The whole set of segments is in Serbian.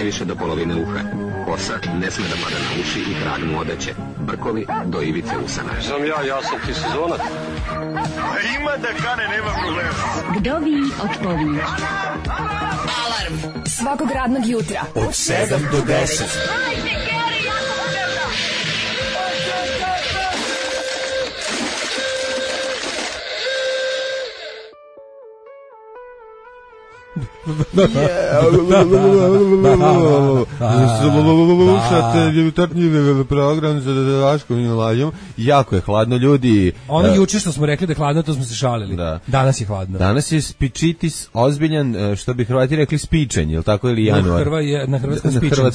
najviše do polovine uha. Kosa ne sme da pada na uši i trag mu odeće. Brkovi do ivice usana. Znam ja sam ti sezonac. Ima da kane, nema problema. Vdovi od pović. Alarm svakog radnog jutra od 7 do 10. Slušate jutarnji program za Daškom i Mlađom. Jako je hladno, ljudi. Ono juče što smo rekli da je hladno, to smo se šalili. Da. Danas je hladno. Danas je spičitis ozbiljan, što bi Hrvati rekli spičenj, je li tako, ili januar? Na hrvatskom spičenj,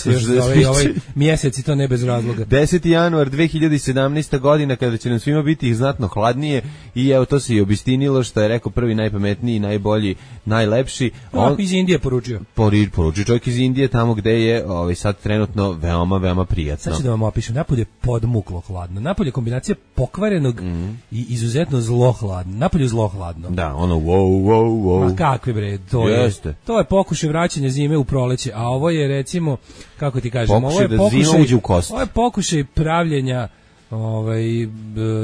ovaj mjesec i to ne bez razloga. 10. januar 2017. godina, kada će nam svima biti znatno hladnije, i evo to se i obistinilo, što je rekao prvi najpametniji, najbolji, najlepši. On iz Indije poručio. Poručio čovjek iz Indije, tamo gde je sad trenutno veoma, veoma prijatno. Sad ću da vam opišem, napolje podmuklo hladno. Napolje kombinacija pokvarenog i izuzetno zlo hladno. Napolje zlo hladno. Da, ono wow. Ma kakvi bre, to je pokušaj vraćanja zime u proleće, a ovo je recimo, kako ti kažem, ovo je zima uđe u kost. Ovo je pokušaj pravljenja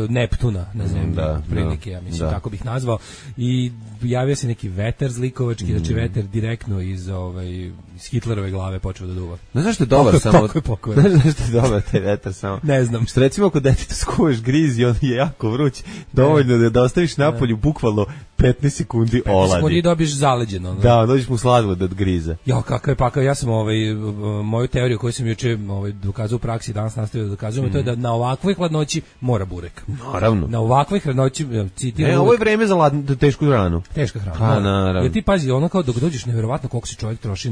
Neptuna, ne znam, prilike, ja mislim, tako bih nazvao, i javio se neki vetar zlikovački, znači vetar direktno iz Hitlerove glave počeo da duva. Ne znaš što je dobar samo? Tako je pokojno. Ne znaš što je dobar taj vetar samo? Ne znam. Što recimo ako deteta skuješ griz i on je jako vruć, dovoljno da ostaviš napolju bukvalno 15 sekundi oladi. 15 sekundi dobiš zaleđeno. Da, dođeš mu sladoled od griza. Ja, kakav je pakao, ja sam moju teoriju koju sam juče dokazao u praksi, danas nastavio da dokazujem, to je da na ovakvoj hladnoći mora burek. Naravno. Na ovakvoj hladnoći, citiram. Ovo je vreme za tešku hranu. Teška hrana. Pa, naravno. Jer ti pazi, ono kao dok dođeš, nevjerovatno koliko se čovjek troši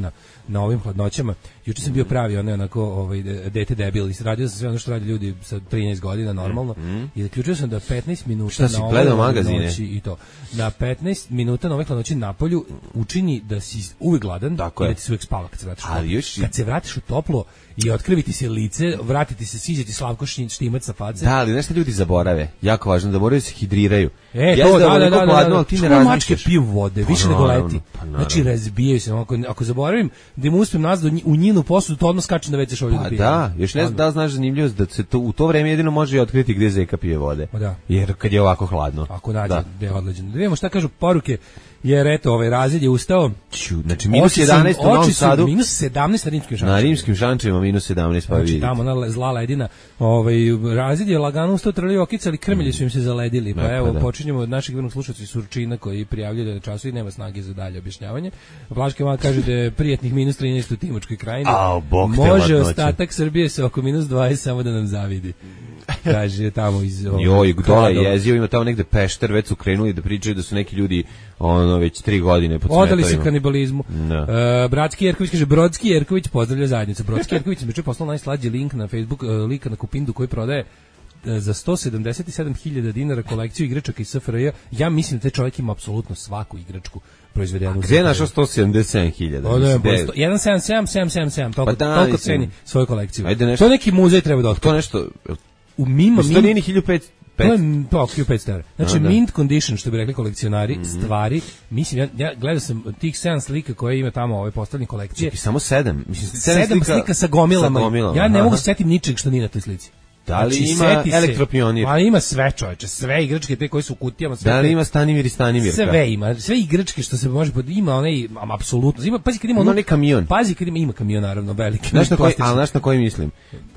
na ovim hladnoćama. Juče sam bio pravi, onako dete debil, radio sam sve ono što radi ljudi sa 13 godina normalno, i zaključio sam da 15 minuta na ovoj hladnoći i to. Na 15 minuta na ovoj hladnoći na polju učini da si uvijek gladan i da ti se uvijek spava kad se vratiš u toplo. Kad se vratiš u toplo i otkriviti se lice, vratiti se, siđeti Slavko Štimac sa face. Da, ali nešto ljudi zaborave, jako važno, da moraju se hidriraju. To, da. Što mačke piju vode, više nego leti. Znači, razbijaju se. Ako zaboravim da im uspijem nazad u njinu posudu, to odmah skačem da već šolju da pije. Da, još ne znam da znaš zanimljivost da se u to vreme jedino može otkriti gdje zeka pije vode. Jer kad je ovako hladno. Ako nađe, da je odleđeno. Da vidimo šta kažu poruke. Jer eto, razred je ustao. Znači minus 11 u Novom Sadu. Minus 17 na rimskim šančevima. Na rimskim šančevima minus 17, pa vidite. Tamo ona zla ledina. Razred je lagano ustao, trli okice, ali krmelji su im se zaledili. Pa evo, počinjemo od našeg vrnog slušalca Surčina koji prijavljuje da času i nema snage za dalje objašnjavanje. Vlaški Mal kaže da je prijatnih minus 13 u Timočkoj krajini. Može ostatak Srbije se oko minus 20 samo da nam zavidi. Kaže tamo iz dole jezio, ima tamo negde Pešter, već su krenuli da pričaju da su neki ljudi već 3 godine pod smetovima. Odali se kanibalizmu. Bratski Jerković kaže, Brodski Jerković pozdravlja zajednicu. Brodski Jerković mi je poslao najslađi link na Facebook, lika na Kupindu koji prodaje za 177.000 dinara kolekciju igračaka iz SFRJ. Ja mislim da taj čovjek ima apsolutno svaku igračku proizvedenu. Gdje je našao 177.000? 177, toliko ceni svoju kolekciju. To neki muzej treba da otkriva. To nešto... U Mima... To nije ni 1500. To je 1500 €. Znači, mint condition, što bi rekli kolekcionari, stvari, mislim, ja gledao sam tih 7 slika koje ima tamo postavljene kolekcije. Čekaj, samo 7? Mislim, 7 slika sa gomilama. Ja ne mogu setiti ničeg što nije na toj slici. Da li ima elektropionir? Pa ima sve, čoveče, sve igračke te koje su u kutijama. Da li ima Stanimir i Stanimirka? Sve ima, sve igračke što se može, ima onaj, apsolutno, ima, pazi kad ima onaj kamion. Pazi kad ima kamion, naravno, veliki. Znaš na koji mislim?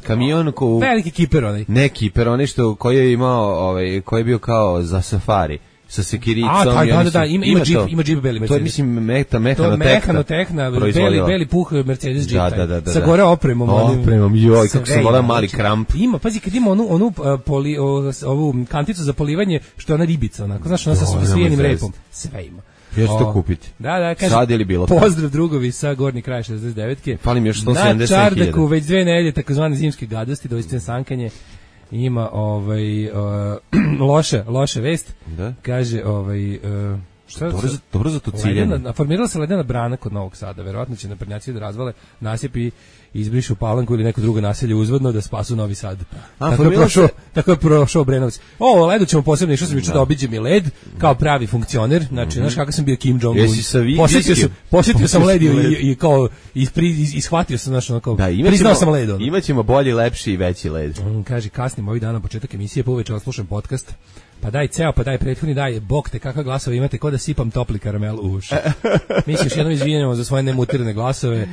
Kamion veliki kiper onaj. Ne kiper, onaj koji je imao, koji je bio kao za safari. Sa sekiricom. Ima džip beli Mercedes. To je, mislim, mehanotehna, beli puh Mercedes džip. Da. Sa gore opremom. Kako se vola mali kramp. Ima, pazi, kad ima ovu kanticu za polivanje, što je ona ribica, onako, znaš, ona sa svijenim repom. Sve ima. Ja ću to kupiti. Da, kaže, sad je li bilo pozdrav drugovi sa Gornji kraj 69-ke. Falim još 170.000. Na Čardaku već 2 nedelje takozvane zimske gadosti, doista sankanje. Ima loša vest. Da? Kaže Dobro za to ciljanje. Formirala se ledena brana kod Novog Sada. Verovatno će naprednjaci da razvale nasip i izbrišu Palanku ili neko drugo naselje uzvodno da spasu Novi Sad. Tako je prošao Obrenovac. O, ledu ćemo posebno, išao sam juče da obiđem i led kao pravi funkcioner. Znači, znaš kako sam bio Kim Jong-un. Posjetio sam led i kao ishvatio sam, znaš, ono kao priznao sam led. Imaćemo bolji, lepši i veći led. Kaže, kasnim ovih dana početak emisije, pa uveče slušam podcast. Pa daj ceo, pa daj prethodni, daj, bog te, kakve glasove imate, ko da sipam topli karamel u uši. Mi se još jednom izvinjamo za svoje nemutirane glasove.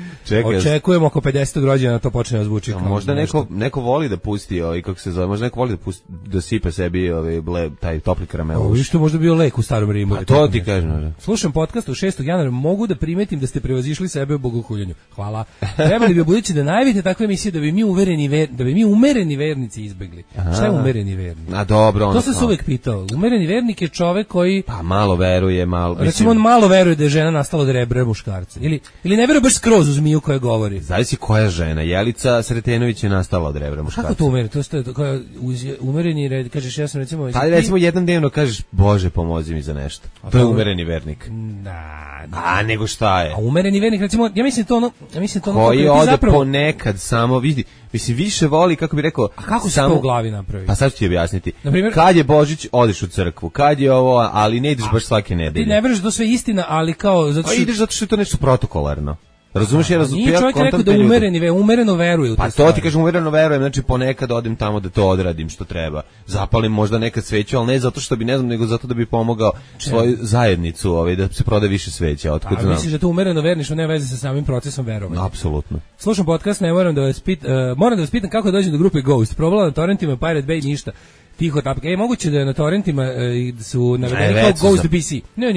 Očekujemo oko 50. rođena to počne da zvuči. Možda neko voli da pusti, kako se zove, možda neko voli da sipa sebi taj topli karamel u uši. Što možda bio lek u Starom Rimu. A to ti kažem. Slušam podcast u 6. januara, mogu da primetim da ste prevazišli sebe u bogohuljenju. Hvala. Trebali bi budući da najavite takve emisije da bi mi umereni vernici izbegli. Šta je umereni vernik? A dobro, to se uvek pitao. Umereni vernik je čovek koji malo veruje, recimo on malo veruje da je žena nastala od rebra muškarca. Ili ne veruje baš skroz u zmiju koja govori. Zavisi koja žena. Jelica Sretenović je nastala od rebra muškarca. Kako to umereni? To je umereni red, kažeš ja sam recimo... recimo jedan dnevno kažeš Bože pomozi mi za nešto. To je umereni vernik. A nego šta je? A umereni vernik recimo, ja mislim to ono koji ode ponekad samo vidi. Mislim, više voli, kako bi rekao... A kako se to u glavi napravi? Pa sad ću ti objasniti. Kad je Božić, odeš u crkvu. Kad je ovo, ali ne ideš baš svake nedelje. Ti ne veruješ da to sve istina, ali kao... ideš zato što je to nešto protokolarno. Razumeš, nije čovjek rekao da umereno veruje u to. Pa to ti kažem, umereno verujem, znači ponekad odem tamo da to odradim što treba. Zapalim možda nekad sveću, ali ne zato što bi, ne znam, nego zato da bi pomogao svoju zajednicu, da se prode više sveća. Otkud znam. Misliš da to umereno verniš, nema veze sa samim procesom verovanja? Apsolutno. Slušam podcast, moram da vas pitam kako dođem do grupe Ghost. Probala na torrentima, Pirate Bay, ništa. Tiho tapke. Moguće da je na torrentima su navedeni kao Ghost BC. Ne.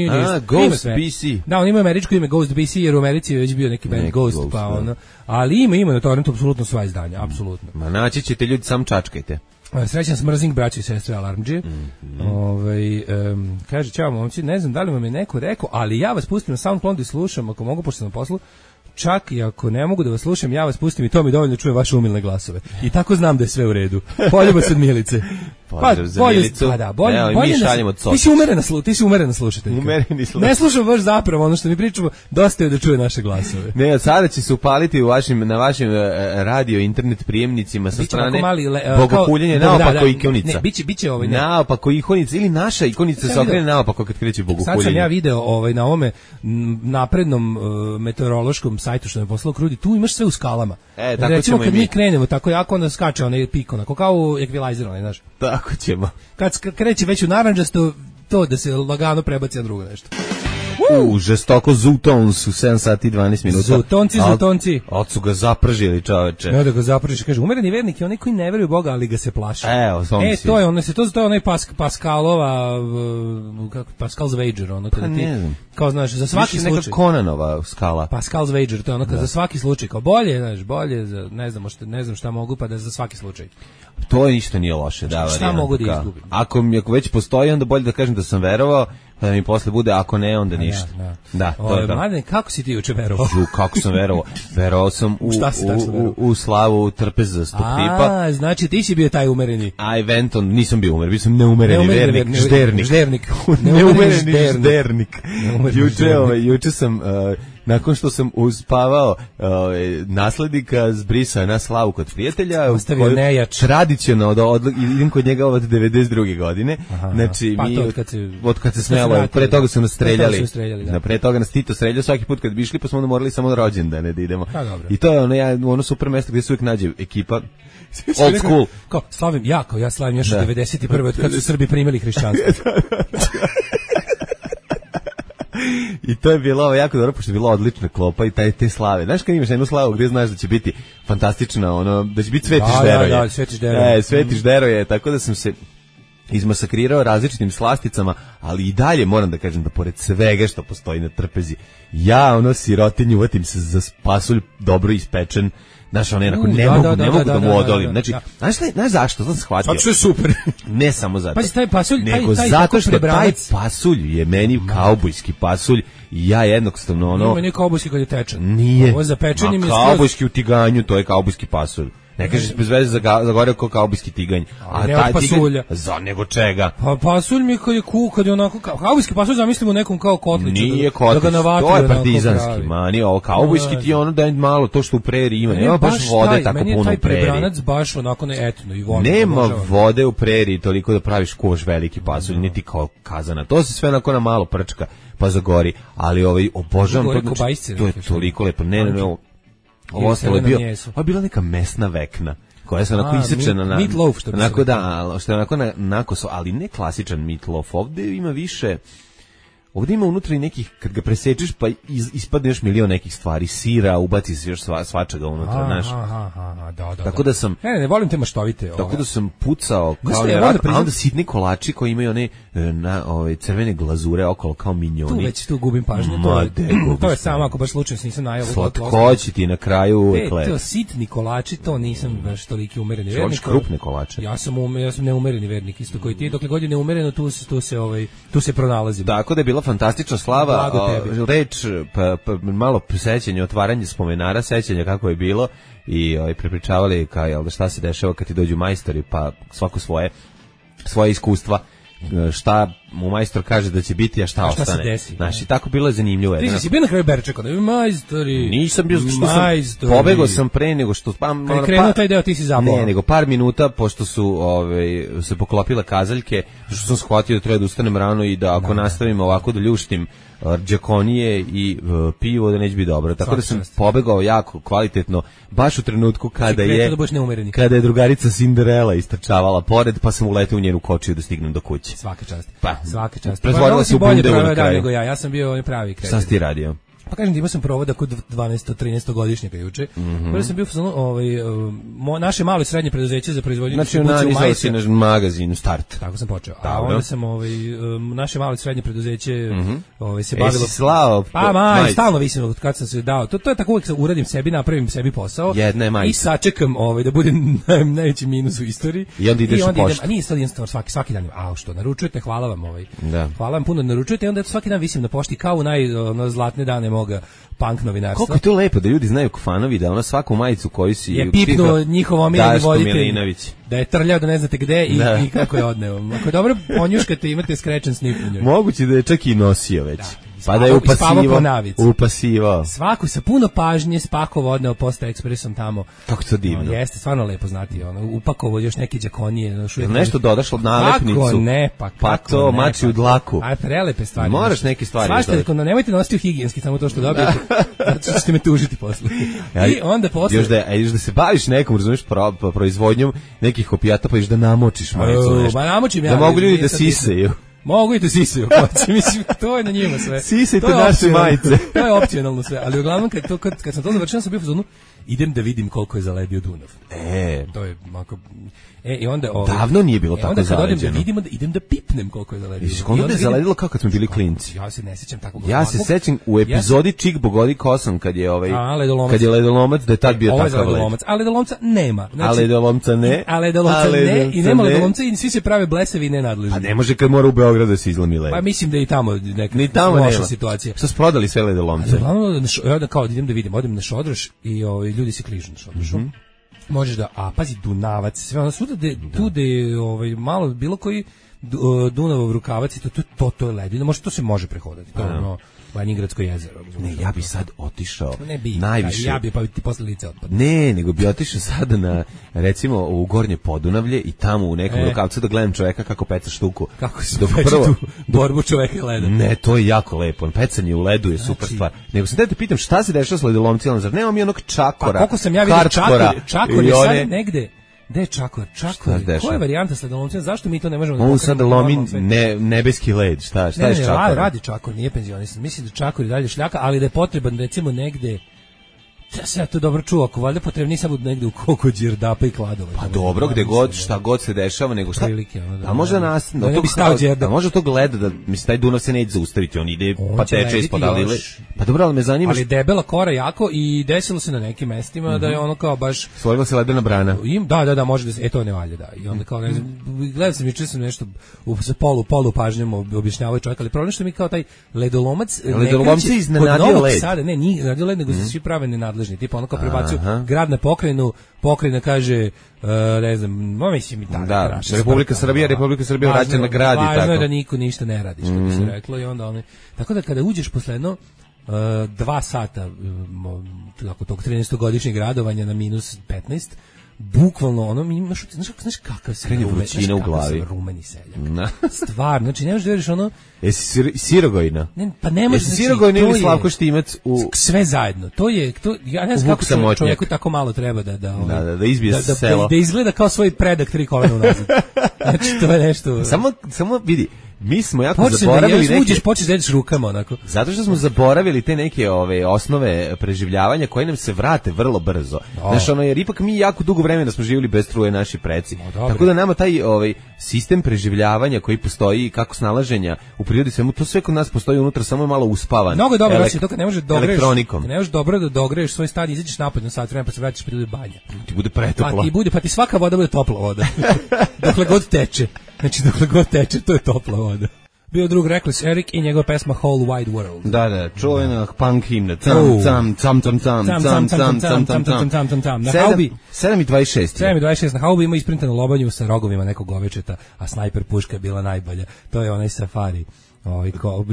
Ghost BC. Da, on ima američko ime Ghost BC, jer u Americi je već bio neki band Ghost, pa ono. Ali ima na torrentu apsolutno sva izdanja, apsolutno. Ma naći ćete ljudi, sam čačkajte. Srećan smrzing, braći i sestre Alarmdžije. Kaže, čao momci, ne znam da li vam je neko rekao, ali ja vas pustim na SoundCloudu i slušam, ako mogu, pošto sam na poslu, čak i ako ne mogu da vas slušam, ja vas pustim i to mi dovoljno čujem vaše umilne glasove. I tako znam da je sve u redu. Poljubac od Milice. Pozdrav za Milicu. Mi šaljemo cokić. Ti si umerena slušateljka. Ne slušam baš zapravo ono što mi pričamo, dosta je da čuje naše glasove. Ne, sada će se upaliti na vašim radio internet prijemnicima sa strane bogohuljenja naopako ikonica. Ne, biće ovaj. Naopako ikonica ili naša ikonica se okrene naopako kad kreće bogohuljenje. Sad sam ja video na ovome naprednom meteorološkom sajtu što me poslao Krudi, tu imaš sve u skalama. Recimo kad mi krenemo tako jako, onda skače onaj pik, onako kao ekvilajzer, znaš. Tako ćemo. Kad kreće već u naranđasto, to da se lagano prebaci na drugo nešto. Žestoko Zutons u 7 sati i 12 minuta. Zutonci. Od su ga zapržili, čoveče. Ne da ga zapržiš, kaže, umereni vernik je onaj koji ne veruje u Boga, ali ga se plaši. To je onaj Pascalova, Pascal's Wager, ono kada ti, kao znaš, za svaki slučaj. Neka Conanova skala. Pascal's Wager, to je ono kada za svaki slučaj, kao bolje, ne znam šta mogu, pa da za svaki slučaj. To ništa nije loše, da. Šta mogu da izgubim? Ako već postoji, onda bolje da kažem da sam verovao, da mi posle bude, ako ne, onda ništa. Da, to je to. Mladen, kako si ti juče verovao? Kako sam verovao? Verovao sam u slavu trpezastog tipa. Znači ti si bio taj umereni. Nisam bio umer, bio sam neumereni vernik, ždernik. Neumereni ždernik. Juče sam... Nakon što sam uspavao naslednika zbrisa na slavu kod prijatelja, ostavio nejač. Tradicionalno idem kod njega od 92. godine. Znači, od kad se smelo, pre toga su nas streljali. Pre toga nas Tito streljao svaki put kad bi išli, pa smo onda morali samo na rođendane da idemo. I to je ono super mesto gdje se uvijek nađe ekipa. Old school. Kao, ja slavim još od 91. od kad su Srbi primili hrišćanstvo. I to je bilo jako dobro, pošto je bila odlična klopa i te slave. Znaš kad imaš jednu slavu gdje znaš da će biti fantastična, da će biti Sveti Žderoje. Da, Sveti Žderoje. Sveti Žderoje, tako da sam se izmasakrirao različitim slasticama, ali i dalje moram da kažem da pored svega što postoji na trpezi, ja sirotinju uvatim se za pasulj dobro ispečen. Znaš, ne mogu da mu odolim. Znači, znaš zašto? Sam shvatio. Zato što je super. Ne samo zato. Pazi, taj pasulj, nego zato što taj pasulj je meni kaubojski pasulj i ja jednostavno Nije kaubojski kad je tečan. Nije. Ovo za pečenjem je kaubojski u tiganju, to je kaubojski pasulj. Ne kažeš bez veze zagoreo kao kaubojski tiganj. A taj pasulja. Za nego čega? Pa pasulj mi kad je kad je onako kaubojski pasulj zamislimo nekom kao kotliću. Nije kotlić, to je partizanski, mani, ovo kaubojski ti je ono da je malo to što u preriji ima. Nema baš vode tako puno u preriji. Meni je taj prebranac baš onako etno i voda. Nema vode u preriji toliko da praviš koš veliki pasulj, niti kao kazana. To se sve onako na malo prčka pa zagori, ali obožavam to. To je toliko lepo. Ne, ovo ostalo je bio. Ovo je bila neka mesna vekna koja se onako isečena na meatloaf, što bi onako što je onako na koso, ali ne klasičan meatloaf. Ovde ima više. Ovdje ima unutra i nekih, kad ga presečeš, pa ispadne još milion nekih stvari, sira, ubaci se još svačega unutra, znaš. Da. Tako da sam... Ne volim te maštovite. Tako da sam pucao kao a onda sitni kolači koji imaju one crvene glazure okolo kao minjoni. Tu gubim pažnju. To je samo ako baš slučajno nisam najao. Slatkoći ti na kraju uvek lepo. To sitni kolači, to nisam baš toliki umereni vernik. Hoćeš krupne kolače? Ja sam neumereni vernik, isto koji ti. Dokle god je neumereno, tu se pronalazim. Tako da je bila fantastična slava, reč, malo sećanje, otvaranje spomenara, sećanja kako je bilo i prepričavali šta se dešava kad ti dođu majstori, pa svako svoje iskustva, šta mu majstor kaže da će biti, a šta ostane. Se desi. Znaš, i tako bilo je zanimljivo. Ti si bio na kraju Berčeka, da bi majstori. Nisam bio, pobegao sam pre nego što... Kad je krenuo taj deo, ti si zabao. Ne, nego par minuta, pošto su se poklopile kazaljke, što sam shvatio da treba da ustanem rano i da ako nastavim ovako da ljuštim džakonije i pivo, da neće biti dobro. Tako da sam pobegao jako kvalitetno, baš u trenutku kada je drugarica Cinderella istrčavala pored, pa sam uleteo u njenu kočiju da stignem do kuće. Svaka čast. Pa, svaka čast. Pretvorila se u bundevu na kraju. Nego ja sam bio pravi kreten. Šta si ti radio? Pa kažem ti, imao sam provoda kod 12-13 godišnjaka juče. Prvo sam bio naše malo i srednje preduzeće za proizvodnju distribuciju majice. Znači, si na magazinu Start. Tako sam počeo. A onda sam naše malo i srednje preduzeće se bavilo... Jesi slao? Pa stalno visim kad sam se dao. To je tako uvijek uradim sebi, napravim sebi posao. Jedna je majica. I sačekam da bude najveći minus u istoriji. I onda ideš u poštu. A nije sad jednostavno svaki dan. Što naručujete, hvala vam. Hvala vam puno da naručujete. I onda svaki dan visim na pošti kao u zlatne dane moga punk novinarstva. Koliko je to lepo da ljudi znaju fanovi da svaku majicu koju si je pipnuo njihov omiljeni voditelj, da je trljao da ne znate gde i kako je odneo. Ako je dobro ponjuškate, imate skrečen snip u njoj. Moguće da je čak i nosio već. Pa da je upasivao. Svaku sa puno pažnje spakovao, odneo Posta Ekspresom tamo. Kako to divno. Jeste, stvarno lepo znati. Upakovao još neke džakonije. Nešto dodaš od nalepnicu. Kako ne, pa to mači u dlaku. Aj, prelepe stvari. Moraš neke stvari. Svašta, nemojte nositi u higijenski, samo to što dobijete. Zato ćete me tužiti posle. I onda posle... Još da se baviš nekom, razumiješ, proizvodnjom nekih opijata, pa još da namočiš majicu. Namočim ja. Da mogu ljudi da sisaju. Mogu i da sisaju, mislim, to je na njima sve. Sisajte naše majice. To je opcionalno sve, ali uglavnom kad sam to završio, sam bio u fazonu, idem da vidim koliko je zaledio Dunav. To je mako... I onda davno nije bilo tako zaleđeno. Onda kad odem da vidimo, idem da pipnem koliko je zaledio. Onda je zaledilo kako kad smo bili klinci. Ja se ne sećam tako. Ja se sećam u epizodi Čik Bogodi Kosom kad je kad je ledolomac, da je tad bio takav led. A ledolomca nema. A ledolomca ne. A ledolomca ne i nema ledolomca i svi se prave blesavi i nenadležni. A ne može kad mora u Beogradu da se izlomi led. Pa mislim da i tamo neka loša situacija. Što su prodali sve ledolomce? Ja kao idem da vidim, odem na Šodroš i ljudi se kližu na Šodrošu. Možeš da, pazi, Dunavac, sve ono svuda tu gde malo bilo koji Dunavov rukavac i to je ledina, možda to se može prehodati, to je ono Banjigradsko jezero. Ne, ja bi sad otišao najviše. Ja bi, pa ti posle lice otpadne. Ne, nego bi otišao sada na, recimo, u Gornje Podunavlje i tamo u nekom rukavcu da gledam čoveka kako peca štuku. Kako se peče tu borbu čoveka i leda. Ne, to je jako lepo. Pecanje u ledu je super stvar. Nego sam te pitam šta se dešava s ledolomcima, zar nemam i onog Čakora? Pa koliko sam ja vidio Čakor je sad negde. Gde je Čakor? Koja je varijanta s ledolomcima? Zašto mi to ne možemo da on sada lomi nebeski led. Šta je s Čakorom? Radi Čakor, nije penzionisan. Mislim da Čakor je dalje šljaka, ali da je potreban recimo negde. Ja se to dobro čuo, ako valjda potrebni samo negde u koliko Đerdapa i Kladova. Pa dobro, gde god, šta god se dešava, nego šta. A možda nas, možda to gleda da mislim taj Dunav se neće zaustaviti, on ide pa teče ispod Alile. Pa dobro, ali me zanima. Ali debela kora jako i desilo se na nekim mestima da je ono kao baš stvorila se ledena brana. Da, može da se, to ne valja, da. I onda kao ne znam, gledam sam juče sam nešto sa polu pažnjom objašnjavao čovjek, ali problem što mi kao taj ledolomac se iznenadio led. Sada nije iznenadio led, nego se svi prave nenadležni. nadležni, tipa ono kao prebacuju grad na pokrajinu, pokrajina kaže ne znam, mislim i tako. Da, Republika Srbija vraća na grad i tako. Važno je da niko ništa ne radi, što bi se reklo i onda oni. Tako da kada uđeš posle jedno 2 sata tako tog 13-godišnjeg radovanja na minus 15, bukvalno ono mi imaš, znaš kakav se vrućina u glavi, rumeni seljak. Stvarno, znači ne možeš da veriš ono. Jesi Sirogojina? Ne, pa ne možeš. Jesi Sirogojina ili Slavko Štimac u sve zajedno. To ja ne znam kako čovjeku tako malo treba da izbije selo. Da izgleda kao svoj predak 3 kolena unazad. Znači to je nešto. Samo vidi. Mi smo jako zaboravili neke... Počeš da jedeš rukama, onako. Zato što smo zaboravili te neke osnove preživljavanja koje nam se vrate vrlo brzo. Znaš, jer ipak mi jako dugo vremena smo živjeli bez struje naši preci. Tako da nama taj sistem preživljavanja koji postoji, kako snalaženja u prirodi, svemu, to sve kod nas postoji unutra, samo je malo uspavan. Mnogo je dobro, to kad ne možeš elektronikom. Ne možeš dobro da dogreješ svoj stan, izađeš napolje na sat vremena pa se vraćaš pa ti bude banja. Ti bude pretoplo. Pa ti svaka voda bude topla voda. Dokle god teče. Znači, dokle god teče, to je topla voda. Bio drug Reckless Eric i njegova pesma Whole Wide World. Da, čuvena punk himna. Cam. Na haubi 7:26. 7:26 na haubi ima isprintanu lobanju sa rogovima nekog govečeta, a snajper puška je bila najbolja. To je onaj Safari.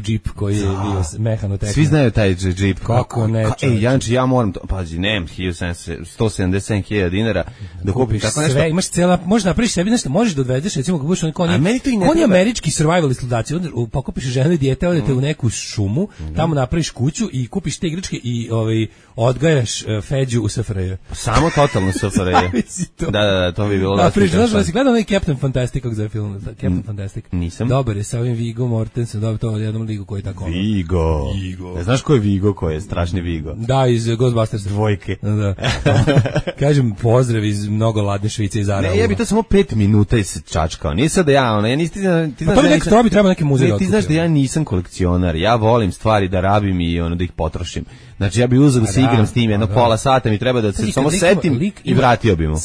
Jeep koji je bio mehanotekna. Svi znaju taj Jeep. Kako ne? Janči, ja moram to, pazi, nemam 177.000 dinara da kupiš tako nešto. Sve, imaš cela, možeš napraviš sebi nešto, možeš da odvedeš, recimo, kako budeš on je američki survival sludaci, onda pokupiš ženu i dijete, odete u neku šumu, tamo napraviš kuću i kupiš te igračke i odgajaš Feđu u SFRJ. Samo totalno SFRJ. Da, to bi bilo dosta. Znaš da si gledao onaj Captain Fantastic kako zove film? Captain Fantastic. Nisam. Dobar je sa ovim Viggo Mortensen, dobro to jednom ligu koji je tako. Vigo. Ne znaš ko je Vigo, ko je strašni Vigo? Da, iz Ghostbusters. Dvojke. Da. Kažem pozdrav iz mnogo ladne Švice iz Arala. Ne, ja bi to samo 5 minuta i se čačkao. Nije sad da ja, ti znaš to bi trebao neki muzej. Ti znaš da ja nisam kolekcionar. Ja volim stvari da rabim i da ih potrošim. Znači ja bih uzeo da se igram s tim jedno pola sata, mi treba da se samo setim i vratio bi mu.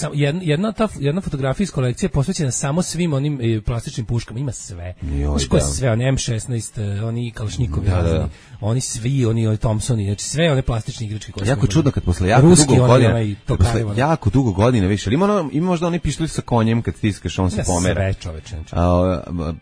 Jedna fotografija iz kolekcije posvećena samo svim onim plastičnim puškama, ima sve. Znaš koje sve, oni M16, oni Kalašnjikovi, oni svi, oni Thompsoni, znači sve one plastične igračke koje jako čudno kad posle jako dugo godina više, ali ima možda oni pištolj sa konjem kad stiskaš, on se pomera. Sve čoveče.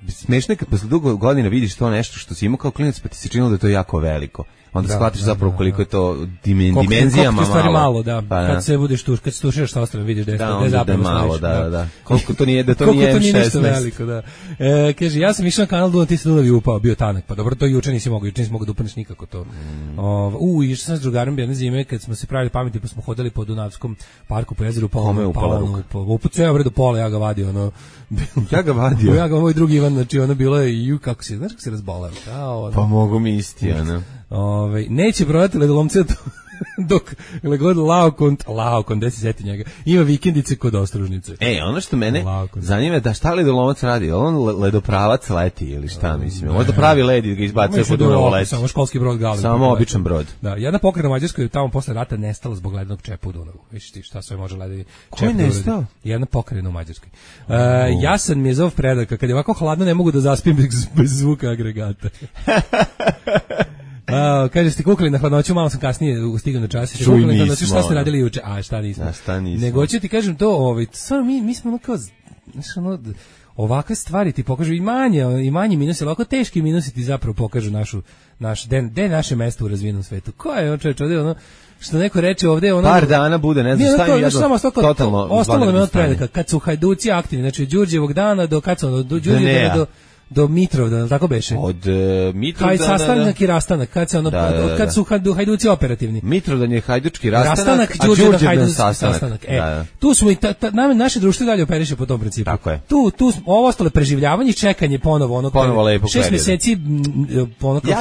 Smešno je kad posle dugo godina vidiš to nešto što si imao kao klinac pa ti se činilo da je to jako veliko. Onda shvatiš zapravo koliko je to dimenzijama malo. Kad se budeš kad se tuširaš sa ostrvom vidiš da je zapravo malo, da. Koliko to nije, da to nije M16. Veliko, da. Kaže, ja sam išao na kanal Dunav, ti se Dunav i upao, bio tanak. Pa dobro, to juče nisi mogao da upaneš nikako to. Išao sam s drugarom jedne zime kad smo se pravili pameti, pa smo hodali po Dunavskom parku po jezeru, pa upucao do pola, ja ga vadio, Ja ga moj drugi Ivan, znači bilo je kako se, znaš kako se razboleo. Pa mogu mi isti, neće prodati ledolomce dok god Laokon, gde se seti njega, ima vikendice kod Ostružnice. Ono što mene zanima je da šta ledolomac radi, on ledopravac leti ili šta, mislim, možda pravi led i ga izbacuje po Dunavu leti. Samo školski brod Galeb. Samo običan brod. Da, jedna pokrajina u Mađarskoj je tamo posle rata nestala zbog ledenog čepa u Dunavu. Viš ti šta sve može ledeni čep. Ko je nestao? Jedna pokrajina u Mađarskoj. Jasan mi je zov predaka, kad je ovako hladno ne mogu da zaspim bez zvuka agregata. Kaže, ste kukali na hladnoću, malo sam kasnije stigao na čas. Čuj, nismo. Šta ste radili juče? Šta nismo? Nego ću ti kažem to, stvarno mi smo kao, ovakve stvari ti pokažu i manje minusi, ali ovako teški minusi ti zapravo pokažu naše mesto u razvijenom svetu. Ko je čovječ ovdje, što neko reče ovdje, par dana bude, ne znam, stavim jedno totalno ostalo nam je od predaka, kad su Hajduci aktivni, znači od Đurđevog dana do kad su do Đurđevog do Mitrovdana, tako beše? Od Mitrovdana... Sastanak i rastanak, kad su Hajduci operativni. Mitrovdan je hajdučki rastanak, a Đurđevdan sastanak. Tu smo i naše društvo dalje operiše po tom principu. Tako je. Tu ovo ostalo preživljavanje, čekanje ponovo lepo 6 mjeseci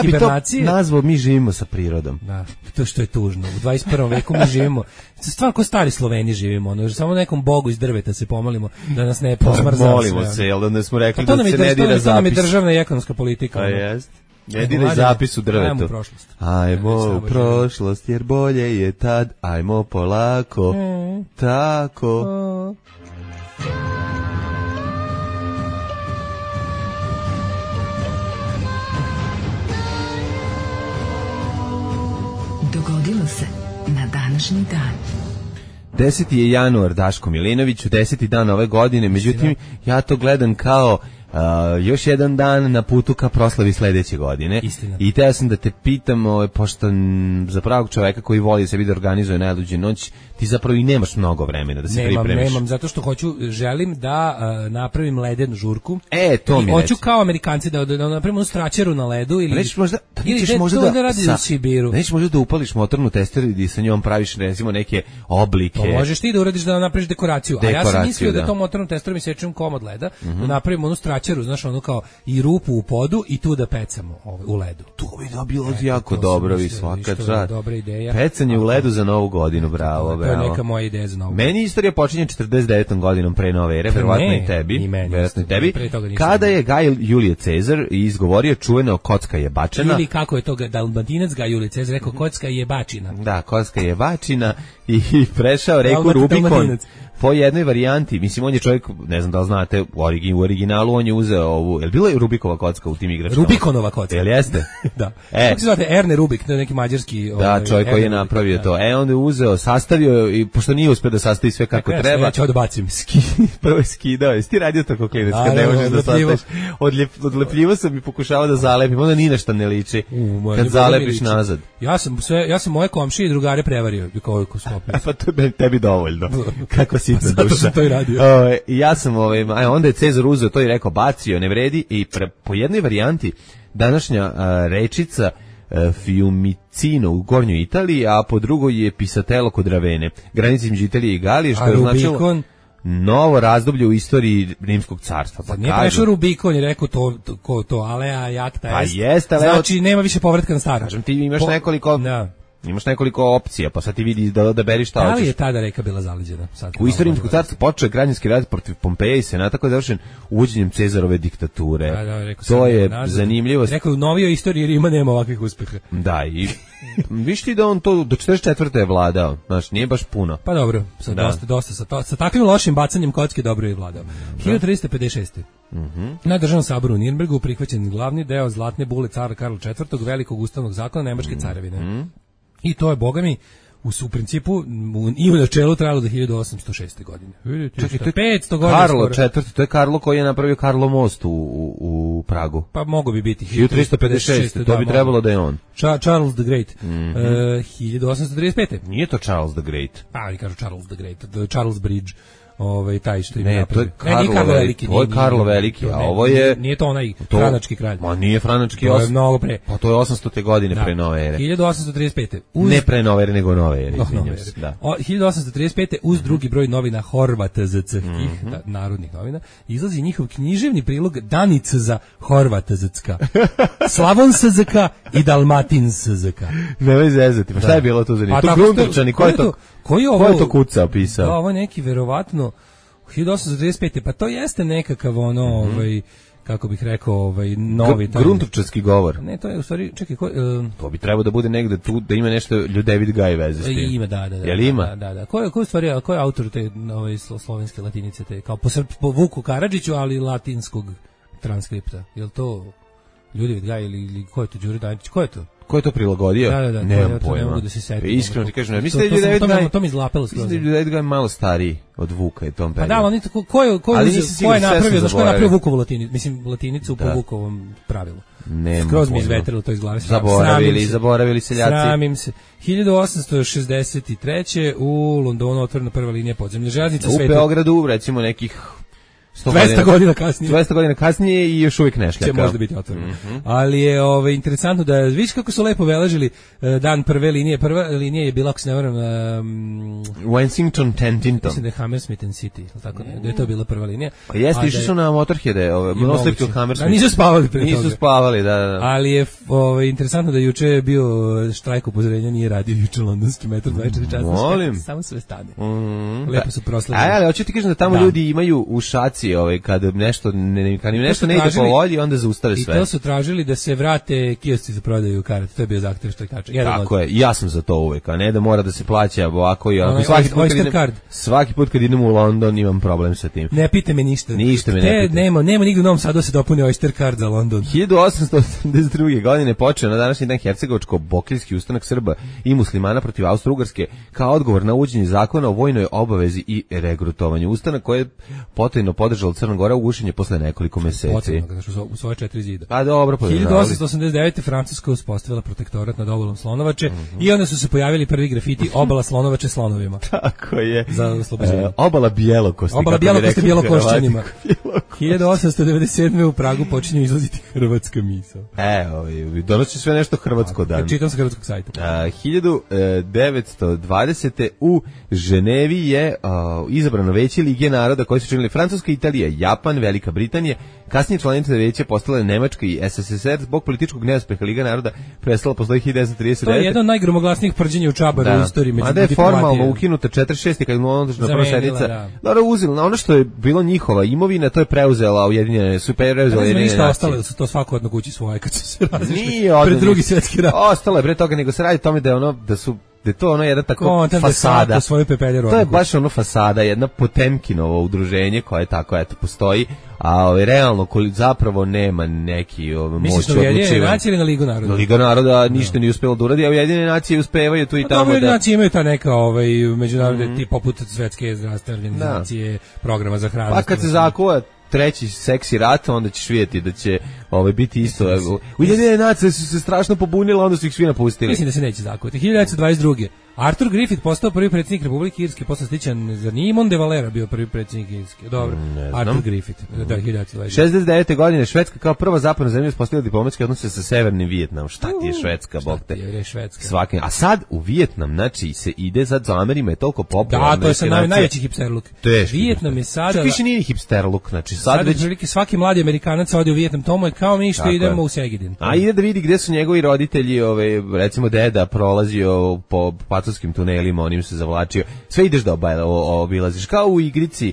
hibernacije. Ja bi to nazvao mi živimo sa prirodom. Da, to što je tužno. U 21. veku mi živimo, stvarno ko stari Sloveni živimo, samo nekom bogu iz drveta se pomolimo da nas ne posmrzao. Molimo se, jel da smo rekli da se ne dira zapis. To nam je državna i ekonomska politika. Pa jest. Ne diraj zapis u drvetu. Ajmo u prošlost. Ajmo u prošlost, jer bolje je tad. Ajmo polako. Tako. Dogodilo se na današnji dan. 10. je januar, Daško Milinoviću, 10. dan ove godine, međutim, ja to gledam kao još jedan dan na putu ka proslavi sledeće godine. Istina. I teo sam da te pitam, pošto za pravog čoveka koji voli sebi da organizuje najluđu noć, ti zapravo i nemaš mnogo vremena da se pripremiš. Nemam, zato što želim da napravim ledenu žurku. To mi hoću kao Amerikanci da napravimo straćeru na ledu ili nećeš možda da upališ motornu testeru i sa njom praviš recimo neke oblike. To možeš ti da uradiš da napraviš dekoraciju. A ja sam mislio da tom motornom testerom isečem komad leda, da napravimo onu straćeru, znaš, ono kao i rupu u podu i tu da pecamo u ledu. To bi bilo jako dobro, vi svaka čast. Dobra ideja. Pecanje u ledu za Novu godinu, bravo. To je neka moja ideja za Novu godinu. Meni istorija počinje 49. godinom pre nove ere, verovatno i tebi. Kada je Gaj Julije Cezar izgovorio čuveno kocka je bačena. Ili kako je to Dalmatinac Gaj Julije Cezar rekao, kocka je bačina. Da, kocka je bačina i prešao reku Rubikon. Po jednoj varijanti, mislim, on je čovjek, ne znam da li znate, u originalu on je uzeo ovu, je li bila je Rubikova kocka u tim igračkama? Rubikonova kocka. Jel jeste? Da. Kako se zvate, Erne Rubik, neki mađarski... Da, čovjek koji je napravio to. On je uzeo, sastavio, i pošto nije uspio da sastavi sve kako treba... Ja ću da bacim. Prvo je skidao, jesi ti radio tako klinac, kad ne možeš da sastaviš? Odlepljivo sam i pokušavao da zalepim, onda ni nešto ne liči, kad zalepiš nazad. Ja sam moje komšije i drugare prevario, koliko sklopio. Pa to je tebi dovoljno. Kako si zato sam to i radio. Ja sam, onda je Cezar uzeo to i rekao, bacio, ne vredi, i po jednoj varijanti današnja rečica Fiumicino u Gornjoj Italiji, a po drugoj je Pisatello kod Ravene, granici između Italije i Galije, što je značilo novo razdoblje u istoriji Rimskog carstva. Pa nije prešao Rubikon i rekao to alea jakta pa jeste, ali znači nema više povratka na staro. Kažem ti, imaš nekoliko opcija, pa sad ti vidi da odaberiš šta hoćeš. Da li je tada reka bila zaleđena? U istoriji Rimskog carstva počeo je građanski rat protiv Pompeja i Senata koji je završen uvođenjem Cezarove diktature. To je zanimljivo. Rekao, u novijoj istoriji Rima nema ovakvih uspeha. Da, i viš ti da on to do 44. je vladao, znaš, nije baš puno. Pa dobro, dosta sa takvim lošim bacanjem kocke dobro je vladao. 1356. Na državnom saboru u Nirnbergu prihvaćen glavni deo zlatne bule cara Karla IV. Velikog ustavnog zakona Nemačke carevine. I to je, boga mi, u principu i u načelu trajalo do 1806. godine. Čekaj, to je 500 godina. Karlo IV, to je Karlo koji je napravio Karlo most u Pragu. Pa mogo bi biti 1356, to bi trebalo da je on. Charles the Great. 1835. Nije to Charles the Great. Ali kažu Charles the Great, Charles Bridge. Taj što ima napravio. To je Karlo Veliki, a ovo je... Nije to onaj franački kralj. Ma nije franački, to je mnogo pre. Pa to je 800. godine pre nove ere. 1835. Ne pre nove ere, nego nove ere, izvinjam se. 1835. uz drugi broj novina Horvatazc, narodnih novina, izlazi njihov književni prilog Danica za Horvatazcka, Slavonsazka i Dalmatinsazka. Nemoj zezati, pa šta je bilo to za njih? To Gruntovčani, ko je to kuca pisao? Da, ovo je neki verovatno 1835. Pa to jeste nekakav kako bih rekao, novi Gruntovčarski govor. Ne, to je u stvari, čekaj, to bi trebalo da bude negde tu, da ima nešto David Gaj veze s tim. Ima, da. Jel ima? Da. Ko je autor te slovenske latinice, te kao po Vuku Karadžiću, ali latinskog transkripta? Jel to David Gaj ili ko je to Đure Danić? Ko je to? Ko je to prilagodio? Da, nemam pojma. Ne mogu da se setim. Iskreno ti kažem, mislim da je to mi izlapelo skroz. Mislim da je David Gaj malo stariji od Vuka i tom periodu. Pa da, ali ko je napravio Vukovu latinicu, mislim latinicu po Vukovom pravilu. Skroz mi izvetrilo to iz glave. Zaboravili seljaci. Sramim se. 1863. u Londonu otvorena prva linija podzemne železnice sveta. U Beogradu recimo nekih 200 godina kasnije. 200 godina kasnije i još uvijek ne šljaka. Će možda biti otvoreno. Ali je interesantno da vidiš kako su lepo beležili dan prve linije. Prva linija je bila, ako se ne varam, Wensington Tentington. Mislim da je Hammersmith and City, tako da je to bila prva linija. Pa jeste, išli su na Motorheade, Moslip to Hammersmith. Nisu spavali pre toga. Nisu spavali, da. Ali je interesantno da juče je bio štrajk upozorenja, nije radio juče londonski metro 24 časa. Molim. Samo sve stane. Lepo su proslavili. Ali hoću ti kažem da tamo ljudi imaju u šaci Amerikanci, kad nešto kad im nešto ne ide po volji, onda zaustave sve. I to su tražili da se vrate kiosci za prodaju karata. To je bio zahtev štrajkača. Tako je. Ja sam za to uvek, a ne da mora da se plaća ovako i ovako. Svaki put kad idem u London imam problem sa tim. Ne pita me ništa. Ništa me ne pita. Nema u Novom Sadu se dopuni Oyster card za London. 1882. godine počeo na današnji dan Hercegovačko-Bokeljski ustanak Srba i muslimana protiv Austro-Ugarske kao odgovor na uvođenje zakona o vojnoj obavezi i regrutovanju. Ustanak koji je potajno podržala Crna Gora ugušen je posle nekoliko meseci. Potajno, u svoje 4 zida. Pa dobro, 1889. Francuska uspostavila protektorat nad obalom Slonovače i onda su se pojavili prvi grafiti obala Slonovače slonovima. Tako je. Za oslobođenje. Obala Bjelokosti. Obala Bjelokosti Bjelokošćanima. 1897. u Pragu počinju izlaziti hrvatska misao. Donosi sve nešto hrvatsko dan. Čitam sa hrvatskog sajta. 1920. u Ženevi je izabrano veće Lige naroda koje su činili Francuska, Italija, Japan, Velika Britanija. Kasnije članice veća postale Nemačka i SSSR. Zbog političkog neuspeha Liga naroda prestala postoji 1939. To je jedno od najgromoglasnijih prđenja u Čabaru u istoriji međunarodne diplomatije. A da je formalno ukinuta 46. kad je održana prva sednica. Dobro, uzela ono što je bilo njihova imovina, to je preuzela Ujedinjene Nacije. Ništa ostale, su to svako od kući svoje kad su se razišli pred Drugi svjetski rat. Ostalo je pre toga, nego se radi o tome da je to ono jedna tako fasada. To je baš ono fasada, jedna Potemkinovo udruženje koje tako postoji, a realno zapravo nema neki moć odlučivanja. Misliš na Ujedinjene Nacije ili na Ligu naroda? Liga naroda ništa nije uspela da uradi, a Ujedinjene Nacije uspevaju tu i tamo. Ujedinjene Nacije imaju ta neka međunarodne tip poput Svetske zdravstvene organizacije, programa za hranu. Pa kad se zakuva treći seksi rat, onda ćeš vidjeti da će biti isto. Ujedinjene Nacije su se strašno pobunile, onda su ih svi napustili. Mislim da se neće zakuvati. 1922. Arthur Griffith postao prvi predsjednik Republike Irske, posle stičan za Nimon de Valera bio prvi predsjednik Irske. Dobro, Arthur Griffith, 1922. 69. godine Švedska kao prva zapadna zemlja uspostavila diplomatske odnose sa Severnim Vijetnamom. Šta ti je Švedska, bog te? A sad u Vijetnam, znači se ide sad za Amerima je toliko popularno. Da, to je sad najveći hipsterluk. Vijetnam je sada... Više nije ni hipsterluk, znači sad već... svaki mladi Amerikanac ode u Vijetnam, to mu je kao mi što idemo u Segedin. A ide da vidi gde su njegovi roditelji, recimo deda prolazio po pacovskim tunelima, onim se zavlačio. Sve ideš da obilaziš, kao u igrici,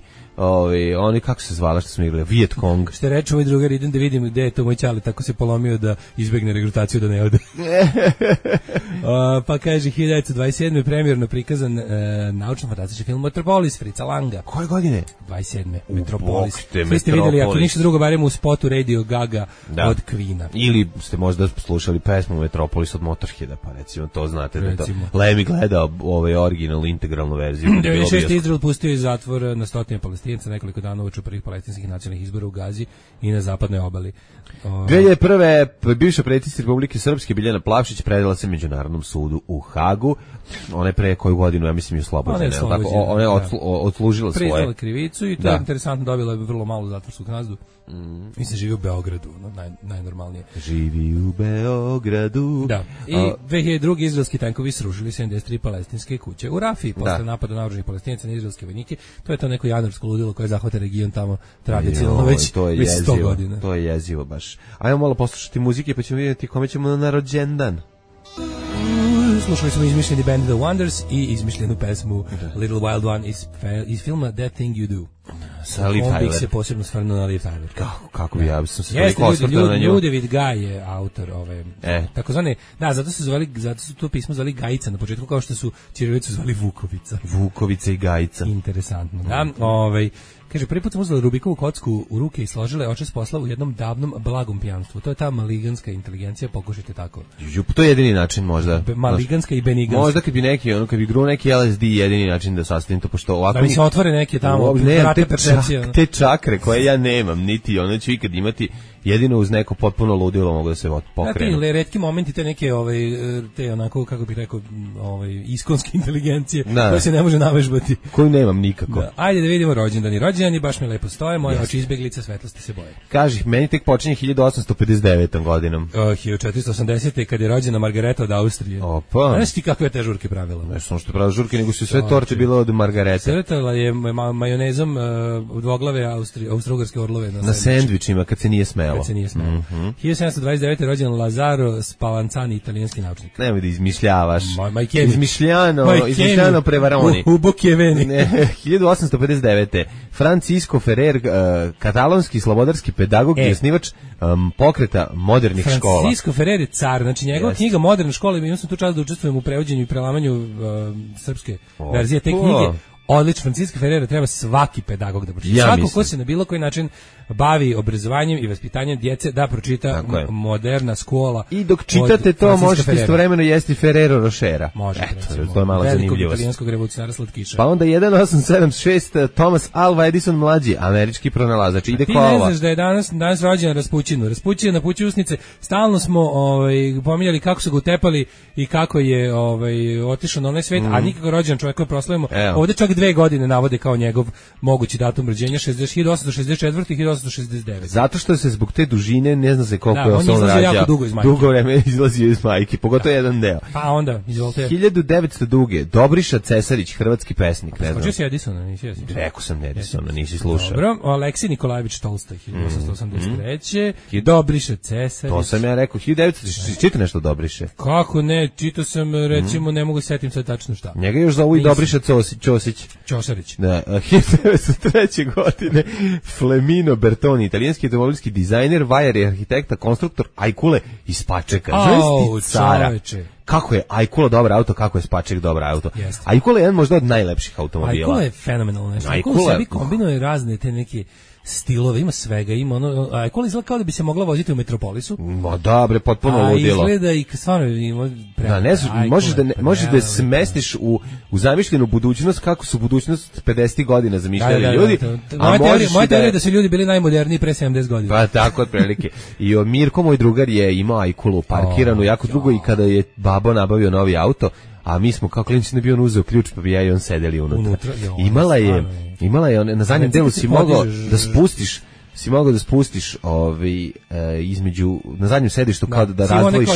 oni kako se zvala što smo igrali, Viet Cong. Što reče moj drugar, idem da vidim gde je to moj ćali, tako se polomio da izbegne regrutaciju da ne ode. Pa kaže, 1927. premijerno prikazan naučno-fantastični film Metropolis, Fritza Langa. Koje godine? 27. Metropolis. Svi ste vidjeli, ako ništa drugo, barem u spotu Radio Gaga od Queen-a. Ili ste možda slušali pesmu Metropolis od Motorheada, pa recimo to znate. Lemi gledao originalnu integralnu verziju. 96. Izrael pustio iz zatvora na stotine Palestinaca nekoliko dana uoči prvih palestinskih nacionalnih izbora u Gazi i na zapadnoj obali. 2001. bivša predsjednica Republike Srpske Biljana Plavšić predala se Međunarodnom sudu u Hagu. Ona je pre koju godinu, ja mislim, je oslobođena. Ona je odslužila svoje. Priznala krivicu i to je interesantno, dobila je vrlo malu zatvorsku kaznu. Mislim, živi u Beogradu, najnormalnije. Živi u Beogradu. Da. I 2002. izraelski tankovi srušili 73 palestinske kuće u Rafiji posle napada naoružanih Palestinaca na izraelske vojnike. To je to neko januarsko ludilo koje zahvata region tamo tradicionalno već 100 godina. To je jezivo baš. Ajmo malo poslušati muzike pa ćemo vidjeti kome ćemo na rođendan. Slušali smo izmišljeni band The Wonders i izmišljenu pesmu Little Wild One iz filma That Thing You Do. Sa Liv Tyler. On bih se posebno stvarno na Liv Tyler. Kako bi ja sam se toliko osvrtao na nju. Ljudevit Gaj je autor ove takozvane, zato su to pismo zvali Gajica na početku, kao što su ćirilicu zvali Vukovica. Vukovica i Gajica. Interesantno. Da, kaže, prvi put sam uzela Rubikovu kocku u ruke i složila je očas posla u jednom davnom blagom pijanstvu. To je ta maliganska inteligencija, pokušajte tako. To je jedini način možda. Maliganska i beniganska. Možda kad bi gruo neki LSD jedini način da sastavim to, pošto ovako... Da mi se otvore neke tamo te čakre koje ja nemam, niti ono ću ikad imati, jedino uz neko potpuno ludilo mogu da se pokrenu. Ti retki momenti, te neke, te onako, kako bih rekao, iskonske inteligencije, koje se ne može navežbati. Koju nemam nikako. Da. Ajde da vidimo rođendani. Rođendani baš mi lepo stoje, moje oči izbeglice, svetlosti se boje. Kaži, meni tek počinje 1859. godinom. 1480. kad je rođena Margareta od Austrije. Opa. Znaš ti kakve te žurke pravila? Ne samo što je pravila žurke, nego su sve torte bile od Margarete. Sretala je majonezom dvoglave austrougarske orlove na sendvičima kad se nije smelo. 1729. rođen Lazaro Spallanzani, italijanski naučnik. Nemoj da izmišljavaš. Izmišljano prevaroni. U Bokjeveni. 1859. Francisco Ferrer, katalonski slobodarski pedagog i osnivač pokreta modernih škola. Francisco Ferrer je car, znači njegova knjiga Moderna škola, imao sam tu čast da učestvujem u prevođenju i prelamanju srpske verzije te knjige. Odlično, Francisco Ferrer treba svaki pedagog da pročita. Svako ko se na bilo koji način bavi obrazovanjem i vaspitanjem djece da pročita Moderna škola. I dok čitate to možete istovremeno jesti Ferrero Rochera. Možete, recimo. To je malo zanimljivost. Velikog italijanskog revolucionara slatkiša. Pa onda 1876 Thomas Alva Edison mlađi, američki pronalazač. Ide kola. Ti ne znaš da je danas rođen Raspućinu. Raspućin napući usnice. Stalno smo pominjali kako su ga utepali i kako je otišao na onaj svet, a nikako rođen čovjek koji proslavimo. Ovde čak 2 godine navode kao njegov mogući datum rođenja, 1864 i 1869. Zato što se zbog te dužine ne zna se koliko je on rađao. Jako dugo vreme izlazio iz majke, pogotovo jedan deo. Pa onda, izvolite. 1902. Dobriša Cesarić, hrvatski pesnik. Ne znam. Počeo si Edisona, nisi Edisona. Rekao sam Edisona, nisi slušao. Dobro, Aleksij Nikolajević Tolstoj, 1883. Dobriša Cesarić. To sam ja rekao, 1900. Čita nešto Dobriše? Kako ne, čitao sam, recimo, ne mogu setim sad tačno šta. Njega još zovu i Dobriša Ćosić. Ćosarić. Da, 1903. godine Flemino Bertoni, italijanski automobilski dizajner, vajar i arhitekta, konstruktor Ajkule iz Pačeka. Kako je Ajkula dobar auto, kako je Spaček dobar auto. Ajkula je jedan možda od najlepših automobila. Ajkula je fenomenalno. Ajkula sebi kombinuje razne te neke stilove, ima svega, ima ono, Ajkula izgleda kao da bi se mogla voziti u Metropolisu. Ma dobre, potpuno ludilo. A izgleda i stvarno ima možeš da smestiš u zamišljenu budućnost kako su budućnost 50 godina zamišljali ljudi. Moja teorija je da su ljudi bili najmoderniji pre 70 godina. Pa tako otprilike. I Mirko, moj drugar, je imao Ajkulu parkiranu jako dugo i kada je babo nabavio novi auto, a mi smo kao klinci ne bio on uzeo ključ pa bi ja i on sedeli unutra. Imala je na zadnjem delu si mogao da spustiš između na zadnjem sedištu kao da razdvojiš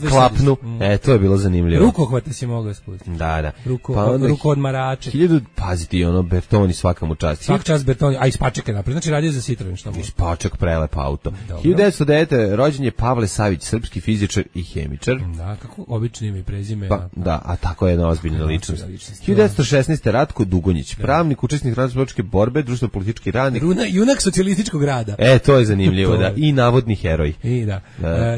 klapnu. To je bilo zanimljivo. Rukohvate si mogao spustiti. Da. Ruko odmarače. Paziti Bertoni svaka mu čast. Svaka čast Bertoni, a iz Pačeka napred. Znači radio za Citroen što može. Iz Paček prelep auto. 1909. rođen je Pavle Savić, srpski fizičar i hemičar. Da, kako obično ime i prezime. Da, a tako je jedna ozbiljna ličnost. 1916. Ratko Dugonjić, pravnik, učesnik radničke borbe, društveno-politički radnik. Junak socijalističkog rada. To je zanimljivo, da. I navodni heroj.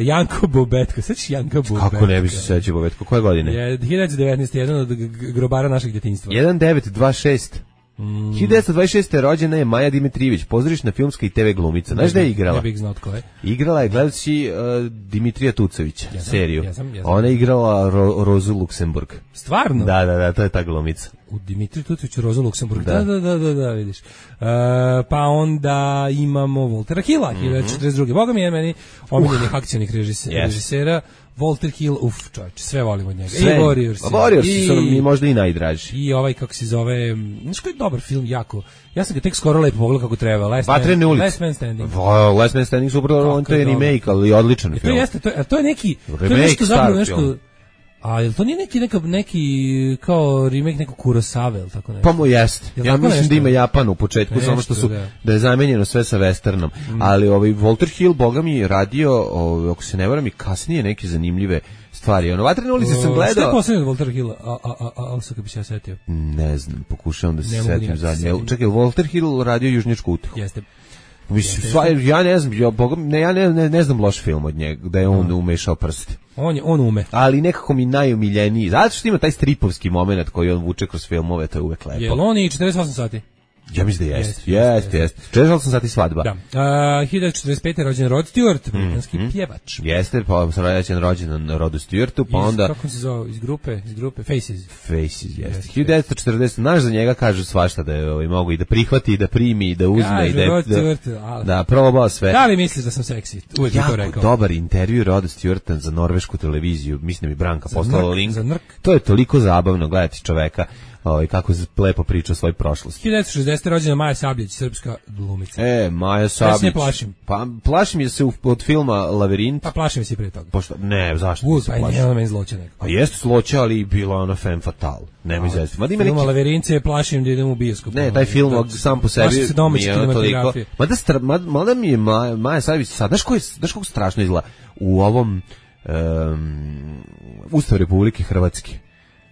Janko Bobetko, sveći Janko Bobetko. Kako ne bi se sveći Bobetko, koje godine? 1919. jedan od grobara našeg djetinjstva. 1926. 1926. rođena je Maja Dimitrijević, pozorišna filmska i TV glumica. Znaš da je igrala? Ne bih znao tko je. Igrala je, gledajući Dimitrija Tucovića, seriju. Ona je igrala Rozu Luksemburg. Stvarno? Da, to je ta glumica. U Dimitriju Tucoviću Rozu Luksemburg. Da, vidiš. Pa onda imamo Voltera Hilla, 1942. Boga mi je meni omiljenih akcionih režisera. Walter Hill, čovječe, sve volimo od njega. I Warriors su nam možda i najdraži. I ovaj, kako se zove, znaš koji je dobar film, jako. Ja sam ga tek skoro lepo pogledao kako treba. Last Man Standing. Last Man Standing, super, on to je remake, ali odličan film. To je neki, to je nešto zapravo nešto... A jel to nije neki kao remake nekog Kurosave ili tako nešto? Pa mu jest. Ja mislim da ima Japan u početku, samo što su da je zamenjeno sve sa westernom. Ali Walter Hill, boga mi, radio, ako se ne varam, i kasnije neke zanimljive stvari. Vatrene ulice sam gledao. Šta je poslednje od Walter Hilla? Ali sad kad bi se ja setio. Ne znam, pokušavam da se setim zadnje. Čekaj, Walter Hill radio Južnjačku utehu. Jeste. Ja ne znam, ja ne znam loš film od njega, da je on umešao prste. On ume. Ali nekako mi najomiljeniji, zato što ima taj stripovski moment koji on vuče kroz filmove, to je uvek lepo. Jel on i 48 sati? Ja mislim da jeste. 48 sati svadba. Da. 1945. rođen Rod Stewart, britanski pjevač. Jeste, pa sam rođen na Rodu Stewartu, pa onda... Kako se zove, iz grupe, Faces. Faces, jeste. 1940, znaš za njega kažu svašta da je mogu i da prihvati, i da primi, i da uzme, i da probao sve. Da li misliš da sam seksi? Uvijek mi to rekao. Jako dobar intervju Roda Stewarta za norvešku televiziju, mislim da mi Branka poslala link. To je toliko zabavno gledati čoveka. kako lepo priča o svojoj prošlosti. 1960. rođena Maja Sabljić, srpska glumica. Maja Sabljić. Ja se ne plašim. Pa plašim je se od filma Lavirint. Pa plašim se i pre toga. Pošto, ne, zašto ti se plašim? Pa je meni zloća neko. Pa jeste zloća, ali bila ona femme fatale. Nema izvesti. Filma Lavirince je plašim da idem u bioskop. Ne, taj film sam po sebi mi je toliko. Mada mi je Maja Sabljić, sad, znaš kako strašno izgleda u ovom Ustav Republike Hrvatske.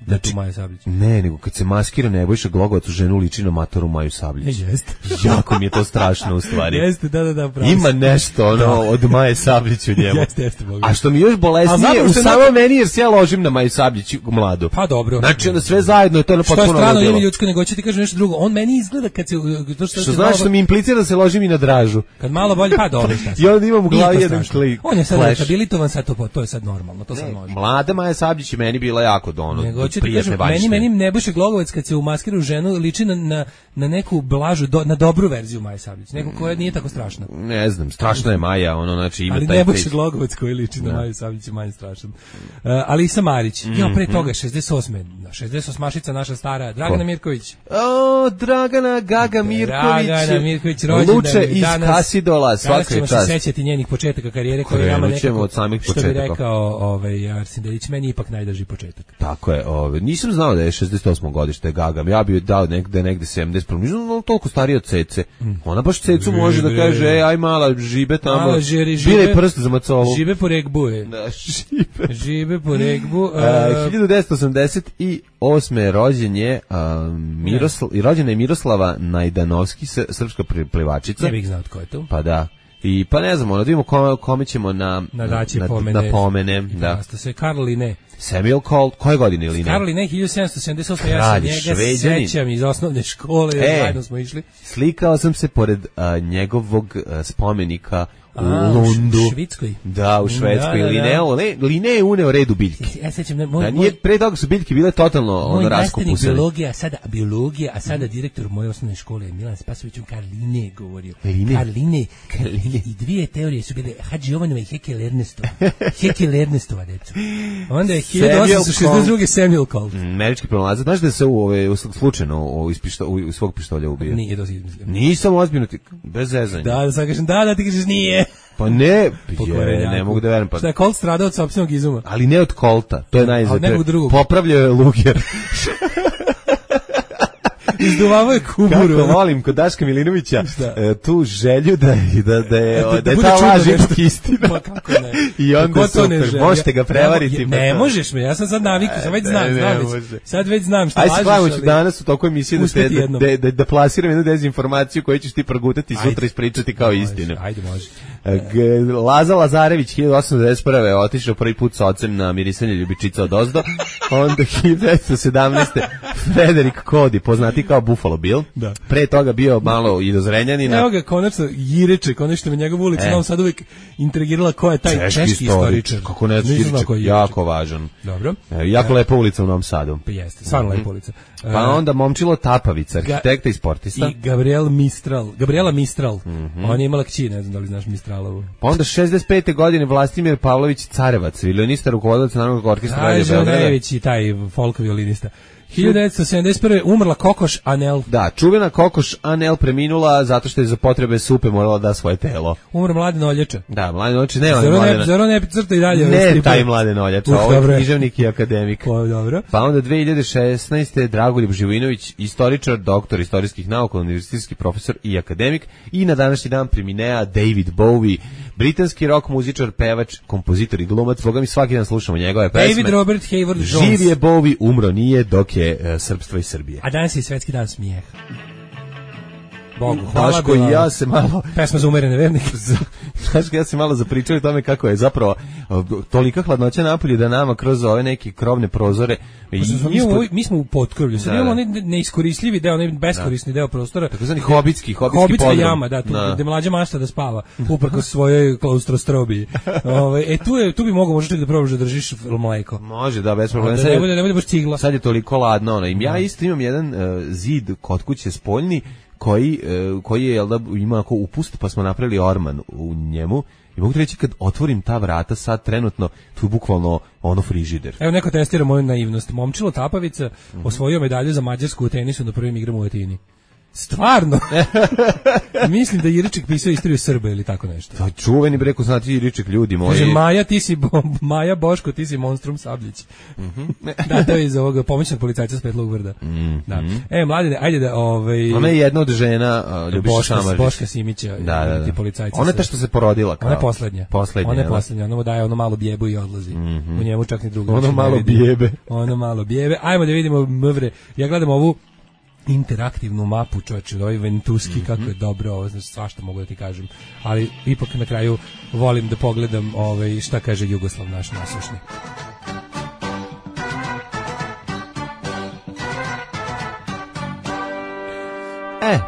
Znači, Maja Sabljić. Ne, nego kad se maskira Nebojša Glogovac u ženu liči na matoru Maju Sabljić. Jeste. Jako mi je to strašno u stvari. Jeste, da, pravo. Ima nešto od Maje Sabljić u njemu. Jeste, mogu. A što mi još bolesnije u samo meni jer se ja ložim na Maju Sabljić mladu. Pa dobro. Znači onda sve zajedno je to potpuno ludilo. Što je strano ime ljudsko, nego ću ti kažem nešto drugo. On meni izgleda kad se što znači što mi implicira da se ložim i na Dražu. Kad malo bolje, pa dobro. I onda imam u glavi jedan klik. On je sad rehabilitovan, sad to je sad normalno, to sad može. Mlada Maja Sabljić je meni bila jako prijatne vajše. Meni Nebojša Glogovac kad se umaskira u ženu liči na neku blažu, na dobru verziju Maje Sabljić, neku koja nije tako strašna. Ne znam, strašna je Maja, znači ima ali taj Nebojša Glogovac koji liči na Maju Sabljić je manje strašan. Alisa Marić, pre toga 68-mašica naša stara, Dragana Mirković. Dragana Gaga Mirković. Dragana Mirković rođendan Luče iz Kasidola, svaka čast. Danas ćemo se sećati njenih početaka karijere koje je nama nekako, od samih što bi rekao Arsen Dedić, meni je ipak najdrži početak. Tako je, nisam znao da je 68. godište Gaga, ja bi dao negde 70, nisam toliko stariji od Cece. Ona baš Cecu može da kaže, aj mala, žibe tamo, bile prst za macovu. Žibe po regbu je. Da, žibe po regbu. 1988. rođena je Miroslava Najdanovski, srpska plivačica. Ne bih znao tko je to. Pa da. I pa ne znamo, da vidimo kome ćemo na pomene. Da. Se Karl Linné. Samuel Colt, koje godine Linné? Karl Linné 1778, ja se njega sećam iz osnovne škole, zajedno smo išli. Slikao sam se pored njegovog spomenika u Lundu. U Švedskoj. Da, u Švedskoj. Linné je uneo red u biljke. Ja sećam, pre toga su biljke bile totalno raskopusene. Biologija, a sada direktor moje osnovne škole, Milan Spasović, Karl Linné govorio. Karl Linné. I dvije teorije su bile Hadži Jovanova i Hekel Ernestova, deco. Onda je 1862. Samuel Colt. Američki pronalazac. Znaš da se slučajno iz svog pištolja ubije? Nije, to si izmislio. Nisam ozbiljno, bez zezanja. Da sad kažem, da, ti kažeš nije. Pa ne, ne mogu da verujem. Šta je Colt stradao od sopstvenog izuma? Ali ne od Colta, to je najzad. Popravljao je Luger. Izduvavao je kuburu. Kako volim kod Daška Milinovića tu želju da je ta laž ipak istina. Pa kako ne? I onda super, možete ga prevariti. Ne možeš me, ja sam sad navikao, sad već znam šta lažeš. Ajde sklavamo ću danas u toku emisije da plasiram jednu dezinformaciju koju ćeš ti progutati i sutra ispričati kao istinu. Ajde, može. Laza Lazarević 1891. otišao prvi put sa ocem na mirisanje ljubičica od ozdo. Onda 1917. Frederik Cody, poznati kao Buffalo Bill. Da. Pre toga bio malo i do Zrenjanina. Evo ga, konačno Jireče, konačno me njegov ulica, nam sad uvijek intrigirala ko je taj češki istoričar. Kako ne, Jireče, jako važan. Dobro. Jako lepa ulica u Novom Sadu. Pa jeste, stvarno lepa ulica. Pa onda Momčilo Tapavica, arhitekta i sportista. I Gabriela Mistral. Ona je imala kći, ne znam da li znaš Mistralovu. Pa onda 65. godine Vlastimir Pavlović Carevac, violinista, rukovodilac Narodnog orkestra Radio Beograda. Želnević i taj folk violinista. 1971. umrla Kokoš Anel. Da, čuvena Kokoš Anel preminula zato što je za potrebe supe morala da svoje telo. Umr Mladen Oljača. Da, Mladen Oljača, ne Zaro ne crta i dalje. Ne taj Mladen Oljača, ovo je književnik i akademik. Dobro. Pa onda 2016. Dragoljub Živojinović, istoričar, doktor istorijskih nauka, univerzitetski profesor i akademik. I na današnji dan preminea David Bowie, britanski rock muzičar, pevač, kompozitor i glumac. Boga mi svaki dan slušamo njegove pesme. David Robert Hayward Jones. Živ je Bowie, umro nije, dok je srpstva i Srbije. A danas je svetski dan smijeha. Bogu, hvala. Daško i ja se malo... Pesma za umerene vernike. Daško ja se malo zapričao o tome kako je zapravo tolika hladnoća napolje da nama kroz ove neke krovne prozore... Mi smo u potkrovlju. Sad imamo onaj neiskorisljivi deo, onaj beskorisni deo prostora. Tako zvani hobitski podrum. Hobitska jama, da, tu gde mlađa mašta da spava, uprkos svojoj klaustrostrobiji. Tu bi mogo možda da probaš da držiš mleko. Može, da, bez problema. Ne bude baš cigla. Sad je toliko ladno. Ja isto imam jedan zid kod kuće spoljni koji je, jel da, ima ako upust, pa smo napravili orman u njemu. I mogu ti reći, kad otvorim ta vrata, sad trenutno, tu je bukvalno ono frižider. Evo neko testira moju naivnost. Momčilo Tapavica osvojio medalju za Mađarsku u tenisu na prvim igrama u Atini. Stvarno? Mislim da je Iriček pisao istoriju Srba ili tako nešto. To je čuveni breko, znate Iriček, ljudi moji. Kaže, Maja Boško, ti si monstrum Sabljić. Da, to je iz ovoga pomoćnog policajca s Petlog Vrda. Da. Mladine, ajde da... Ona je jedna od žena Ljubiša Šamaržić. Boška Simića, da. policajca. Ona je ta što se porodila. Ona je poslednja. Ona je poslednja, ona mu daje ono malo bjebu i odlazi. U njemu čak ni drugo. Ono malo bjebe. Ono malo bjebe. Ajmo da vidimo mvre. Ja gledam ovu interaktivnu mapu, čovječe, ovaj Ventuski, kako je dobro ovo, znači svašta mogu da ti kažem, ali ipak na kraju volim da pogledam šta kaže Jugoslav naš nasušni.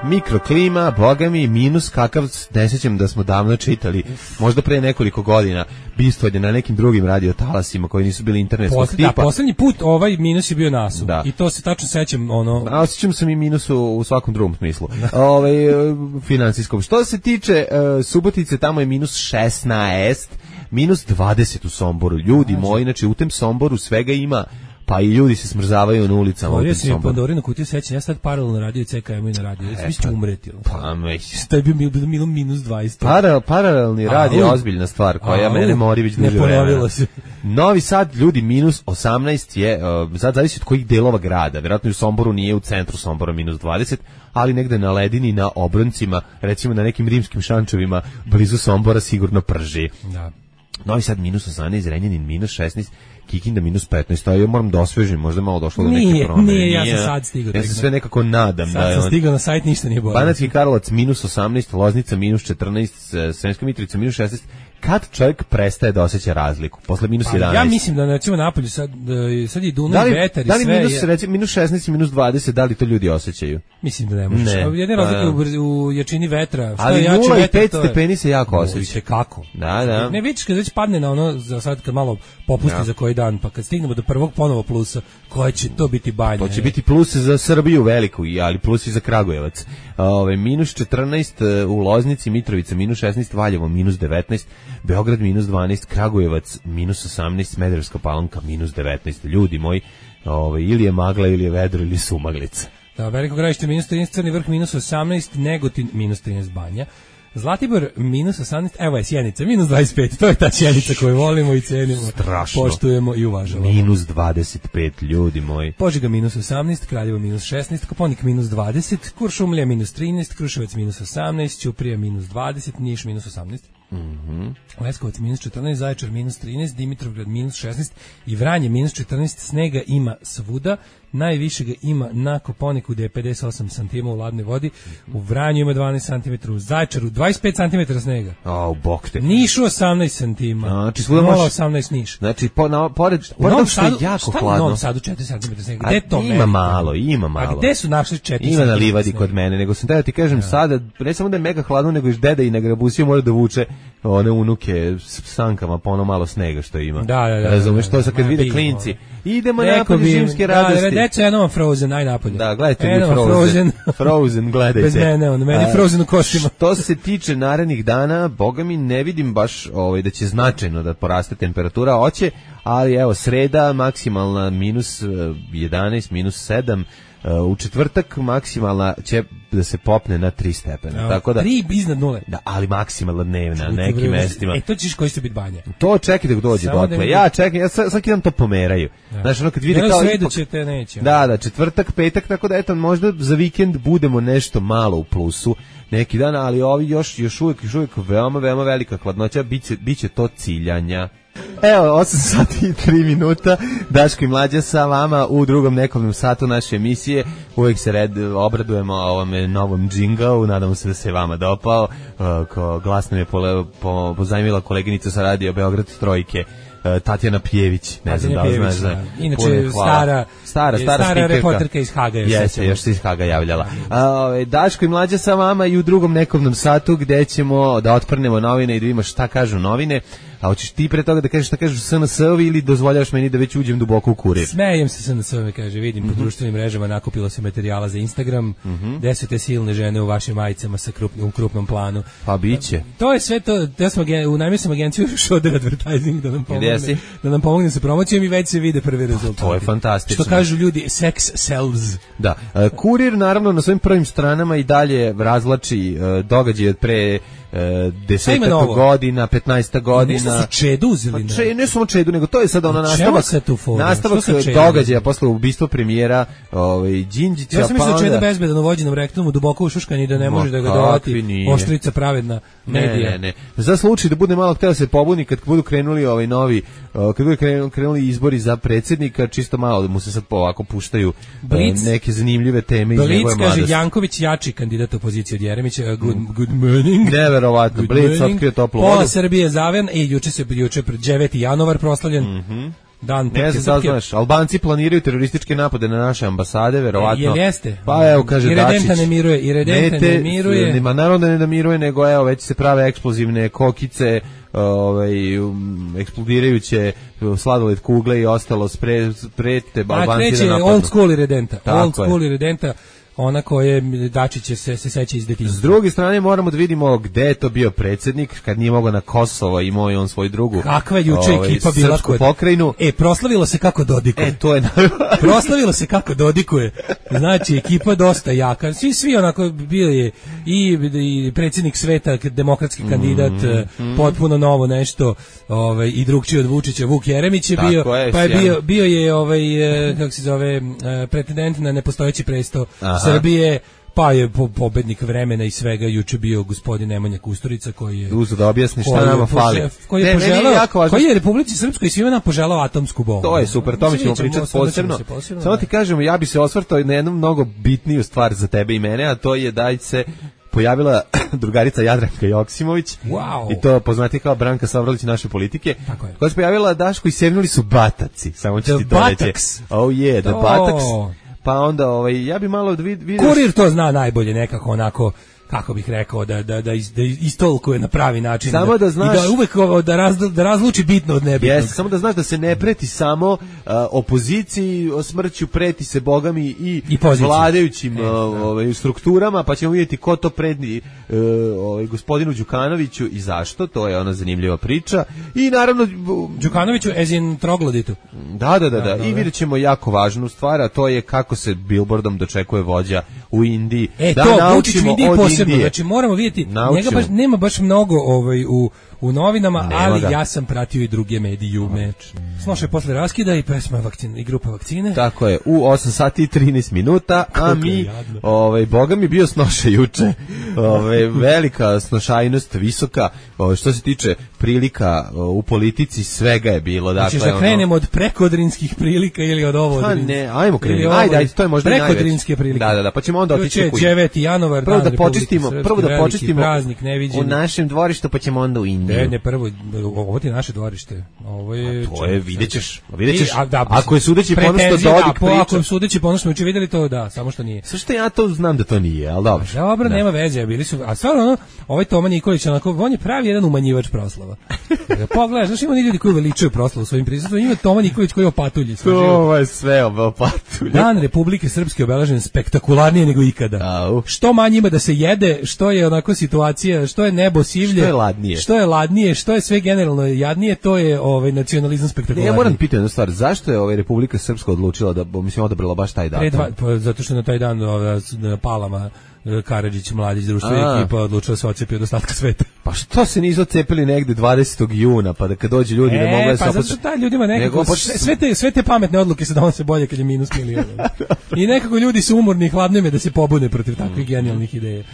Mikroklima, boga mi, minus kakav, ne sjećam da smo davno čitali, možda pre nekoliko godina, bistvovanje na nekim drugim radiotalasima koji nisu bili internetskog tipa. Da, poslednji put ovaj minus je bio nasu. Da. I to se tačno sećam. A osjećam sam i minus u svakom drugom smislu. Finansijskom. Što se tiče Subotice, tamo je minus 16, minus 20 u Somboru. Ljudi moji, znači u tem Somboru svega ima, pa i ljudi se smrzavaju na ulicama. Otvorio si mi Pandorinu kutiju sećanja, ja sad paralelno radio CKM i na radio. Ja mislim umreti. Pa meć. To je bilo minus 20. Paralelni rad je ozbiljna stvar koja mene mori već duže vremena. Ne ponovilo se. Novi Sad, ljudi, minus 18 je, sad zavisi od kojih delova grada. Vjerojatno u Somboru nije u centru Sombora minus 20, ali negde na ledini, na obroncima, recimo na nekim rimskim šančevima, blizu Sombora sigurno prži. Da. Novi Sad minus 18, Zrenjanin minus 16, Kikinda minus 15, a ja moram da osvežim, možda malo došlo do neke promene. Nije, ja sam sad stigao. Ja se sve nekako nadam. Sad sam stigao na sajt, ništa nije bolje. Banatski Karlovac minus 18, Loznica minus 14, Sremska Mitrovica minus 16. Kad čovjek prestaje da osjeća razliku? Posle minus 11. Ja mislim da recimo napolju sad je Dunav i vetar i sve. Da li minus, recimo, minus 16 i minus 20, da li to ljudi osjećaju? Mislim da ne možeš. Jedne razlike u jačini vetra. Ali 0 i 5 stepeni se jako osjeća. Kako? Da. Ne vidiš kad već padne na ono, za sad kad malo popusti za koji dan, pa kad stignemo do prvog ponovo plusa, koja će to biti banja? To će biti plus za Srbiju veliku, ali plus i za Kragujevac. Minus 14 u Loznici, Mitrovica minus 16, Valjevo minus 19, Beograd minus 12, Kragujevac minus 18, Smederevska Palanka minus 19. Ljudi moji, ili je magla, ili je vedro, ili su maglica. Da, Veliko Gradište minus 13, Crni Vrh minus 18, Negotin minus 13, Banja. Zlatibor minus 18, evo je Sjenica, minus 25, to je ta Sjenica koju volimo i cenimo, strašno, poštujemo i uvažavamo. Minus 25, ljudi moji. Požega minus 18, Kraljevo minus 16, Koponik minus 20, Kuršumlija minus 13, Kruševac minus 18, Ćuprija minus 20, Niš minus 18. Leskovac minus 14, Zaječar minus 13, Dimitrovgrad minus 16 i Vranje minus 14. Snega ima svuda, najviše ga ima na Koponiku gde je 58 cm u ladnoj vodi, u Vranju ima 12 cm, u Zaječaru 25 cm snega. Bog te. Nišu 18 cm. Znači, 0,18 Niš. Znači, pored što je jako hladno. U Novom Sadu 4 cm snega. Gde to ima malo, ima malo. A gde su našli 4 cm? Ima na livadi kod mene, nego sam da ti kažem sada, ne samo da je mega hladno, nego i deda i na grabusiju mora da vuče one unuke s sankama po ono malo snega što ima. Da. Razumeš, to sad kad vide klinci. Idemo napolje zimske radosti. Deco, jedno vam Frozen, aj napolje. Da, gledajte mi Frozen. Frozen, gledajte. Bez mene, meni Frozen u kostima. Što se tiče narednih dana, boga mi ne vidim baš da će značajno da poraste temperatura, hoće, ali evo, sreda maksimalna minus 11, minus 7, u četvrtak maksimalna će da se popne na 3 stepena. Tako da 3 iznad nule. Da, ali maksimalna dnevna na nekim mestima. To ćeš koji će biti banja. To čekaj dok dođe dotle. Ja čekam, ja svaki dan to pomeraju. Znaš, ono kad vidi kao sredu će te neće. Da, četvrtak, petak, tako da eto možda za vikend budemo nešto malo u plusu neki dan, ali ovi još uvijek veoma velika hladnoća, biće to ciljanja. Evo, 8 sati i 3 minuta, Daško i Mlađa sa vama u drugom nekom satu naše emisije. Uvijek se obradujemo ovome novom džinglu, nadamo se da se vama dopao. Glasno je pozajmila koleginica sa radio Beograd Trojke Tatjana Pjević, ne znam da li znaš. Inače, stara reporterka iz Haga. Jeste, još se iz Haga javljala. Daško i Mlađa sa vama i u drugom nekovnom satu gde ćemo da otprnemo novine i da vidimo šta kažu novine. A hoćeš ti pre toga da kažeš šta kažu SNS-ovi ili dozvoljavaš meni da već uđem duboko u kurir? Smejem se SNS-ovi, kaže, vidim po društvenim mrežama nakupilo se materijala za Instagram, gde su te silne žene u vašim majicama sa krupnom planu. Pa biće. To je sve to, ja sam unajmio sam agenciju Šoder Advertising da nam pomogne sa promocijom i već se vide prvi rezultati. To je fantastično. Što kažu ljudi, sex sells. Da. Kurir naravno na svojim prvim stranama i dalje razvlači događaje od pre 10 godina, 15 godina. Nešto su Čedu uzeli. Ne samo Čedu, nego to je sada ono nastavak događaja posle ubistva premijera Đinđića. Ja sam mislio da Čeda bezbedan u vođenom rektomu duboko ušuškan i da ne može da ga dovati oštrica pravedna medija. Ne. Za slučaj da bude malo hteo se pobuni kad budu krenuli kad budu krenuli izbori za predsjednika, čisto malo da mu se sad ovako puštaju neke zanimljive teme iz njegove mladosti. Kaže Janković jači kandidat opozicije od Jeremića. Good morning. Neverovatno, Blic otkrio toplu vodu. Pola Srbije zaven, juče pred 9. januar proslavljen. Dan ne znam da znaš, Albanci planiraju terorističke napade na naše ambasade, verovatno. Jel jeste? Pa evo, kaže Dačić. I Redenta ne miruje. Ma naravno da ne namiruje, nego evo, već se prave eksplozivne kokice, eksplodirajuće sladoled kugle i ostalo sprete Albanci da napadnu. Old school i Redenta. Old school i Redenta. Ona koje Dačić se seća iz detinjstva. S druge strane moramo da vidimo gde je to bio predsjednik kad nije mogao na Kosovo, imao je on svoj drugu. Kakva je juče ekipa bila kod pokrajinu. Proslavilo se kako dodikuje. To je proslavilo se kako dodikuje. Znači ekipa dosta jaka. Svi onako bio je i predsjednik sveta, demokratski kandidat, potpuno novo nešto, i drugčiji od Vučića, Vuk Jeremić je bio, pa je bio je kako se zove, pretendent na nepostojeći presto Srbije, pa je pobednik vremena i svega juče bio gospodin Nemanja Kusturica koji je uzeo da objasni šta nama fali. Koji je Republici Srpskoj i svima nam poželao atomsku bombu. To je super, to mi ćemo pričati posebno. Samo ti kažemo, ja bi se osvrtao na jednu mnogo bitniju stvar za tebe i mene, a to je da se pojavila drugarica Jadranka Joksimović, i to poznati kao Branka Savralić naše politike, koja se pojavila, Daško, i sevnuli su bataci, samo ću ti to reći. The Bataks. Pa onda ja bi malo vidio. Kurir to zna najbolje, nekako onako, kako bih rekao, da istolkuje na pravi način. Samo da znaš, i da uvek da razluči bitno od nebitnog. Samo da znaš da se ne preti samo opoziciji, smrću preti se bogami i vladajućim strukturama, pa ćemo vidjeti ko to predi gospodinu Đukanoviću i zašto, to je ona zanimljiva priča. I naravno Đukanoviću as in trogloditu. Da. I vidjet ćemo jako važnu stvar, a to je kako se billboardom dočekuje vođa u Indiji. Da naučimo od Indije. Znači moramo vidjeti, njega nema baš mnogo u novinama, ali ja sam pratio i druge medijume. Slušaj, posle raskida i pesma i grupa vakcine. Tako je, u 8 sati i 13 minuta, a mi, Boga mi bio snoša juče, velika snošajnost, visoka, što se tiče prilika u politici, svega je bilo. Dakle, da krenemo od prekodrinskih prilika ili od ovo? Pa ne, ajmo krenemo, ajde, to je možda najveći. Prekodrinske prilike. Da, pa ćemo onda otići u 9. januar, prvo da počistimo praznik neviđen u našem dvorištu, pa ćemo onda u Indiju. Ne, prvo, ovo ti je naše dvorište. Ovo je... To je, vidjet ćeš. Ako je sudeći ponosno Dodik priča. Ako je sudeći ponosno, uče vidjeli to, da, samo što nije. Sve što ja to znam da to nije, ali dobro. Dobro, nema veze, bili su, a stvarno, ovaj Toma Nikolić, on je pravi jedan umanjivač proslava. Pogledaš, znaš, ima ljudi koji veličaju proslavu svojim prisustvom, ima Toma Nikolić koji opatulji. To je sve opatulji. Dan Republike Srpske obeležen spektakularnije nego ikada. Što manje ima da se jede, što je onako situacija, što je nebo sivlje, što je ladnije, što je sve generalno jadnije, to je nacionalizam spektakularniji. Ja moram pitati jednu stvar, zašto je Republika Srpska odlučila da, odabrala baš taj datum? Zato što na taj dan na Palama Karadžić, Mladić, društvena ekipa odlučila se odcepi od ostatka sveta. Pa što se nisu odcepili negde 20. juna, pa da kad dođu ljudi ne mogu da se... Pa zato što taj ljudima nekako, sve te pametne odluke se donose bolje kad je minus miliona. I nekako ljudi su umorni i hladno im je da se pobune protiv takvih genijalnih ideja.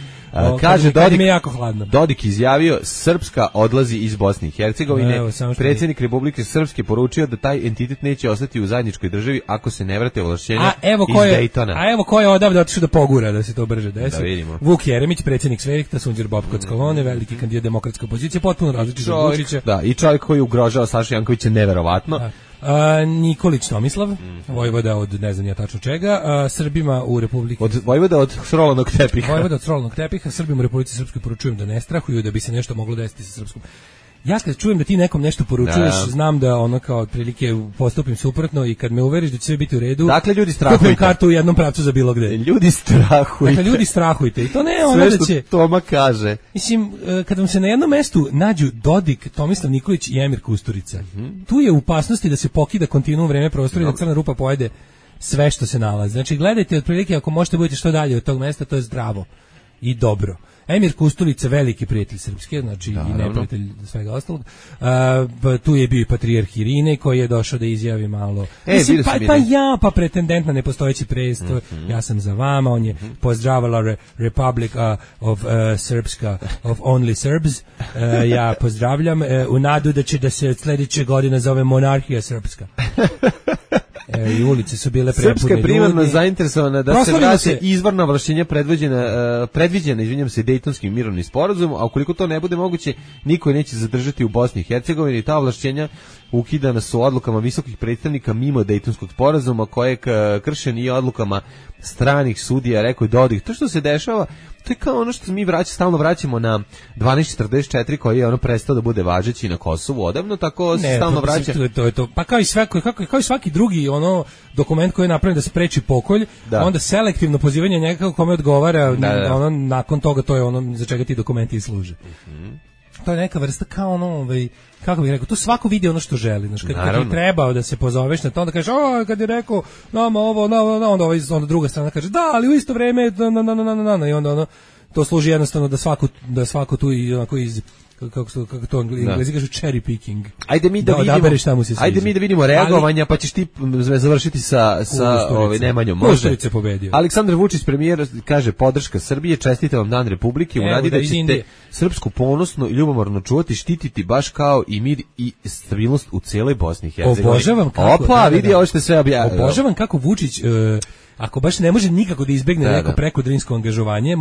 Kaže Dodik, mi je jako hladno. Dodik izjavio Srpska odlazi iz Bosne i Hercegovine. Predsjednik Republike Srpske poručio da taj entitet neće ostati u zajedničkoj državi ako se ne vrate ovlašćenja iz Dejtona. A evo ko je odavde otišao da pogura da se to brže desi. Da vidimo. Vuk Jeremić, predsjednik Svehta, Sunđer Bobko Skolone, veliki kandidat demokratske opozicije, potpuno različit od Vučića. Da, i čovjek koji ugrožava Sašu Jankovića neverovatno. Da. Nikolić Tomislav, vojvoda od ne znam ja tačno čega, Srbima u Republici vojvoda od srolanog tepiha. Vojvoda od srolanog tepiha, Srbima u Republici Srpskoj poručujem da ne strahuju, da bi se nešto moglo desiti sa srpskom. Ja kad čujem da ti nekom nešto poručuješ, znam da ono kao otprilike postupim suprotno i kad me uveriš da će sve biti u redu. Dakle, ljudi strahujte. Kupim kartu u jednom pravcu za bilo gde. Ljudi strahujte. Dakle, ljudi strahujte. I to ne ono da će... Sve što Toma kaže. Mislim, kad vam se na jednom mestu nađu Dodik, Tomislav Nikolić i Emir Kusturica, tu je u opasnosti da se pokida kontinuum vreme prostora i da crna rupa pojede sve što se nalazi. Znači, gledajte otprilike ako možete budete što dalje od tog mesta, to je zdravo i dobro. Emir Kusturica, veliki prijatelj Srpske, znači i neprijatelj svega ostalog. Tu je bio i patrijarh Irine koji je došao da izjavi malo. Mislim, pa pretendent na nepostojeći presto, ja sam za vama, on je pozdravala Republic of Srpska, of only Serbs. Ja pozdravljam u nadu da će da se sljedeće godine zove monarhija Srpska. I ulice su bile prepune ljudi. Srpska je primarno zainteresovana da se vrate izvorna ovlašćenja predviđena, izvinjam se, Dejtonskim mirovnim sporazumom, a ukoliko to ne bude moguće, niko neće zadržati u Bosni i Hercegovini. Ta ovlašćenja ukidana su odlukama visokih predstavnika mimo Dejtonskog sporazuma, koje kršen i odlukama stranih sudija, rekao je Dodik. To što se dešava, to je kao ono što mi stalno vraćamo na 1244 koji je ono prestao da bude važeći na Kosovu odavno, tako se stalno vraća. To. Pa kao i svaki drugi ono dokument koji je napravljen da spreči pokolj, onda selektivno pozivanje njega kome odgovara, ono nakon toga to je ono za čega ti dokumenti i služe. To je neka vrsta kao ono, kako bih rekao, to svako vidi ono što želi, znači kad ti trebao da se pozoveš na to, onda kažeš, kad je rekao nama ovo, onda druga strana kaže, da, ali u isto vrijeme, i onda ono, to služi jednostavno da svako tu i onako iz kako to Englezi kažu cherry picking. Ajde mi da vidimo reagovanja, pa ćeš ti završiti sa Nemanjom. Može. Aleksandar Vučić, premijer, kaže podrška Srbije, čestite vam Dan Republike, u nadi da ćete srpsku ponosno i ljubomorno čuvati, štititi baš kao i mir i stabilnost u cijeloj Bosni i Hercegovini. Obožavam kako. Opa, vidi ovo što sve objavio. Obožavam kako Vučić ako baš ne može nikako da izbegne neko preko drinsko angažovanje,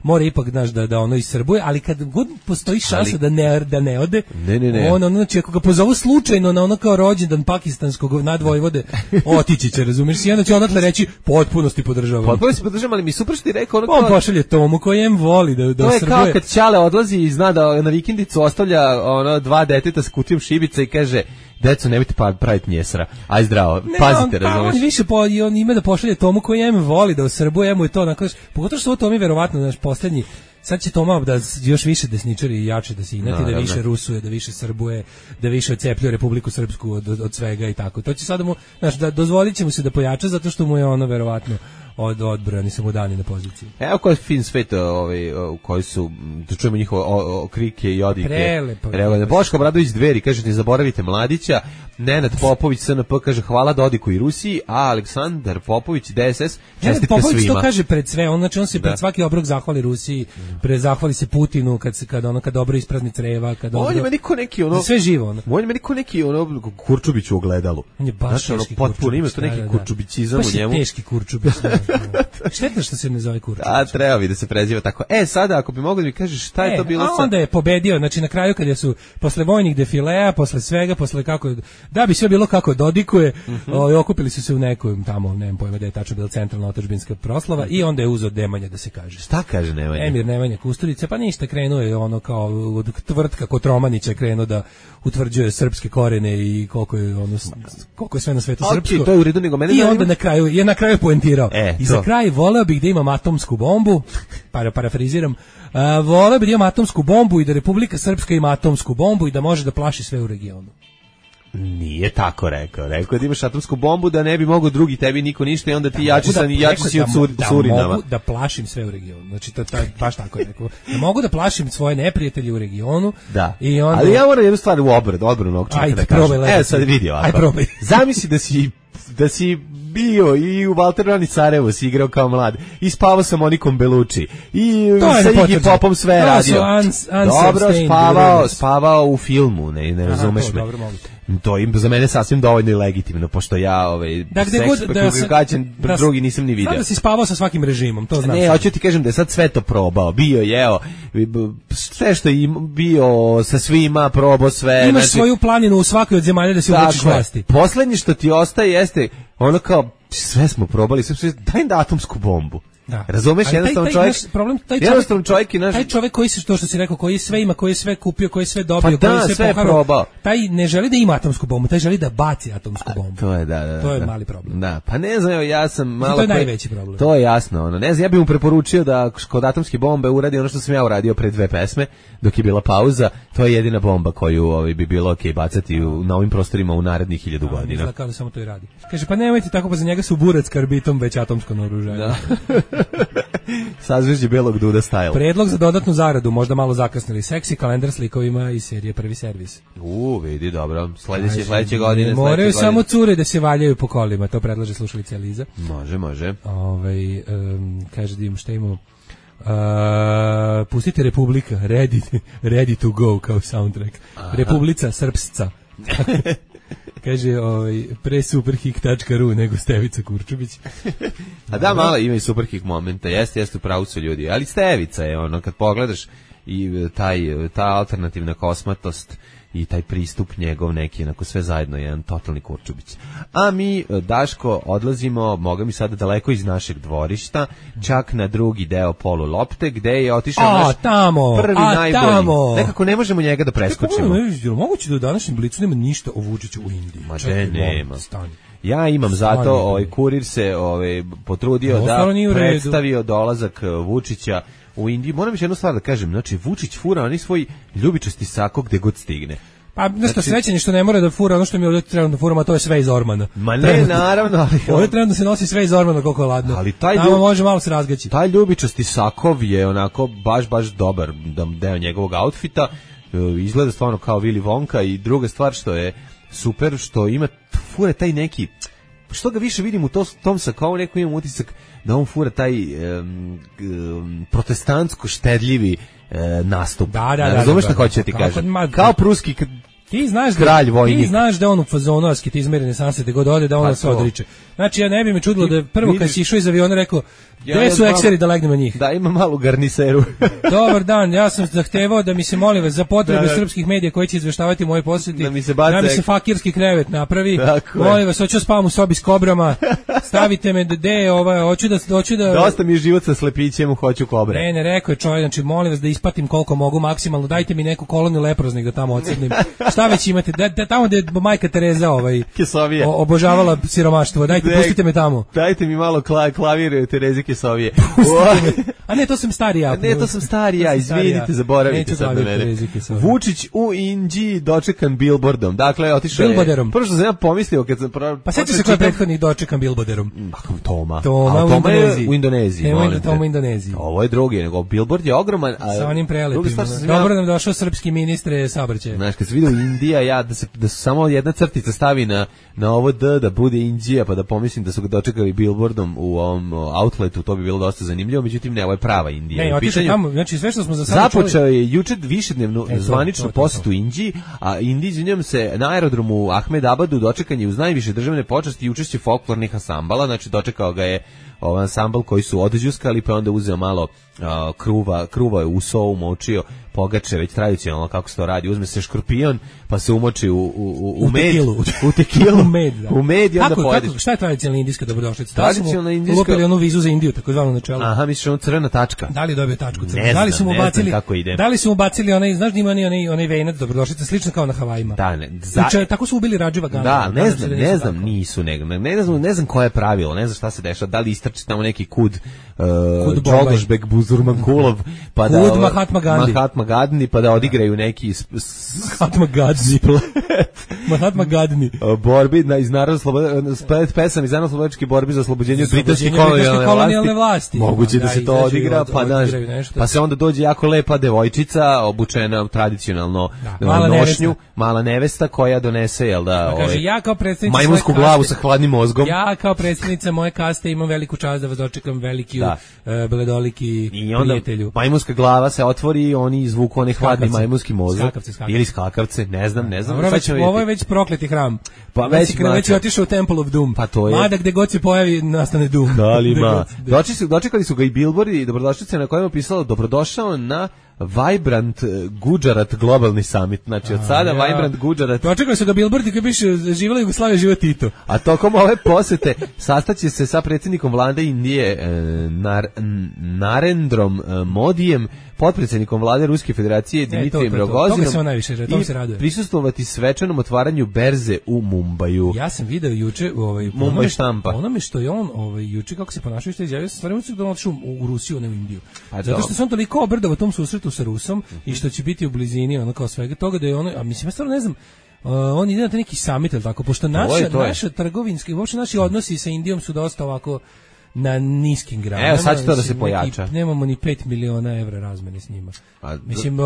mora ipak da ono isrbuje, ali kad god postoji šansa da ne ode, on znači ako ga pozovu slučajno na ono kao rođendan pakistanskog nadvojvode, otići će, razumiješ, i onda će odatle reći potpunosti podržavam. Ali mi super što ti rekao on pošalje Tomu koji voli da to je kao kad Ćale odlazi i zna da na vikendicu ostavlja dva deteta s kutijom šibica i kaže, deco, nemojte praviti njesra. Aj zdravo, pazite, razumiješ. On više on ima da pošalje Tomu koji voli da osrbuje, mu je to onako, pogotovo što ovo Tomi verovatno naš posljednji. Sad će Toma da još više desničari i jače da se inati, da više rusuje, da više srbuje, da više odcepljuje Republiku Srpsku od svega i tako. To će sada mu, da dozvolit će mu se da pojača zato što mu je ono verovatno odbrojani su mu dani na poziciji. Evo koji je fin svet u koji su, da čujemo njihove krike i odike. Prelepo. Boško Obradović Dveri kaže, ne zaboravite Mladića. Nenad Popović SNP kaže, hvala Dodiku i Rusiji, a Aleksandar Popović DSS, čestitke svima. Popović to kaže pred sve, on se pred svaki obrok zahvali Rusiji, zahvali se Putinu kad dobro isprazni creva, kad dobro. On je meni ko neki ono sve živo ono. On je meni ko neki ono Kurčubić u ogledalu. On je baš teški potpuno ima to neki kurčubicizam u njemu. Teški Kurčubić. Šteta što se ne zove Kurčubić. A treba bi da se preziva tako. Sada ako bi mogli da mi kažeš šta je to bilo sa. Onda je pobedio, znači na kraju kad su posle vojnih defilea, posle svega, posle kako da bi sve bilo kako dodikuje, okupili su se u nekom tamo, nemam pojma da je tačno bila centralna otadžbinska proslava i onda je uzeo Nemanja da se kaže. Šta kaže Nemanja? Emir Nemanja Kusturica, pa ništa, krenuo je ono kao od tvrtka Kotromanića krenuo da utvrđuje srpske korene i koliko je sve na svetu srpsko. To je u redu, nego mene i onda na kraju poentirao. I za kraj voleo bih da imam atomsku bombu, parafraziram, voleo bih da imam atomsku bombu i da Republika Srpska ima atomsku bombu i da može da plaši sve u regionu. Nije tako rekao. Rekao da imaš atomsku bombu, da ne bi mogao drugi tebi niko ništa i onda ti jači si od Surinama. Da mogu da plašim sve u regionu. Znači, baš tako je rekao. Da mogu da plašim svoje neprijatelje u regionu. Da. I onda... Ali ja moram jednu stvar u odbranu ovog čovjeka da kažem. Sad vidi ovako. Aj probaj. Zamisli da si bio i u Valterani Sarajevo si igrao kao mlad. I spavao sa Monikom Belucci. I sa Iggy Popom sve radio. Dobro, spavao u filmu, ne razumeš me. To im za mene sasvim dovoljno i legitimno, pošto ja drugi nisam ni vidio. Sada si spavao sa svakim režimom, to znam. Ne, hoću ti kažem da je sad sve to probao. Bio, jeo, sve što je bio sa svima, probao sve. Imaš svoju planinu u svakoj od zemalja da se uvečiš vlasti. Poslednje što ti ostaje jeste ono kao, sve smo probali, daj da atomsku bombu. Da. Razumeš, jednostavno čovjek i naš... Taj čovjek koji se, to što si rekao, koji sve ima, koji je sve kupio, koji je sve dobio, koji je sve poharao, taj ne želi da ima atomsku bombu, taj želi da baci atomsku bombu. To je, da. To je mali problem. Da, pa ne znam, ja sam malo... To je najveći problem. To je jasno, ono, ne znam, ja bih mu preporučio da kod atomske bombe uradi ono što sam ja uradio pre 2 pesme, dok je bila pauza, to je jedina bomba koju bi bilo okej bacati na ovim prostorima u narednih 1000 godina. Izgleda kao da samo to i radi. Kaže, pa nemojte tako, pa za njega su burac karbitom već atomsko naoružanje. Da. Sazvežđe belog duda style. Predlog za dodatnu zaradu, možda malo zakasnili. Seksi kalendar s likovima iz serije Prvi servis. Vidi, dobro. Sledeće godine. Moraju samo cure da se valjaju po kolima, to predlaže slušalica Eliza. Može. Kaže da im šta imamo. Pustite Republika, ready to go kao soundtrack. Republica Srpsca. Kaže, pre superhik.ru nego Stevica Kurčubić. A da, malo ima i superhik momenta, jeste u pravu su ljudi, ali Stevica je ono, kad pogledaš i ta alternativna kosmatost i taj pristup njegov neki, onako sve zajedno je jedan totalni Kurčubić. A mi, Daško, odlazimo, moga mi sada daleko iz našeg dvorišta, čak na drugi deo Polu Lopte, gde je otišao prvi najbolji. Tamo. Nekako ne možemo njega da preskočimo. Moguće da u današnjem Blicu nema ništa o Vučiću u Indiji. Ma nema. Ja imam zato, Kurir se potrudio da predstavio dolazak Vučića u Indiju. Moram još jednu stvar da kažem, znači Vučić fura oni svoj ljubičasti sako gde god stigne. Pa nešto srećan je što ne mora da fura ono što mi ovdje trebamo da furamo, a to je sve iz Ormana. Ma ne, naravno, ali... Ovdje trebamo da se nosi sve iz Ormana koliko je ladno. Ali tamo može malo se razgaći. Taj ljubičasti sakov je onako baš dobar deo njegovog outfita. Izgleda stvarno kao Willy Wonka i druga stvar što je super, što ima fura taj neki... Što ga više vidim u tom sakovu, neko imam utisak da on fura taj protestantsko štedljivi nastup. Da. Razumeš šta hoće ti kažem? Kao pruski kralj vojnik. Ti znaš da on u fazonu asketizma renesanse gde god ode da on se odriče. Znači ja ne bi me čudilo da prvo kad si išao iz aviona rekao gde su ekseri da legnem na njih. Da, ima malu garniseru. Dobar dan, ja sam zahtevao da mi se molim vas za potrebe srpskih medija koji će izveštavati moje posjeti. Da mi se fakirski krevet napravi. Molim vas, hoću spavam u sobi s kobrama. Stavite me hoću da Dosta mi je život sa slepićem, hoću kobre. Ne, rekao je čovjek, znači molim vas da ispatim koliko mogu maksimalno. Dajte mi neku koloniju leproznih da tamo odsjednem. Šta već imate? Tamo gde je majka Tereza obožavala siromaštvo. Dajte, pustite me tamo. Dajte mi malo klavir Tereze Kesovije. A ne, to sam stari ja. Ne, to sam stari ja, izvinite, zaboravite sad na mene. Vučić u Indiji dočekan billboardom. Dakle, otišao je... Billboarderom. Prvo što sam ja pomislio kad sam... Pa sjeti se ko je prethodnih dočekan billboarderom. Toma u Indoneziji. U Indoneziji. Toma u Indoneziji. Ovo je drugi, nego billboard je ogroman. Sa onim prelepima. Dobro nam došao srpski ministre saobraćaja. Znaš, kad se vidio Indija, da su samo jedna crtica stavi na ovo D, da bude Indija, pa da pomislim da su ga dočekali billboardom u ovom outletu, to bi bilo dosta zanimljivo, međutim ne, ovo je prava Indija. Ne, otišao tamo, znači sve što smo za sada započeo je juče višednevnu zvaničnu posjetu Indiji, a Indiji se na aerodromu Ahmedabadu dočekan je uz najviše državne počasti i učešće folklornih ansambala, znači dočekao ga je ansambl koji su odđuskali, pa onda uzeo malo kruva u sovu, močio pogače, već tradicionalno kako se to radi, uzme se škorpion, pa se umoči u med, u tekilu, u med i onda pojedeš. Šta je tradicionalna indijska dobrodošlica? Tradicionalna indijska... Ulupili onu vizu za Indiju, tako zvano načelo. Aha, misliš ono crvena tačka. Da li je dobio tačku crvena? Ne znam kako ide. Da li su mu bacili onaj, znaš da ima onaj venac dobrodošlica, slično kao na Havajima? Da, ne. Tako su ubili Radživa Gandija. Da, ne znam, nisu, ne znam koje je pravilo, ne znam šta se dešava, da li istrči tamo neki kud Džogošbek Buzurmankulov, pa da... Kud Mahatma Gadni pa da odigraju neki Mahatma Gadni. Mahatma Gadni. Borbi iz pesam iz narodno-slobodačke borbi za oslobođenje od britanske kolonijalne vlasti. Moguće da se to odigra, pa se onda dođe jako lepa devojčica obučena tradicionalno nošnju, mala nevesta koja donese, jel da, majmunsku glavu sa hladnim mozgom. Ja kao predsjednica moje kaste imam veliku čast da vas dočekam, veliki bledoliki prijatelju. Majmunska glava se otvori i oni izvuku onaj hladni majmunski mozak. Ili skakavce, ne znam. Ovo je već prokleti hram. Pa već je otišao u Temple of Doom. Pa to je. Mada gde god se pojavi nastane Doom. Kalima. Dočekali su ga i billboardi i dobrodošlice na kojima je pisalo dobrodošao na Vibrant Gujarat globalni summit. Znači od sada Vibrant Gujarat. Dočekali su ga billboardi koji piše živela Jugoslavija, živa Tito. A tokom ove posete sastaće se sa predsjednikom vlade Indije Narendrom Modijem, potpredsjednikom vlade Ruske federacije Dimitrijem Rogozinom i prisustvovati svečanom otvaranju berze u Mumbaju. Ja sam video juče Mumbaj štampa. Onome što je on juče kako se ponašao, što je izjavio, stvarno da on otišao u Rusiju, ne u Indiju. Zato što se on toliko obrdao u tom susretu sa Rusom i što će biti u blizini ono kao svega toga da je ono, a mislim ja stvarno ne znam, on ide na neki summit ili tako, pošto naša trgovinski, uopšte naši odnosi sa Indijom su dosta ovako na niskim granama. Evo sad će to da se pojača. Nemamo ni 5 miliona evra razmene s njima. Mislim,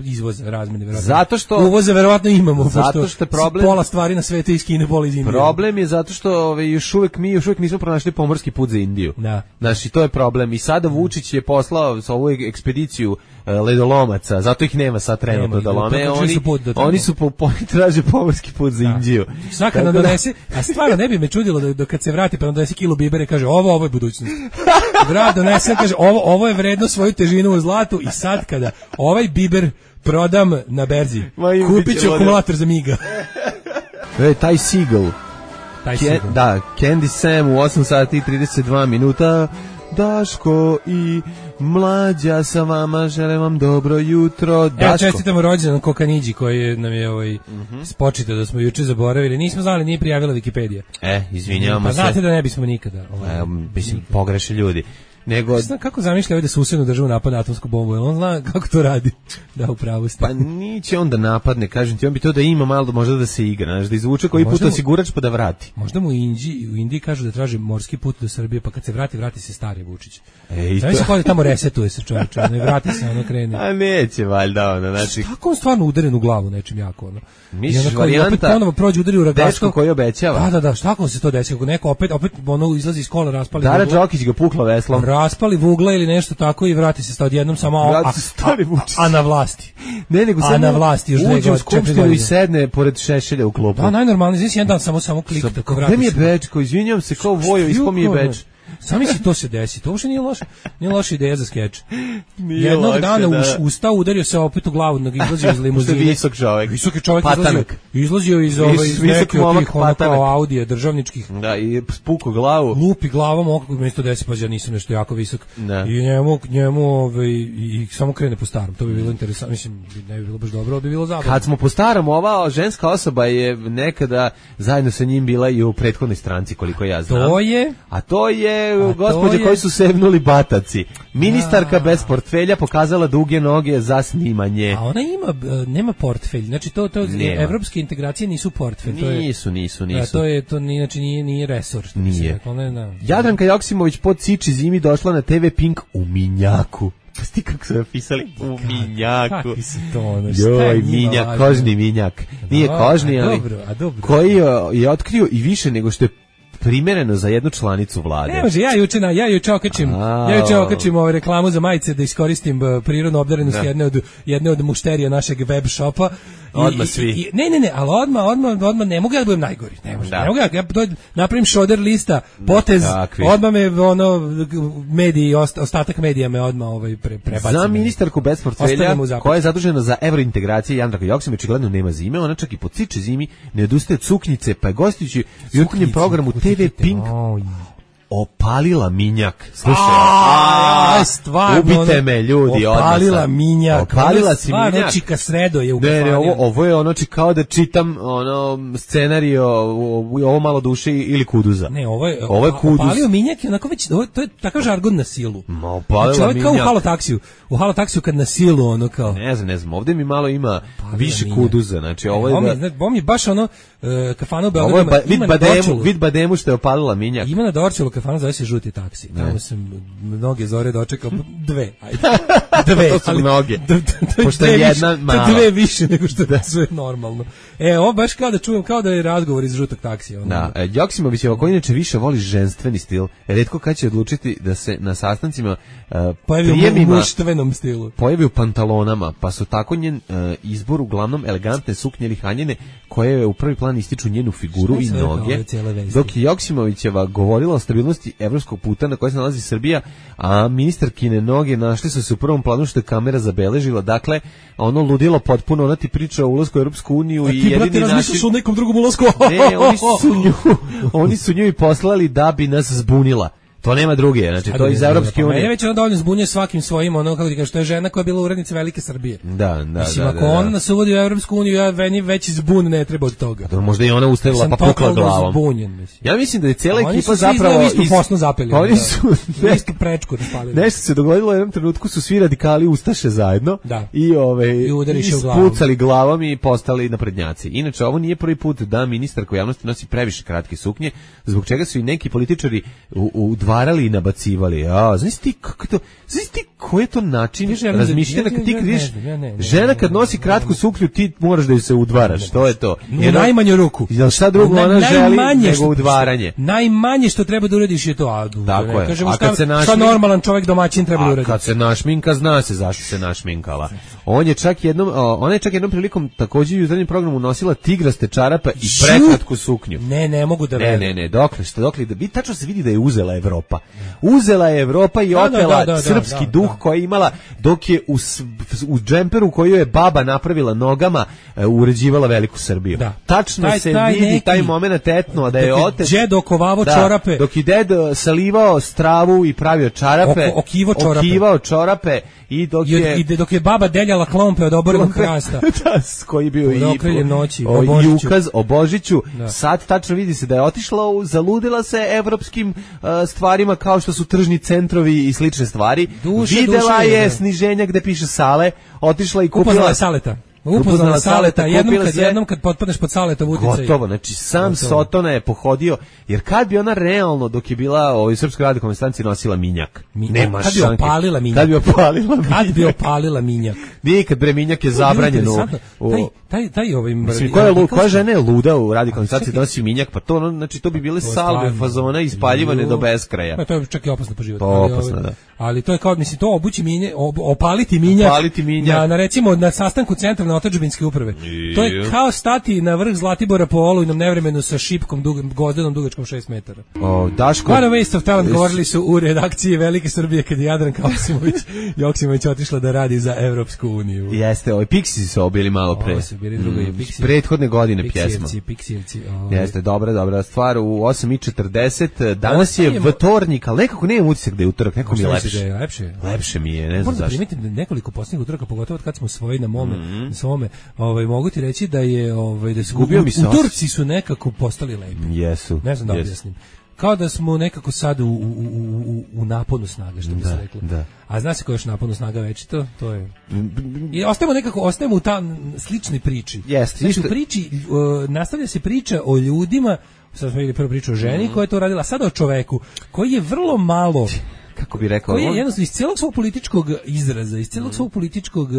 izvoz razmene verovatno. Zato što uvoze verovatno imamo, zato što je problem, pola stvari na svetu iz Kine, pola iz Indije. Problem je zato što još uvek nismo pronašli pomorski put za Indiju. Da. Znači, to je problem. I sada Vučić je poslao sa ovu ekspediciju ledolomaca, zato ih nema sad trenutno da lome. Oni su traže pomorski put za Indiju. Svaka nam donese, a stvarno ne bi me čudilo da kad se vrati pa nam donese kilo bibere, kaže ovo je budućnost. Vrat donese, kaže ovo je vredno svoju težinu u zlatu i sad kada ovaj biber prodam na berzi, kupit ću akumulator za Miga. Taj Seagull. Da, Candy Sam u 8 sati i 32 minuta. Daško i Mlađa sa vama, želim vam dobro jutro. Daško. Čestitamo rođendan Kokanidži koji nam je spočitao da smo juče zaboravili. Nismo znali, nije prijavila Wikipedija. Izvinjavamo se. Pa znate da ne bismo nikada. Mislim, pogreše ljudi. Nego znam kako zamišlja da susednu državu napadne atomsku bombu, jer on zna kako to radi. Da, upravo ste. Pa niće on da napadne, kažem ti, on bi to da ima malo, možda da se igra, znaš, da izvuče koji put osigurač pa da vrati. Možda mu u Indiji kažu da traži morski put do Srbije, pa kad se vrati se stari Vučić. Znači kao da tamo resetuje se čovječe, ne vrati se, ono krene. A neće valjda ono, znači. Tako on stvarno udaren u glavu nečim jako, ono. Misliš varijanta, ponovo prođe udari u ragačko. Dečko koji obećava. Da, šta ako se to desi, ako neko opet ono izlazi iz kola, raspali Dara Đokić ga pukla veslom. Raspali vugla ili nešto tako i vrati se sta odjednom samo a na vlasti. Ne, nego samo na vlasti još uđe u skupštinu i sedne pored Šešelja u klubu. Da, najnormalnije, znači jedan dan samo klik tako vrati. Gde mi je Bečko, izvinjavam se, kao Vojo, ispom je Beč. Sami si to se desi, to uopšte nije loša ideja za skeč. Jednog dana ustao, udario se opet u glavu, izlazio iz limuzine. Visok čovjek. Visoki čovjek izlazio iz neke od tih Audija državničkih. Da, i spuko glavu. Lupi glavom, oko mjesto desi, pa ja nisam nešto jako visok. I njemu i samo krene po starom. To bi bilo interesantno, mislim, ne bi bilo baš dobro, ali bi bilo zabavno. Kad smo po starom, ova ženska osoba je nekada zajedno sa njim bila i u prethodnoj stranci, koliko ja znam. A to je gospođe koji su sevnuli bataci. Ministarka bez portfelja pokazala duge noge za snimanje. A ona nema portfelj. Znači to evropske integracije nisu portfelj. Nisu. To nije resor. Nije. Jadranka Joksimović pod Ciči zimi došla na TV Pink u Minjaku. Pa sti kako su napisali u Minjaku. Kakvi su to ono? Joj, Minjak, kožni Minjak. Nije kožni, ali koji je otkrio i više nego što je primereno za jednu članicu vlade. Ne može, ja juče okačim reklamu za majice da iskoristim prirodnu obdarenost jedne od mušterija našeg web shopa. Odmah svi. Ne, ali odmah ne mogu ja da budem najgori. Ne mogu ja napravim šoder lista, potez, odmah me mediji, ostatak medija me odmah prebaci. Za ministarku bez portfelja koja je zadužena za evrointegracije, Jadranka Joksimović očigledno nema zime, ona čak i po Ciče zimi ne odustaje od suknjice, pa je gostujući u jutarnjem programu TV Pink opalila minjak. Slušaj, stvarno, ubite me ljudi, opalila odmah. minjak. Opalila si minjak. Stvarno, čika sredo je u Ne, kafanju. ovo je ono kao da čitam scenarijo ovo malo duše ili Kuduza. Ne, ovo je Kuduz. opalio minjak i onako već, to je takav žargon na silu. Ma, opalila znači, ovo je kao minjak. u halotaksiju. U halotaksiju kad na silu, ono kao... Ne znam, ovdje mi malo ima više minjak. Kuduza, znači ovo je da... Ovo mi je baš ono, kafana u Ovo je Beogradu ima na Dorčelu. vid bademu što je opalila minjak. Ima na Dorčelu kafana, zove se Žuti taksi. Tamo sam mnoge zore dočekao, dve, ajde. Dve, To su mnoge. Pošto dve je jedna više, mala. to dve više nego što da sve normalno. Ovo baš kao da čujem, kao da je razgovor iz Žutog taksija. Ono. Da, Joksimovićeva koji inače više voli ženstveni stil, retko kad će odlučiti da se na sastancima Pojavi u prijemima muštvenom stilu. pojavi u pantalonama, pa su tako njen izbor uglavnom elegantne suknje ili haljine koje u prvi plan ističu njenu figuru i noge, dok je Joksimovićeva govorila o stabilnosti evropskog puta na kojoj se nalazi Srbija, a ministarkine noge našli su se u prvom planu što je kamera zabeležila, dakle, ono ludilo potpuno, ona ti priča o ulasku u Europsku uniju i jedini način... o nekom drugom ulasku? Ne, oni su nju i poslali da bi nas zbunila. To nema druge, znači to je iz Evropske unije. Mene već ono dovoljno zbunjuje svakim svojim, ono kako ti kažeš, to je žena koja je bila urednica Velike Srbije. Da. Mislim, ako ona nas uvodi u Evropsku uniju, već zbun ne treba od toga. Da, možda i ona ustavila pa pukla glavom. Zbunjen, mislim. Ja mislim da je cijela ekipa zapravo... zapravo... Oni su posno zapeli. Oni su... Istu prečku raspalili. Nešto se dogodilo u jednom trenutku, su svi radikali ustaše zajedno i ispucali glavom i postali naprednjaci. Inače, ovo nije prvi put da ministarka u javnosti nosi previše kratke suknje, zbog čega su i neki političari udvarali i nabacivali. Znaš ti kako to, znaš ti koji je to način razmišljanja kad ti vidiš žena kad nosi kratku suknju ti moraš da ju se udvaraš, to je to. U najmanju ruku. Jel šta drugo ona želi nego udvaranje? Najmanje što treba da uradiš je to. Tako je. Kažemo šta normalan čovjek domaćin treba da uradi. A kad se našminka, zna se zašto se našminkala. Ona je čak jednom prilikom također u jutarnjem programu nosila tigraste čarape i prekratku suknju. Ne mogu da verujem. Ne, dokle, vi tačno se vidi da je uzela Evropa. Uzela je Evropa i otela srpski duh koji je imala dok je u džemperu koju je baba napravila nogama uređivala Veliku Srbiju. Tačno se vidi taj moment etno da je otec džed okovavo čorape. Dok je ded salivao stravu i pravio čarape, okivao čorape i dok je baba deljala klompe od obornog hrasta. Koji bio i ukaz o Božiću. Sad tačno vidi se da je otišla, zaludila se evropskim stvarima kao što su tržni centrovi i slične stvari. Videla je sniženja gde piše sale, otišla i kupila... Upoznala Saleta. Upoznala Saleta, jednom kad potpadneš pod Saletov uticaj. Gotovo, znači sam Sotona je pohodio, jer kad bi ona realno, dok je bila u Srpskoj radikalnoj stanci, nosila minjak. Nema šanke. Kad bi opalila minjak. Nikad bre, minjak je zabranjen. Koja žena je luda u radikalnoj stanci da nosi minjak, pa to, znači to bi bile salve fazona ispaljivane do beskraja. To je čak i opasno po život. Opasno, da. Ali to je kao, mislim, to obući minjak, opaliti minjak. Na recimo, na sastanku centralne otadžbinske uprave. To je kao stati na vrh Zlatibora po olujnom nevremenu sa šipkom gozdenom dugačkom 6 metara. Daško... What a waste of talent, govorili su u redakciji Velike Srbije kad je Jadranka Joksimović otišla da radi za Evropsku uniju. Jeste, Pixies su bili malo pre. Prethodne godine pjesma. Piksijevci. Jeste, dobra stvar. U 8:40, danas je vtornik, ali nekako nemam utisak da je utorak, nekako mi je lepše. Lepše mi je, ne znam zašto. Moram da primitim nekoliko posljednjih utoraka, pogotovo kad smo svojili na mome, svome, mogu ti reći da je da su utorci su nekako postali lepi. Jesu. Ne znam da objasnim. Kao da smo nekako sad u naponu snaga, što bi se reklo. A zna se ko je još naponu snaga večito? To je... I ostajemo u ta sličnoj priči. Znači, u priči nastavlja se priča o ljudima, sad smo vidjeli prvo priču o ženi koja je to radila, sada o čoveku, koji je vrlo malo... Kako bi rekao? Koji je jednostavno iz cijelog svog političkog izraza, iz cijelog svog političkog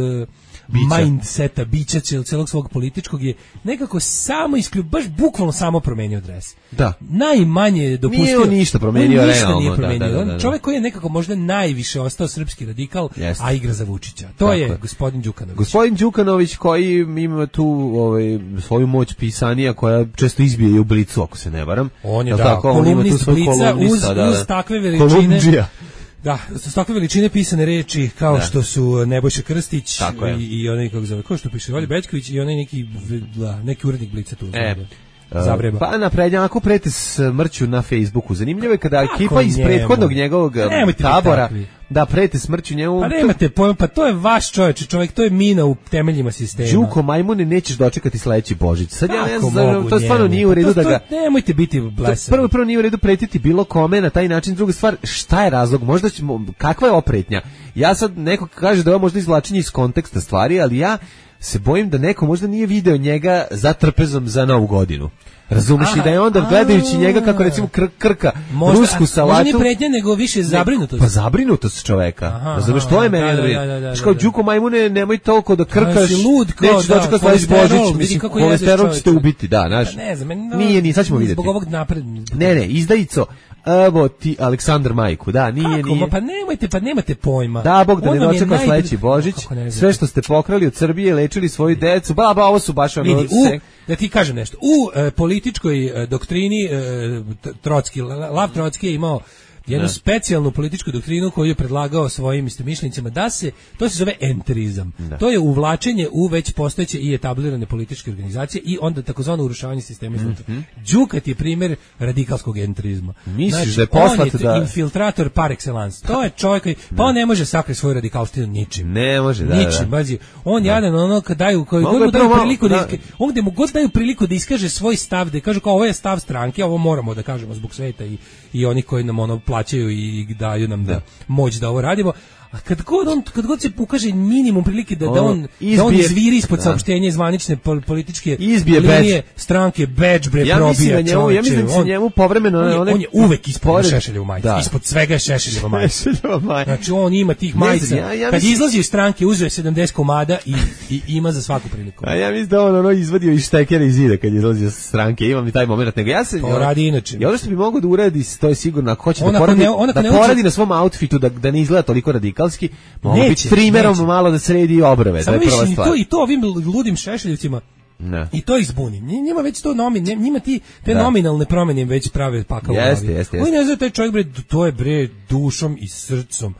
mindseta, bića, cijelog svog političkog je nekako samo baš bukvalno samo promenio dres. Da. Najmanje dopustio. Nije on ništa promenio, realno. On čovjek koji je nekako možda najviše ostao srpski radikal, a igra za Vučića. To je gospodin Đukanović. Gospodin Đukanović koji ima tu svoju moć pisanija koja često izbije i u Blicu, ako se ne varam. On je kolumnist Blica uz takve veličine. Da, s takve veličine pisane reči kao što su Nebojša Krstić i onaj kako zove, ko što piše Olja Bećković i onaj neki urednik Blica tu. zavreba. Pa na prednjaku prete smrću na Facebooku. Zanimljivo je kada ekipa iz njemu? prethodnog njegovog tabora da prete smrću njemu. Pa nemate pojma, pa to je vaš čovjek, to je mina u temeljima sistema. Đuko majmune, nećeš dočekati sledeći Božić. Sad ja ne Kako znam, mogu to stvarno njemu? nije u redu da ga... Nemojte biti blesavi. Prvo nije u redu pretiti bilo kome na taj način. Druga stvar, šta je razlog? Možda ćemo, kakva je opretnja? Ja sad, neko kaže da je ovo možda izvlačenje iz konteksta stvari, ali ja se bojim da neko možda nije video njega za trpezom za Novu godinu. Razumeš i da je onda gledajući njega kako recimo krka rusku salatu. Možda nije pretnja, nego više zabrinutost. Pa zabrinutost čoveka. Razumeš, to je meni. Kao Đuko majmune, nemoj toliko da krkaš. Neću dočekati sledeći Božić. Mislim, kolesterol ćete ubiti, da, znaš. Nije, sad ćemo vidjeti. Zbog ovog napred. Ne, izdajico. Evo ti Aleksandar Majku, da, nije. Pa nemate pojma. Da, Bog da ne dočeka sledeći Božić. Sve što ste pokrali od Srbije, lečili svoju decu, ovo su baš ono... Da ti kažem nešto, u političkoj doktrini Lav Trotski je imao jednu specijalnu političku doktrinu koju je predlagao svojim istomišljenicima to se zove enterizam. To je uvlačenje u već postojeće i etablirane političke organizacije i onda takozvano urušavanje sistema iznutra. Đukat je primjer radikalskog enterizma. Misliš da je poslat da... On je infiltrator par excellence. To je čovjek koji, pa on ne može sakriti svoju radikalštinu ničim. Ne može, ničim, bazi. On jadan, ono kad daju, koji god mu daju priliku on gde mu god daju priliku da iskaže svoj stav, da kaže kao ovo je stav stranke, ovo moramo da kažemo zbog sveta i onih koji nam ono plaćaju i daju nam moć da ovo radimo. A kad god se pokaže minimum prilike da on izviri ispod saopštenja zvanične političke linije stranke, badge bre probija čovječe. Ja mislim da se njemu povremeno... On je uvek ispod Šešeljevu majicu. Ispod svega je Šešeljeva majica. Znači on ima tih majica. Kad izlazi iz stranke uzeo 70 komada i ima za svaku priliku. A ja mislim da on izvadio iz štekera iz zida kad je izlazio iz stranke. Imam i taj moment. Nego ja se... To radi inače. I ono što bi mogao da uradi, to je sigurno, ako hoće da poradi na svom outfitu, da ne izgleda toliko radikalski, mogu biti trimerom malo da sredi obrve. Samo više, i to ovim ludim Šešeljevcima, i to ih zbuni. Njima već to njima te nominalne promjene već prave pakao u glavi. Oni ne znaju taj čovjek, bre, to je bre dušom i srcom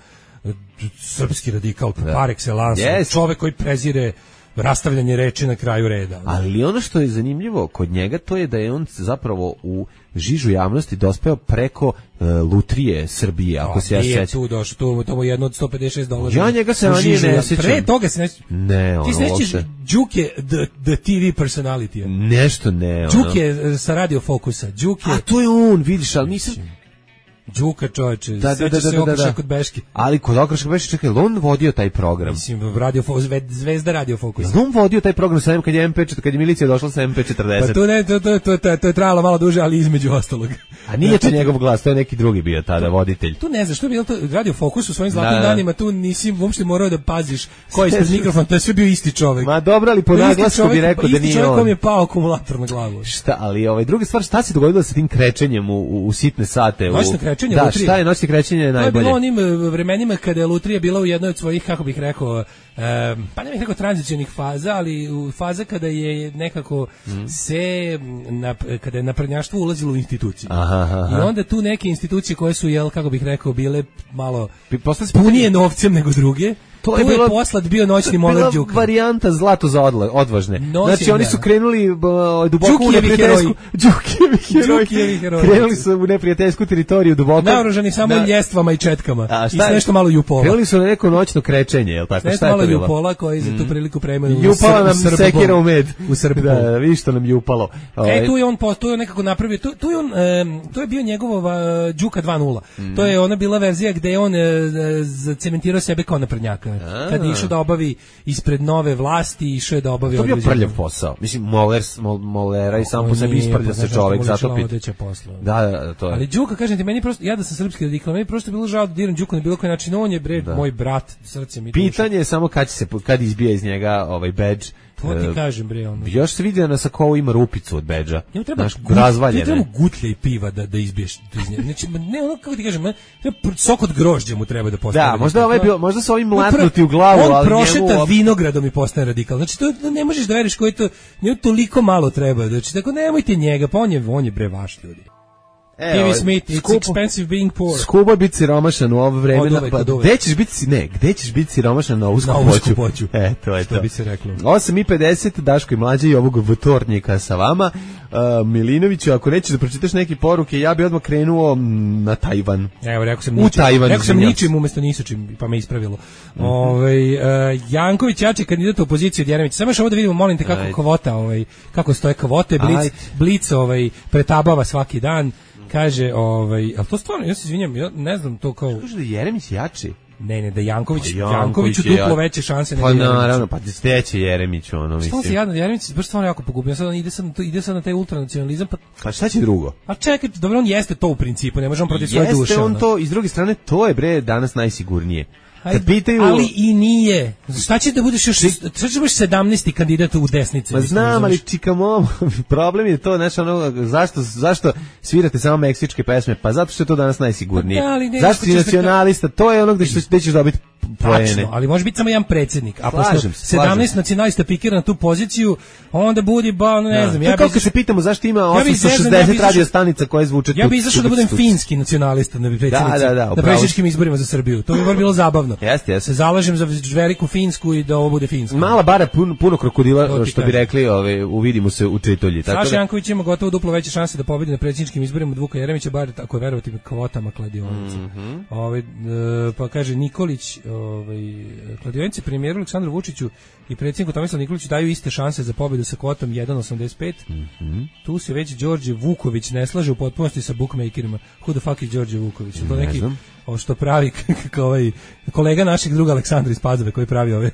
srpski radikal par excellence, čovjek koji prezire rastavljanje reči na kraju reda. Ali ono što je zanimljivo kod njega, to je da je on zapravo u žižu javnosti dospeo preko lutrije Srbije, ako se ja sećam. Nije tu došao, to je jedno od $156. Ja njega se ranije ne sećam. Pre toga se ne sećam. Ne, ti se nećeš Đuke the TV personality. Nešto ne. Đuke sa Radio Fokusa. A to je on, vidiš, ali nisam... Đuka čovječe, sećaš se Okreša kod Beške. Ali kod Okreša kod Beške, čekaj, on vodio taj program. Mislim, Zvezda Radio Fokus. On vodio taj program sa kad je MP40, kad je milicija došla sa MP40. Pa to je trajalo malo duže, ali između ostalog. A nije to njegov glas, to je neki drugi bio tada, voditelj. Tu ne znaš, što je bilo to Radio Fokus u svojim zlatnim danima, tu nisi uopšte morao da paziš ko je ispred mikrofon, to je sve bio isti čovjek. Ma dobro, ali po naglasku bi rekao da nije on. Isti čovjek kom je pao akumulator na glavu. Šta, ali druga stvar, šta se dogodilo sa tim krećenjem u sitne sate? Noćno krećenje, da, šta je noćno krećenje najbolje? To je bilo onim vremenima kada je lutrija bila u jednoj od svojih, kako bih rekao, pa ne bih rekao tranzicionih faza, ali u faza kada je nekako kada je naprednjaštvo ulazilo u institucije. I onda tu neke institucije koje su, kako bih rekao, bile malo punije novcem nego druge, to je poslat bio noćni moler Đuka. To je bila varijanta zlato za odvažne. Znači oni su krenuli duboko u neprijateljsku... Đukijevi heroji. Krenuli su u neprijateljsku teritoriju duboko. Naoružani samo ljestvama i četkama. I s nešto malo jupola. Krenuli su na neko noćno krećenje, je li tako? S nešto malo jupola koji za tu priliku premenu Jupala nam sekira u med. U Srbu. Da, vidiš što nam jupalo. Tu je on nekako napravio, to je bio njegov Đuka 2.0. To je ona bila verzija gde je on zacementirao sebe kao naprednjaka. Kad je išao da obavi ispred nove vlasti, išao je da obavi... To je bio prljav posao. Mislim, molera i sam po sebi isprlja se čovek, zato pit. Da, to je. Ali Đuka, kažem ti, meni prosto, ja da sam srpski radikal, meni prosto bilo žao da diram Đuku na bilo koji način, on je moj brat, srcem i dušom. Pitanje je samo kad izbija iz njega badge. To ti kažem, bre, ono. Još se vidi da na Sakovu ima rupicu od bedža. Njemu treba gutlja i piva da izbiješ iz njega. Znači, ne, ono, kako ti kažem, sok od grožđa mu treba da postane. Da, možda su ovim mlatnuti u glavu, ali on prošeta vinogradom i postane radikal. Znači, to ne možeš da veriš koji to, njemu toliko malo treba. Znači, tako nemojte njega, pa on je bre vaš ljudi. TV Smith, it's expensive being poor. Skupo je biti siromašan u ovo vreme. Gde ćeš biti siromašan na usku poću? To je što to. Bi se reklo. 8:50, Daško i Mlađa i ovog vtornjika sa vama. Milinoviću, ako nećeš da pročitaš neke poruke, ja bi odmah krenuo na Tajvan. Evo, rekao sam ničim umesto nisačim, pa me ispravilo. Janković jači kandidat u opoziciji od Jeremića. Samo još ovo da vidimo, molim te, kako kvota, kako stoje kvote, Blic pretabava svaki dan. Kaže, ali to stvarno, ja se izvinjam, ja ne znam to kao... Kaže da Jeremić jači? Ne, da Jankoviću duplo veće šanse nego Jeremić. Pa naravno, pa steće Jeremić, ono, mislim. Što se jadno, Jeremić baš stvarno jako pogubio, ide sad na taj ultranacionalizam, pa šta će drugo? A čekaj, dobro, on jeste to u principu, ne može on protiv svoje duše. Jeste on to, i s druge strane, to je bre danas najsigurnije. Pitaju... Ali i nije. Šta će da budeš još 17. kandidat u desnici? Ma znam, ali čikamo, problem je to, znači ono, zašto svirate samo meksičke pesme? Pa zato što je to danas najsigurnije. Zašto si nacionalista? To je ono gde ćeš dobiti poene. Tačno, ali može biti samo jedan predsjednik. A pošto 17 nacionalista pikira na tu poziciju, onda budi, ne znam. Ja kako se pitamo zašto ima 860 radio stanica koje zvuče tu. Ja bih izašao da budem finski nacionalista na predsjedničkim izborima za Srbiju. To bi bilo zabavno. Jeste. Se zalažem za veliku Finsku i da ovo bude Finska. Mala bara, puno krokodila, što bi rekli, uvidimo se u Čitolji. Saša Janković ima gotovo duplo veće šanse da pobedi na predsjedničkim izborima od Vuka Jeremića, bar ako je verovati kvotama kladionica. Pa kaže Nikolić, kladionice premijeru Aleksandru Vučiću i predsjedniku Tomislavu Nikoliću daju iste šanse za pobedu sa kvotom 1,85. Tu se već Đorđe Vuković ne slaže u potpunosti sa bookmakerima. Who the fuck is Đorđe Vuković? To neki što pravi kolega našeg druga Aleksandra iz Pazove koji pravi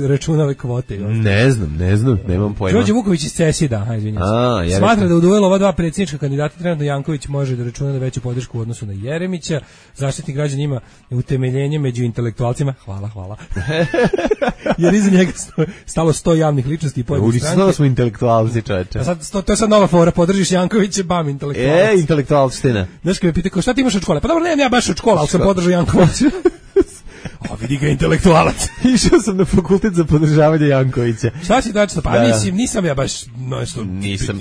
računa ove kvote. Ne znam, nemam pojma. Đorđe Vuković iz CESI, smatra da u duelu ova dva predsjednička kandidata trenutno Janković može da računa na veću podršku u odnosu na Jeremića. Zaštitnik građana ima utemeljenje među intelektualcima. Hvala. Jer iza njega stalo 100 javnih ličnosti i pojedine stranke. Ulično smo intelektualci, čoveče. To je sad nova fora, podržiš Jankovića, bam, intelektualac. Intelektualština. Znaš kad me pita, šta ti imaš od škole? Pa dobro, nemam ja baš od škola, ali sam podržao Jankovića. Vidi ga intelektualac. Išao sam na fakultet za podržavanje Jankovića. Šta si dačno? Pa nisam ja baš nisam. Ja sam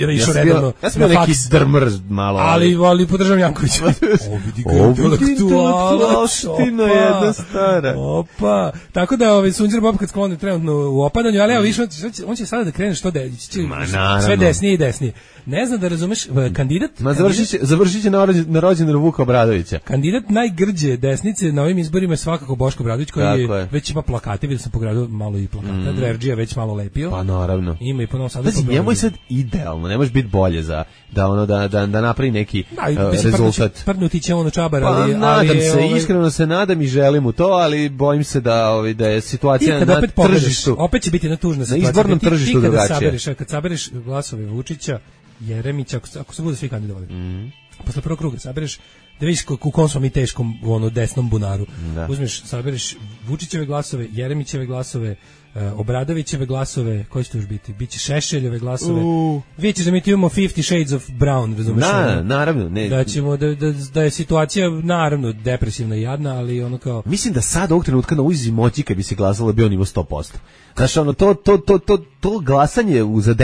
bio neki drmr malo. Ali podržavam Jankovića. Vidi ga intelektualac. Jedna stara. Opa. Tako da Sunđer Bob kad skloni trenutno u opadanju, ali evo više, on će sada da krene što sve desnije i desnije. Ne znam da razumeš, kandidat... Završit će na rođendan Vuka Obradovića. Kandidat najgrđe desnice na ovim izborima je svakako Boško Obradović, koji već ima plakate, vidio sam po gradu malo i plakata, Dverđija već malo lepio. Pa naravno. Ima i po Novom Sadu. Njemu je sad idealno, ne može biti bolje da napravi neki rezultat. Prdnuti će ono čabar, ali... Nadam se, iskreno se nadam i želim u to, ali bojim se da je situacija na tržištu. Opet će biti jedna tužna situacija. Na izbornom tržištu drugačije. Kad sabereš glasove Vučića, Jeremića, ako se bude svi kandidovali. Posle prvog kruga sabereš da vidiš u kom smo mi teškom desnom bunaru. Uzmeš, sabereš Vučićeve glasove, Jeremićeve glasove, Obradovićeve glasove, koji će to još biti? Biće Šešeljeve glasove. Vidjet ćeš da mi tu imamo 50 Shades of Brown, razumeš? Naravno. Da ćemo, da je situacija naravno depresivna i jadna, ali ono kao... Mislim da sad ovog trenutka na ulici moći kad bi se glasalo bio nivo 100%. Znaš, to glasanje za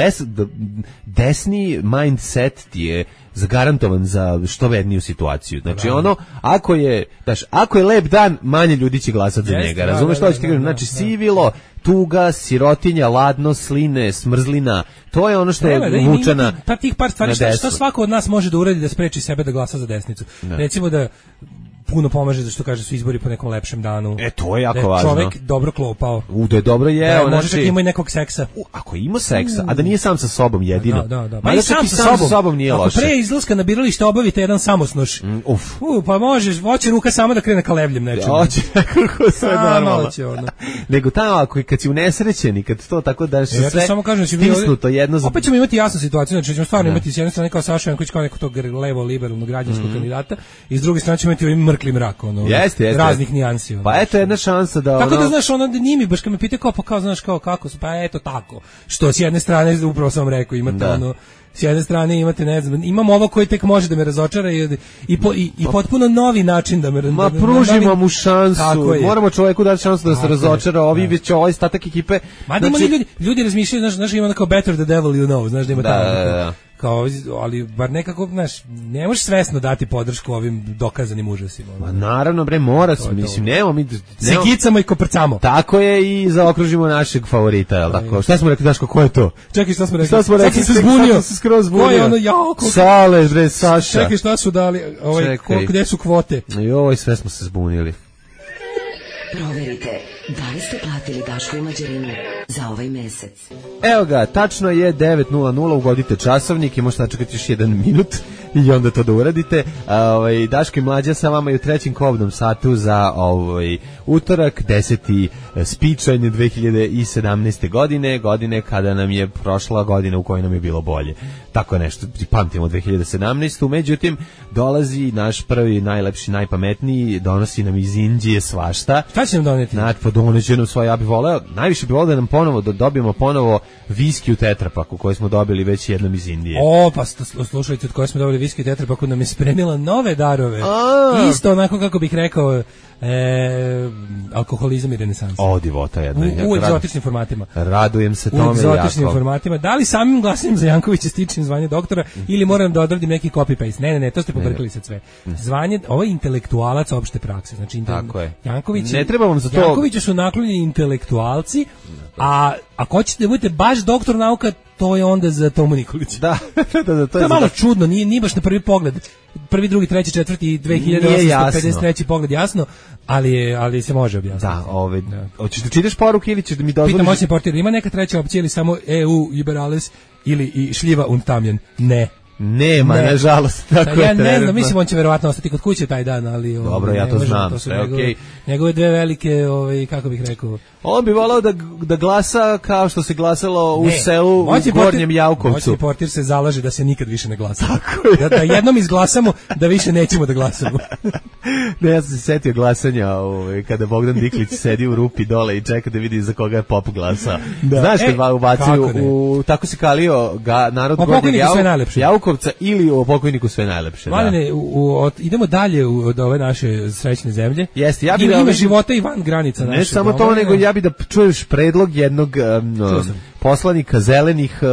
desni mindset ti je zagarantovan za što vedniju situaciju. Znači ako je lep dan, manje ljudi će glasati za njega. Razumeš što ću ti kažem? Znači sivilo, tuga, sirotinja, ladno, sline, smrzlina, to je ono što je vučana. Pa tih par stvari, što svako od nas može da uradi da spreči sebe da glasa za desnicu. Recimo da puno pomaže da što kaže su izbori po nekom lepšem danu. To je jako važno. Da je čovjek dobro klopao. Da je dobro jeo. Može čak ima i nekog seksa. Ako ima seksa, a da nije sam sa sobom jedino. Da. Ma i sam sa sobom nije loše. Ako pre izlaska na biralište obavite jedan samosnoš. Pa možeš, hoće ruka sama da krene ka levljem nečemu. Hoće, kako sve normalno. Nego tamo, kad si unesrećeni, kad to tako da se sve stisnuto jedno za... Opet ćemo imati jasnu situaciju, znači ćemo stvarno imati s jedne strane kao Saša Janković, kao nekog tog levo-liberalnog građanskog kandidata, i s druge strane ćemo imati mrkli mrak, raznih nijansi. Pa eto jedna šansa da... Tako da znaš, da nije mi baš kad me pita kao znaš kako su, pa eto tako. Što s jedne strane, upravo sam vam rekao, imate s jedne strane imate, ne znam, imam ovo koji tek može da me razočara i potpuno novi način da me... Ma pružimo mu šansu, moramo čoveku dati šansu da se razočara, ovi već ovaj statak ekipe... Mada ima ljudi razmišljaju, znaš, ima kao better the devil you know, znaš da ima kao, ali bar nekako, znaš, ne možeš svesno dati podršku ovim dokazanim užasima. Ma naravno, bre, mora se, mislim, nemo mi... Se gicamo i koprcamo. Tako je i zaokružimo našeg favorita, jel tako? Šta smo rekli, Daško, ko je to? Čekaj, šta smo rekli? Šta smo rekli? Sad sam se zbunio. Sad sam se skroz zbunio. Ko je ono, jao, Sale, bre, Saša. Čekaj, šta su dali, gde su kvote? Joj, sve smo se zbunili. Proverite, da li ste platili Daško i Mlađarinu za ovaj mesec. Evo ga, tačno je 9:00, ugodite časovnik i možete načekati još 1 minut i onda to da uradite. Daško i Mlađa sa vama i u trećem kobnom satu za utorak, 10. spičanj 2017. godine kada nam je prošla godina u kojoj nam je bilo bolje. Tako je nešto, pamtimo 2017. Međutim, dolazi naš prvi, najlepši, najpametniji, donosi nam iz Indije svašta. Šta će nam doneti? Znači, pa doneće nam svoje, ja bih voleo, najviše bih voleo da nam ponovo, da dobijemo ponovo viski u tetrapaku koji smo dobili već jednom iz Indije. O, pa slušajte, od koje smo dobili viski u tetrapaku, nam je spremila nove darove. Isto onako, kako bih rekao, alkoholizam i renesansa. O, divota jedna. U egzotičnim formatima. Radujem se tome jako. U egzotičnim formatima. Da li samim glasanjem za Jankovića stičem zvanje doktora ili moram da odradim neki copy-paste? Ne, to ste pobrkali sad sve. Zvanje, ovo je intelektualac opšte prakse. Znači, Janković, ne treba vam za to... Jankoviću su naklonjeni intelektualci, a ako hoćete da budete baš doktor nauka, to je onda za Tomu Nikolića. Da, to je malo čudno, nije baš na prvi pogled. Prvi, drugi, treći, četvrti, 2853 pogled jasno, ali se može objasniti. Da, hoćeš da čitaš poruke ili ćeš da mi dozvoliš? Pitam moćni portir, ima neka treća opcija ili samo EU, liberales ili i šljiva untamljen? Ne. Nema, nažalost. Tako ja ne znam, mislim on će verovatno ostati kod kuće taj dan, ali... Dobro, ja to znam, to su njegove dve velike, kako bih rekao... On bi volao da glasa kao što se glasalo u selu u Gornjem Javkovcu. Moćni portir se zalaže da se nikad više ne glasa. Tako je. Da jednom izglasamo, da više nećemo da glasamo. Ne, ja sam se setio glasanja kada Bogdan Diklić sedi u rupi dole i čeka da vidi za koga je pop glasao. Znaš kad ubacaju tako se kalio narod Gornjeg Javkovca ili o pokojniku sve najlepše. Mladene, idemo dalje od ove naše srećne zemlje. Jeste, ja bih ima života i van granica naše. Ne samo to, nego ja bih da čuješ predlog jednog poslanika zelenih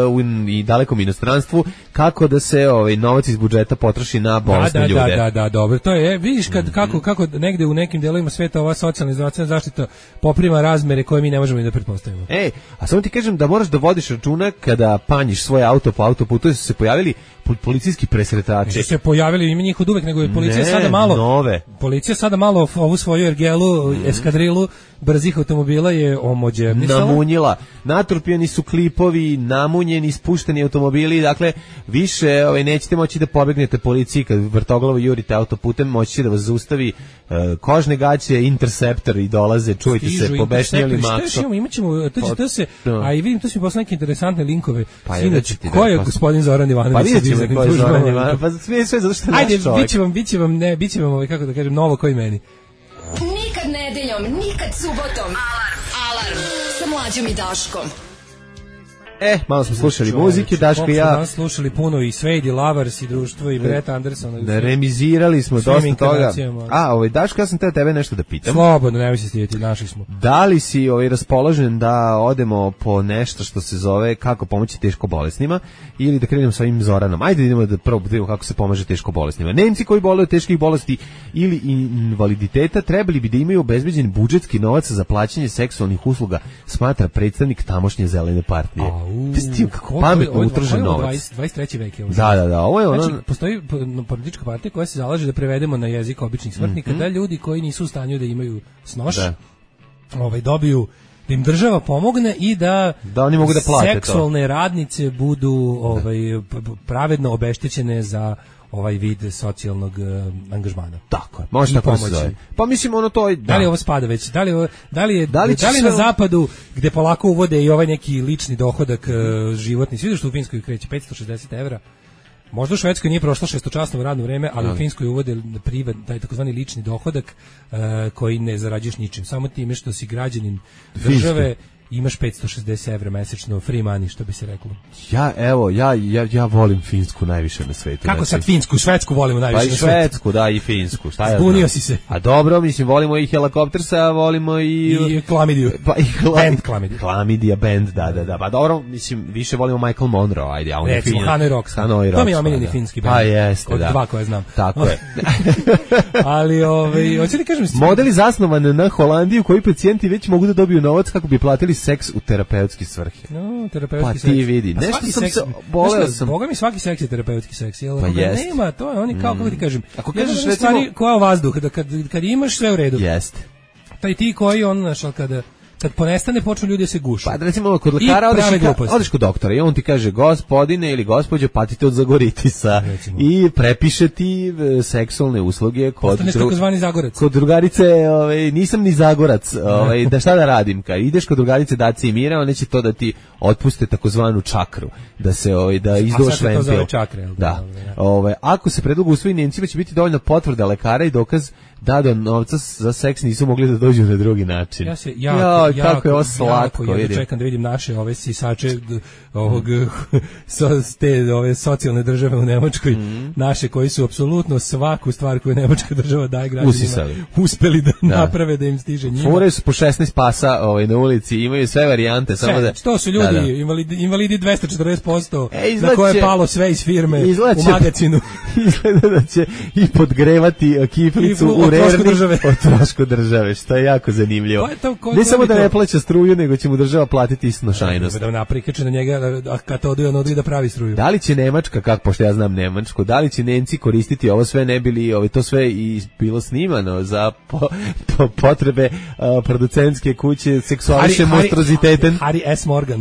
i dalekom inostranstvu kako da se novac iz budžeta potroši na bolesne ljude. Da, dobro. To je, vidiš kako negde u nekim delovima sveta ova socijalna i zdravstvena zaštita poprima razmere koje mi ne možemo ni da pretpostavimo. A samo ti kažem da moraš da vodiš računa kada panjiš svoje auto po autoputu, su se pojavili policijski presretači. Se pojavili, ima njih od uvek, nego je policija sada malo nove. Policija sada malo ovu svoju ergelu, eskadrilu brzih automobila je omođernisala. Namunjila. Natrupljeni su klipovi, namunjeni, spušteni automobili, dakle više nećete moći da pobegnete policiji kad vrtoglavo jurite autoputem, moći će da vas zaustavi kožne gaće, Interceptor i dolaze, čujte se, pobešnjeli makso. Imaćemo, to se, a i vidim, to su mi poslali neke interesantne linkove. Sinoć, ko je gospodin Zoran Ivanović? Pa vidjet ćemo ko je Zoran Ivanović, pa sve zato što je naš čovjek. Ajde, bit će vam, kako da kažem, novo koji meni. Nikad nedeljom, nikad subotom. Alarm sa Mlađom i Daškom. Malo smo slušali muzike, Daško i ja. Danas slušali puno i Svejdi, Lavars i društvo i Brett Anderson. Remizirali smo dosta toga. Daško, ja sam tebe nešto da pitam. Slobodno, nemoj se stidjeti, našli smo. Da li si raspoložen da odemo po nešto što se zove kako pomoći teško bolesnima ili da krenemo sa ovim Zoranom? Ajde idemo da prvo vidimo kako se pomaže teško bolesnima. Nemci koji boluju od teških bolesti ili invaliditeta trebali bi da imaju obezbeđen budžetski novac za plaćanje seksualnih usluga, smatra predstavnik tamošnje zelene partije. Kako pametno utrošen novac. 23. vek je ovo. Da, ovo je ono... Znači, postoji politička partija koja se zalaže da prevedemo na jezik običnih smrtnika, da ljudi koji nisu u stanju da imaju snoš, dobiju, da im država pomogne i da oni mogu da plate seksualne radnice budu pravedno obeštećene za ovaj vid socijalnog angažmana. Tako je, može tako se zove. Pa mislim ono to... Da li ovo spada već? Da li na zapadu gde polako uvode i ovaj neki lični dohodak životni, svi što u Finskoj kreće 560 €, možda u Švedskoj nije prošlo šestočasno radno vreme, ali u Finskoj uvode taj takozvani lični dohodak koji ne zarađuješ ničim, samo time što si građanin države imaš 560 evra mesečno free money, što bi se reklo. Ja volim Finsku najviše na svetu. Kako sad Finsku, Švedsku volimo najviše na svetu? Pa i Švedsku, da, i Finsku. Šta ja Zbunio znam? si se. A dobro, mislim, volimo i helikoptersa, volimo I klamidiju. Pa i Band klamidiju. Klamidija band, da. Pa dobro, mislim, više volimo Michael Monroe, ajde, a on je recimo, fin. Hanoi Rocks. To mi je omiljeni finski band. Pa jeste, od da. dva koje znam. Tako je. Ali, hoće li kažem... Modeli zasnovan na Holandiju koji pacijenti već mogu da dobiju novac kako bi platili seks u terapeutske svrhe. No, terapeutski pa seks. ti vidi. Nešto sam se boleo sam. Boga mi svaki seks je terapeutski seks. Jel, pa jest. Nema, to je oni kao, kako ti kažem. Ako kažeš recimo... stvari koja vazduh, da kad imaš sve u redu. Jeste. Taj ti koji on, znaš, kad ponestane počnu ljudi da se gušu. Pa recimo kod lekara odeš kod doktora i on ti kaže gospodine ili gospođo patite od zagoritisa i prepiše ti seksualne usluge kod kod drugarice, nisam ni zagorac, da šta da radim, kad ideš kod drugarice Daci i Mira, one će to da ti otpuste takozvanu čakru, da se da izdoš ventil. Da. Ako se predlogu usvoji, Nemcima će biti dovoljna potvrda lekara i dokaz da do novca za seks nisu mogli da dođu na drugi način. Kako je ovo slatko. Ja čekam da vidim naše ove sisače ovog te ove socijalne države u Nemačkoj, naše koji su apsolutno svaku stvar koju Nemačka država daje građanima uspeli da naprave da im stiže njima. Fure su po 16 pasa na ulici, imaju sve varijante. Samo da... To su ljudi, invalidi 240%, na koje je palo sve iz firme u magazinu. Izgleda da će i podgrevati kiflicu u o trošku države, što je jako zanimljivo. Ne samo da ne plaća struju, nego će mu država platiti snošajnost. Da naprikače na njega, a kad to oduje, on oduje da pravi struju. Da li će Nemačka, kako pošto ja znam Nemačku, da li će Nemci koristiti ovo sve, ne bili to sve i bilo snimano za potrebe producentske kuće seksualne monstroziteten? Harry S. Morgan.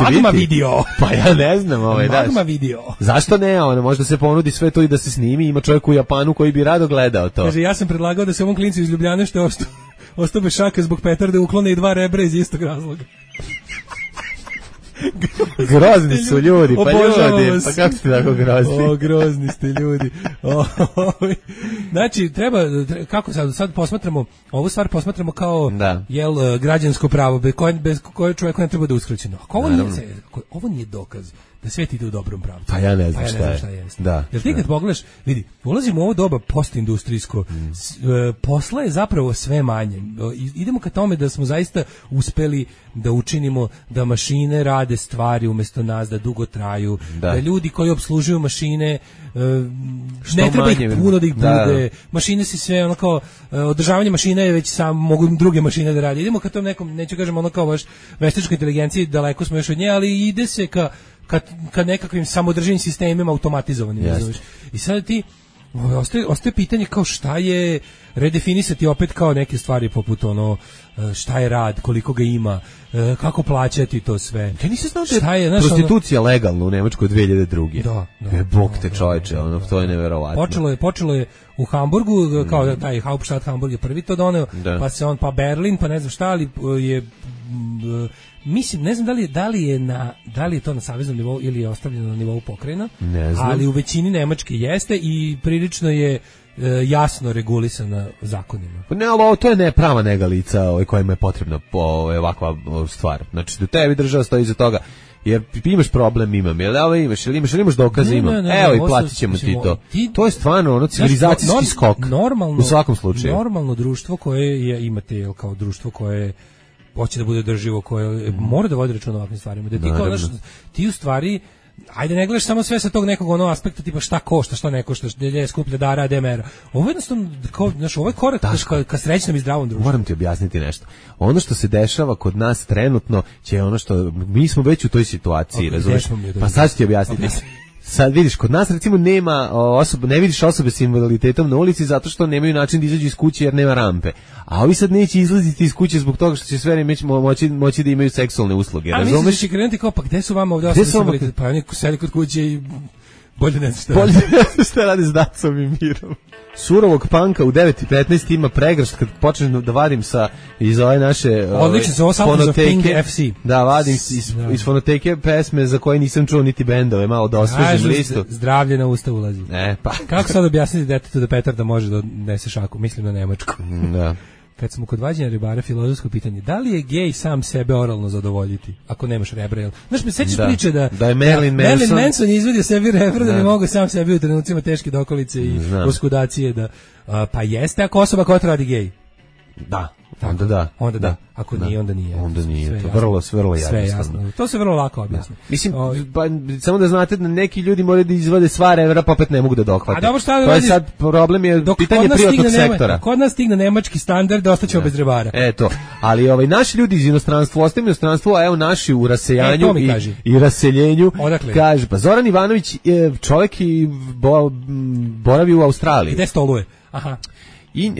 Magma video. Pa ja ne znam. Magma video. Zašto ne? Možda se ponudi sve to i da se snimi, ima čovjek u Japanu koji bi rado gledao to. Kaže, ja sam predlagao da se ovom klincu iz Ljubljane što ostao bez šaka zbog petarde uklone i 2 rebra iz istog razloga. Grozni su ljudi, pa ljudi, pa kako ste tako grozni? Grozni ste ljudi. Znači, kako sad posmatramo, ovu stvar posmatramo kao građansko pravo, bez koje čovjeku ne treba da uskraćeno. Ovo nije dokaz da svet ide u dobrom pravcu. Pa ja ne znam šta je. Jer ti kad pogledaš, vidi, ulazimo u ovo doba postindustrijsko, posla je zapravo sve manje. Idemo ka tome da smo zaista uspeli da učinimo da mašine rade stvari umjesto nas, da dugo traju, da ljudi koji opslužuju mašine ne treba ih puno da ih bude. Mašine se sve ono kao održavanje mašina je već sam mogu druge mašine da rade. Idemo ka tom nekom, neću kažem ono kao baš veštačkoj inteligenciji, daleko smo još od nje, ali ide se ka nekakvim samodrživim sistemima automatizovanim. I sad ti ostaje pitanje kao šta je redefinisati opet kao neke stvari poput šta je rad, koliko ga ima, kako plaćati to sve. Ja nisam znao da je prostitucija legalna u Nemačkoj 2002. Da. Bog te čovječe, to je neverovatno. Počelo je u Hamburgu, kao taj Hauptstadt Hamburg je prvi to doneo, pa Berlin, pa ne znam šta, ali je mislim, ne znam da li je to na saveznom nivou ili je ostavljeno na nivou pokrajina, ali u većini Nemačke jeste i prilično je jasno regulisana zakonima. Ne, ali to je neprava negalica kojima je potrebna ovakva stvar. Znači, da tebi država stoji iza toga. Jer imaš problem, imam. Jel imaš dokaze, imam. Evo i platit ćemo ti to. To je stvarno civilizacijski skok. U svakom slučaju. Normalno društvo koje imate kao društvo koje hoće da bude održivo, koje mora da vodi računa o ovakvim stvarima. Da ti u stvari, ajde ne gledaš samo sve sa tog nekog aspekta tipa šta košta, šta ne košta, gdje je skuplja dara, gdje mera. Ovo jednostavno, ovaj korak ka srećnom i zdravom društvu. Moram ti objasniti nešto. Ono što se dešava kod nas trenutno će ono što, mi smo već u toj situaciji, razumiješ? Pa sad ću ti objasniti. Sad vidiš, kod nas recimo nema ne vidiš osobe s invaliditetom na ulici zato što nemaju način da izađu iz kuće jer nema rampe. A ovi sad neće izlaziti iz kuće zbog toga što će sve vreme moći da imaju seksualne usluge. A misliš da će krenuti kao, pa gde su vama ovdje osobe s invaliditetom? Pa oni sedi kod kuće i bolje ne znam šta radi s Dacom i Mirom. Surovog panka u 9:15 ima pregršt kad počnem da vadim iz ove naše fonoteke. Da, vadim iz fonoteke pesme za koje nisam čuo niti bendove, malo da osvežim listu. Zdravlje na usta ulazi. Pa. Kako sad objasniti detetu da petarda može da nese šaku? Mislim na Nemačku. Da. kad smo kod vađenja ribara, filozofsko pitanje, da li je gej sam sebe oralno zadovoljiti, ako nemaš rebra? Jel? Znaš, me sećaš priče da je Marilyn Manson je izvadio sebi rebra da bi mogao sam sebi u trenucima teške dokolice i oskudacije da, pa jeste ako osoba koja radi gej. Da. Tako, onda da. Ako nije, onda nije. Onda nije. Sve to vrlo jasno. To se vrlo lako objasni. Mislim, pa, samo da znate da neki ljudi moraju da izvade sva revera, pa opet ne mogu da dohvate. A dobro, šta da to je sad problem, je pitanje privatnog sektora. Kod nas stigne nemački standard, da ostaćemo bez ribara. Eto, ali naši ljudi iz inostranstva, ostaju inostranstvo, a evo naši u rasejanju i raseljenju. Odakle? Kaže, pa Zoran Ivanović je čovjek i boravi u Australiji. Gde stoluje? Aha. I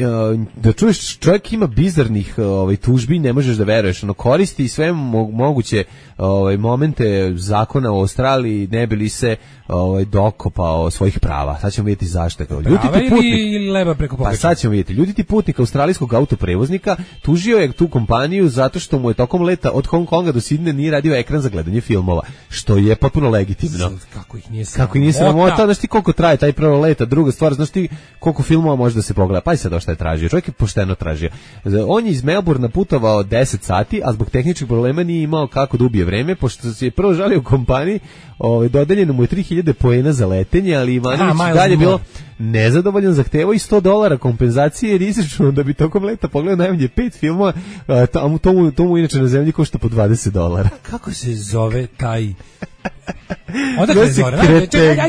da čuješ, čovjek ima bizarnih tužbi, ne možeš da veruješ, koristi sve moguće momente zakona u Australiji, ne bi li se dokopao svojih prava. Sad ćemo vidjeti zašto. Prava ili leba preko pogača? Pa sad ćemo vidjeti. Ljuditi putnik australijskog autoprevoznika tužio je tu kompaniju zato što mu je tokom leta od Hong Konga do Sidneja nije radio ekran za gledanje filmova, što je potpuno legitimno. Kako ih nije sramota? Znaš ti koliko traje taj prvo leta? Druga stvar, znaš ti koliko filmova može da se pogleda? Pa i sad šta je tražio. Čovjek je pošteno tražio. On je iz Melbourna putovao 10 sati, a zbog tehničkih problema nije imao kako da ubije vreme, pošto se je prvo žalio u kompaniji, dodeljeno mu je 3000 poena za letenje, ali Ivanović dalje bilo nezadovoljan, zahtevao i $100 kompenzacije jer izračunao da bi tokom leta pogledao najmanje 5 filmova, to mu inače na zemlji košta po $20. Kako se zove taj... Odakle je Zoran?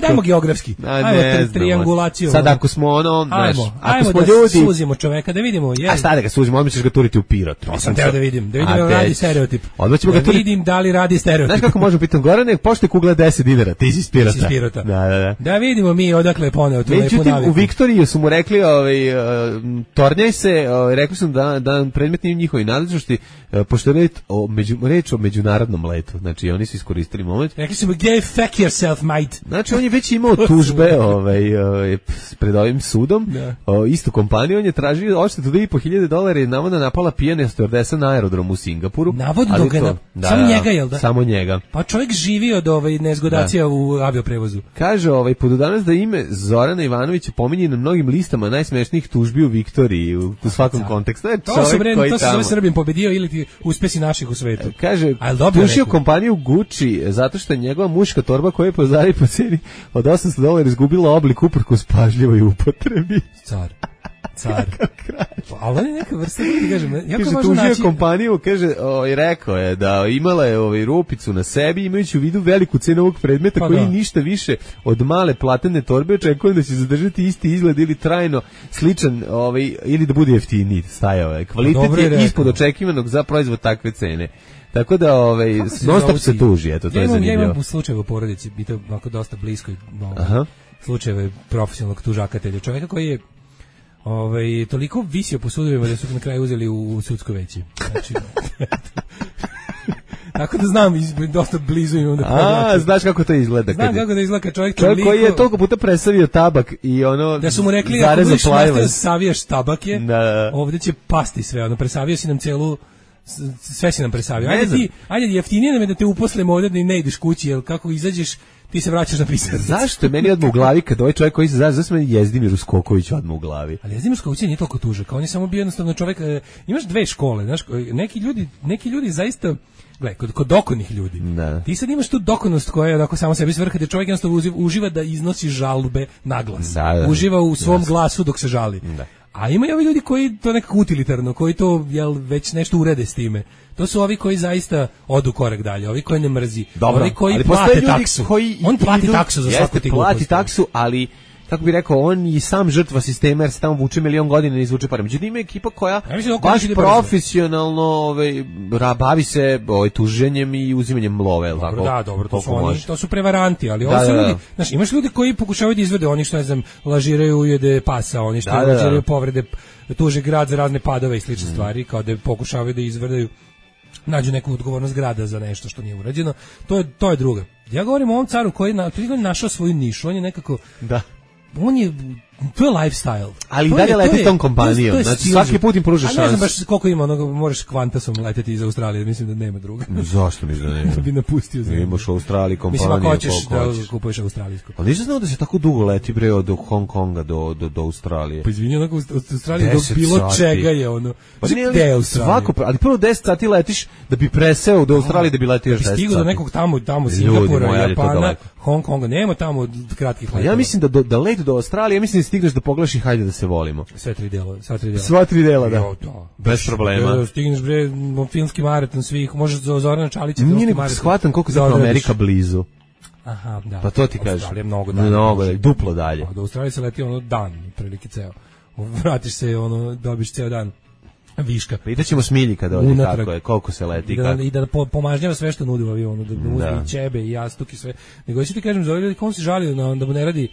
Ajmo geografski. Ajmo triangulaciju. Sad ako smo ajmo da ljudi... suzimo čoveka, da vidimo. A šta da ga suzimo, odmah ćeš ga turiti u Pirot. To sam teo da vidim radi stereotip. Da vidim da li radi stereotip. Znaš kako možemo pitati, Gorane, pošto je kugla $10, ti si iz Pirota. Da vidimo mi odakle je poneo tu lepu naviku. U Viktoriji su mu rekli, tornjaj se, rekli su da predmet nije u njihovoj nadležnosti, pošto je reč o međunarodnom letu. Znači, oni su iskoristili moment. Rekli su mu, fuck yourself, mate. Znači, on je već imao tužbe pred ovim sudom, istu kompaniju, on je tražio odštetu $2.500 je navodno napala pijana stewardesa na aerodromu u Singapuru. Navodno ga samo njega, jel da? Samo njega. Pa čovjek živi od nezgodacija u avioprevozu. Kaže danas da ime Zorana Ivanovića pominje na mnogim listama najsmešnijih tužbi u Viktoriji u svakom kontekstu. To se zove Srbin pobedio ili ti uspesi naših u svetu. Kaže, tužio kompaniju Gucci zato što je njegova muška torba koja je pozari po ceni od $800 izgubila oblik uprkos pažljivoj upotrebi. Car. Ali on je neka vrsta, kaže, tužio kompaniju, kaže, rekao je da imala je rupicu na sebi, imajući u vidu veliku cenu ovog predmeta koji ništa više od male platene torbe, očekujem da će zadržati isti izgled ili trajno sličan, ili da bude jeftiniji, stajao. Kvalitet je ispod očekivanog za proizvod takve cene. Tako da non-stop se tuži, eto, to je zanimljivo. Ja imam slučajeve u porodici, biti ovako dosta blisko slučajeve profesionalnog tužakatelja, čovjeka koji je toliko visio po sudovima da su na kraju uzeli u sudsko veće. Znači, tako da znam, dosta blizu imam da pogledam. Znaš kako to izgleda? Znam kako da izgleda kad čovjek koji je toliko puta presavio tabak i da su mu rekli, ako budeš nastavio savijaš tabake, ovdje će pasti sve, presavio si nam celu, sve si nam presavio. Ajde, jeftinije nam je da te uposlimo ovdje da ne ideš kući, jer kako izađeš, ti se vraćaš na pisarnicu. Zašto je meni odmah u glavi kad ovaj čovjek koji se zove, zašto meni Jezdimir Uskoković odmah u glavi? Ali Jezdimir Uskoković nije toliko tužak, on je samo bio jednostavno čovjek, imaš dve škole, znaš, neki ljudi zaista, gledaj, kod dokonih ljudi, ti sad imaš tu dokonost koja je onako samo sebi svrha, da čovjek jednostavno uživa da iznosi žalbe na glas, uživa u svom glasu dok se žali. A ima i ovi ljudi koji to nekako utilitarno, koji to već nešto urede s time. To su ovi koji zaista odu korak dalje, ovi koji ne mrzi, ovi koji plate taksu. On plati taksu za svaku ti glupost. Plati taksu, ali kako bi rekao, on i sam žrtva sistema jer se tamo vuče milion godina ne izvuče pare. Međutim, ima ekipa koja baš profesionalno bavi se tuženjem i uzimanjem love. Dobro, to su prevaranti, ali ovo su ljudi, znaš, imaš ljudi koji pokušavaju da izvede, oni što ne znam, lažiraju ujede pasa, oni što lažiraju povrede, tuže grad za razne padove i slične stvari, kao da pokušavaju da izvrdaju, nađu neku odgovornost grada za nešto što nije urađeno. To je druga. Ja govorim o ovom caru koji je našao svoju nišu, on je nekako... On je to je lifestyle. Ali i dalje leti tom kompanijom. Znači svaki put im pruža šansu. Ne znam baš koliko ima onoga, možeš Qantasom leteti iz Australije, mislim da nema druga. Zašto mi da nema? Da bi napustio zemlju. Imaš u Australiji kompaniju. Mislim, ako hoćeš da kupuješ australijsku. Ali nisam znao da se tako dugo leti, bre, od Hong Konga do Australije. Pa izvini, onako od Australije do bilo čega je ono. Pa nije svako, ali prvo 10 sati letiš da bi preseo do Australije, da bi letio još 10 sati. Stigu do nekog tamo Singapura, Japana, Hong Konga, nema tamo kratkih letova. Ja mislim da let do Australije, ja mislim da stigneš da pogledaš i hajde da se volimo. Sva tri dela, da. Bez problema. Stigneš, bre, filmski maraton svih, možeš za Zorana Čalića. Nije ne shvatam koliko je zapravo Amerika blizu. Aha, da. Pa to ti kažeš. Australija je mnogo dalje, duplo dalje. Do Australije se leti ono dan, prilike ceo. Vratiš se, ono, dobiš ceo dan viška. Pitaćemo Smilji kada ode kako je, koliko se leti. I da pomažnjava sve što nudi u avionu, da uzme i ćebe i jastuk i sve. Nego ću ti kažem, za ovaj ljudi, kom se žalio da mu ne radi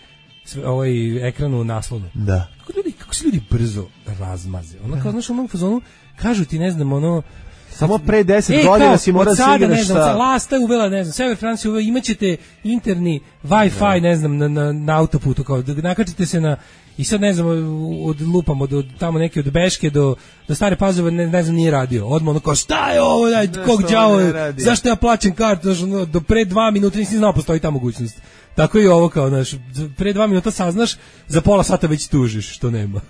ovaj ekranu naslovno. Da. Kako se ljudi brzo razmaze. Ono kao, znaš, onom fazonu, kažu ti, ne znam, ono, samo pre 10 godina si mora da se igraš sa... Lasta je uvela, ne znam, Sever Francija uvela, imaćete interni Wi-Fi, ne znam, na autoputu, kao da nakačite se na... I sad, ne znam, od lupamo, od tamo neke od Beške do Stare Pazove, ne znam, nije radio. Odmah ono kao, šta je ovo, kog đavo je, zašto ja plaćam kartu, do pre 2 minuta nisi znao, postoji ta mogućnost. Tako i ovo, kao, znaš, pre 2 minuta saznaš, za pola sata već tužiš, što nema.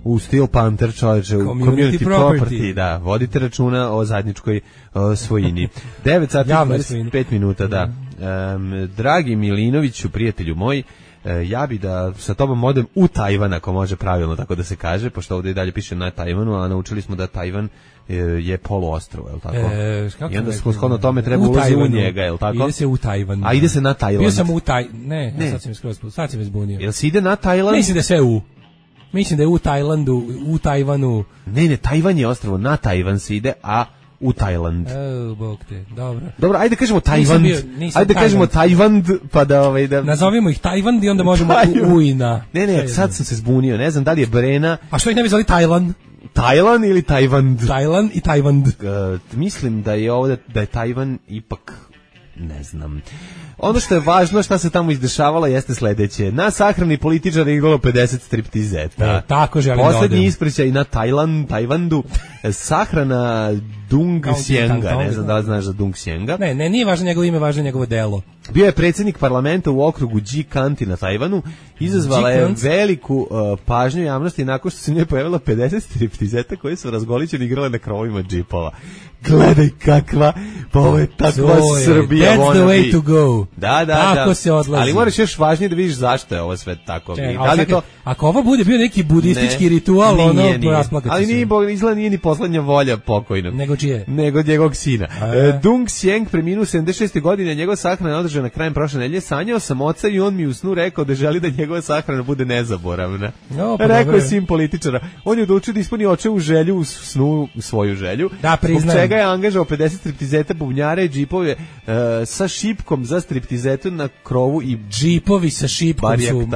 U Steel Panther, čovječe, u community property, da, vodite računa o zajedničkoj svojini. 9 sati 25 minuta, da. Dragi Milinoviću, prijatelju moj, ja bi da sa tobom odem u Tajvan, ako može pravilno tako da se kaže, pošto ovdje i dalje piše na Tajvanu, a naučili smo da Tajvan je poluostrvo, je li tako? I onda smo shodno tome treba ulazi u njega, je li tako? Ide se u Tajvan. A ide se na Tajland. Bio sam u Ne, sad si me zbunio. Jel se ide na Tajland? Mislim da sve Mislim da je u Tajlandu, u Tajvanu. Ne, Tajvan je ostrvo, na Tajvan se ide, a u Tajland. Bog te, dobro. Dobro, ajde kažemo Tajvan. Ajde kažemo Tajvan, pa da da nazovimo ih Tajvan i onda možemo ujna. Ne, sad sam se zbunio, ne znam da li je Brena. A što ih ne bi zvali Tajland? Tajlan ili Tajvan? Tajlan i Tajvan. Mislim da je ovdje da je Tajvan ipak ne znam. Ono što je važno, šta se tamo izdešavalo, jeste sledeće. Na sahrani političara je igralo 50 striptizeta. Tako želim poslednji ispričaj na Tajvandu. Sahrana Dung Sjenga. Ne znam da li znaš za Dung Sjenga. Ne, nije važno njegovo ime, važno njegovo delo. Bio je predsjednik parlamenta u okrugu G-Kanti na Tajvanu. Izazvala je veliku pažnju javnosti nakon što se njoj pojavila 50 striptizeta koji su razgolićeni igrale na krovovima džipova. Gledaj kakva, pa ovo je takva Srbija. That's the way to go. Da. Tako se odlazi. Ali moraš još važnije da vidiš zašto je ovo sve tako. Ako ovo bude bio neki budistički ritual, nije. Ali nije ni poslednja volja pokojnog. Nego čije? Nego njegovog sina. Dung Sjeng preminuo 76. godine, njegova sahrana je održana krajem prošle nedelje. Sanjao sam oca i on mi u snu rekao da želi da njegova sahrana bude nezaboravna. Rekao je sin političara. On je odlučio da ispuni očevu želju u snu, svoju želju. Da, priznajem. Zbog čega je angažao 50 striptizeta, bubnjare i džipove sa šipkom za striptizetu na krovu i džipovi sa šipkom su.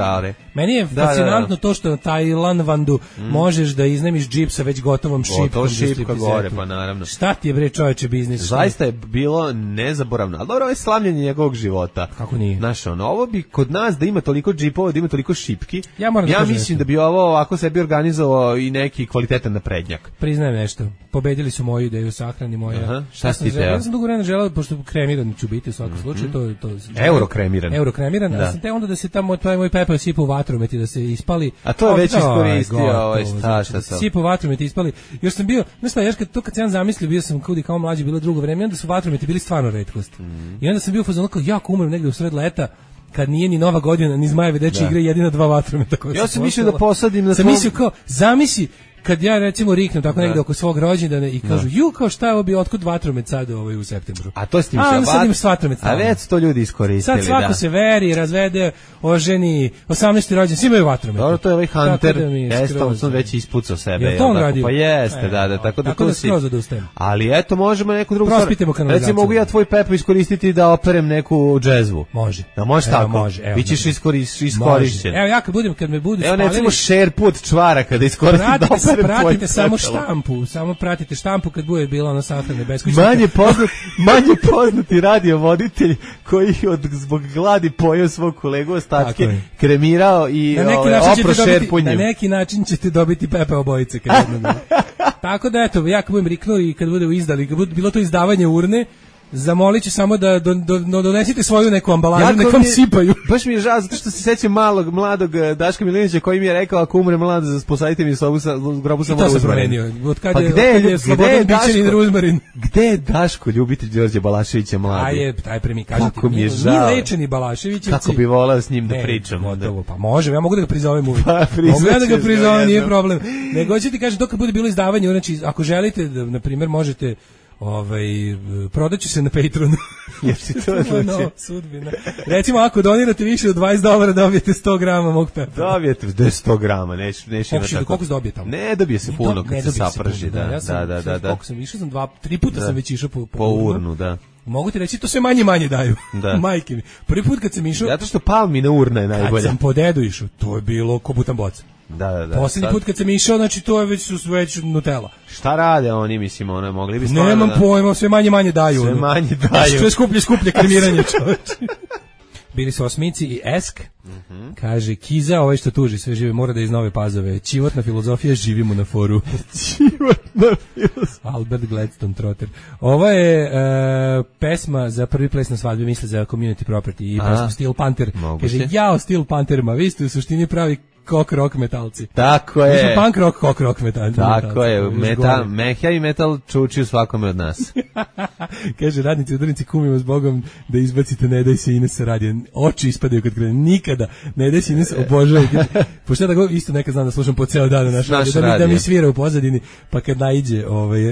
Meni je fascinantno to što na Tajlanvandu možeš da iznemiš džip sa već gotovom šipkom. Šipka gore, pa naravno. Šta ti je bre čoveče biznis? Zaista je bilo nezaboravno. Ali dobro, ovo je slavljenje njegovog života. Kako nije? Znaš, ovo bi kod nas da ima toliko džipova, da ima toliko šipki. Ja mislim da bi ovo ovako sebi organizovao i neki kvalitetan naprednjak. Priznajem nešto. Pobedili su moju ideju sahrani moja. Šta si teo? Ja sam dugo vremena želeo, pošto kremiran ću biti u svakom slučaju. Eurokremiran. Eurokremiran, a sam te onda da se tamo moj pepeo sipa u vatromet i da se ispali. A to je već iskoristio šta. Sipa u vatromet ispali. Još sam bio, kad sam zamislio, bio sam kudi kao mlađi, bilo drugo vreme, onda su vatrometi bili stvarno retkost. I onda sam bio fazon kao jako umrem negde u sred leta, kad nije ni Nova godina, ni Zmajevi dečji igre, jedina 2 vatrometa koja ja sam mislio da posadim na sam mislio kao, zamisli kad ja recimo riknem tako negde oko svog rođendana i kažu kao šta je ovo bio, otkud vatromet sad u septembru. A to s tim a već to ljudi iskoristili. Sad svako se veri, razvede, oženi, 18. rođendan, svi imaju vatromet. Dobro, to je ovaj Hunter, jeste, on sam već ispucao sebe. Je to on radio? Pa jeste, da, tako da tu si. Ali eto, možemo neku drugu stvar. Recimo, mogu ja tvoj pepo iskoristiti da operem neku džezvu. Može. Da može tako? Bićeš iskorišćen. Evo ja kad me budu spalili. Evo recimo šerpu od čvara kada iskoristim da pratite samo štampu, pratite štampu kad bude bila ona sahrana beskućnika. Manje poznati radiovoditelj koji zbog gladi pojeo svog kolegu ostatke, kremirao i opro šerpunjem. Na neki način ćete dobiti Pepe obojice. Tako da eto, ja kad budem riknuo i kad bude izdali, kad bude bilo to izdavanje urne, zamolit ću samo da donesite svoju neku ambalažu, nek vam sipaju. Baš mi je žao, zato što se sećam mladog Daška Milinovića koji mi je rekao, ako umre mlad, posadite mi sobu sa grobu samo ruzmarin. I to se promenio. Od kada je Slobodan Bićanin ruzmarin. Gde je Daško, ljubitelj Đorđe Balaševića mladi? Taj pre mi kažete. Kako mi je žao. Nije lečeni Balaševićevci. Kako bi voleo s njim da pričam. Pa može, ja mogu da ga prizovem uvijek. Mogu ja da ga prizovem, nije problem. Nego ću ti kažem, dok bude bilo izdavanje, znači, ako želite, na primjer, možete prodaću se na Patreonu. Jer si to znači? Sudbina. Recimo, ako donirate više od $20, dobijete 100 grama mog pepela. Dobijete 100 grama, neće ima tako. Koliko se dobije tamo? Ne dobije se puno kad se saprži. Da. Koliko sam išao, sam 3 puta sam već išao po urnu, da. Mogu ti reći, to sve manje daju. Majke mi. Prvi put kad sam išao... Zato što palmina urna je najbolja. Kad sam po dedu išao, to je bilo ko butan boca. Da. Posljednji put kad sam išao, znači to je već Nutella. Šta rade oni, mislim, mogli bi stvarno... Nemam pojma, sve manje daju. Sve manje daju. Sve skuplje kremiranje, čoveče. Bili su Osmici i Esk. Kaže, Kiza, ovaj što tuži sve žive, mora da iz Nove Pazove. Čivotna filozofija, živimo na foru. Čivotna filozofija. Albert Gladstone Trotter. Ovo je pesma za prvi ples na svadbi, misle za community property i pesma Steel Panther. Kaže, jao Steel Pantherima, vi ste u suštini pravi kok rock metalci. Tako je. Mi smo punk rock, kok rock metalci. Tako je, heavy metal čuči u svakome od nas. Kaže, radnici udarnici, kumimo s Bogom da izbacite Ne daj se Ines sa radija. Oči ispadaju kad krene. Nikada. Ne daj se Ines, obožavam. Pošto ja da isto nekad znam da slušam po ceo dan naš radio, da mi svira u pozadini, pa kad naiđe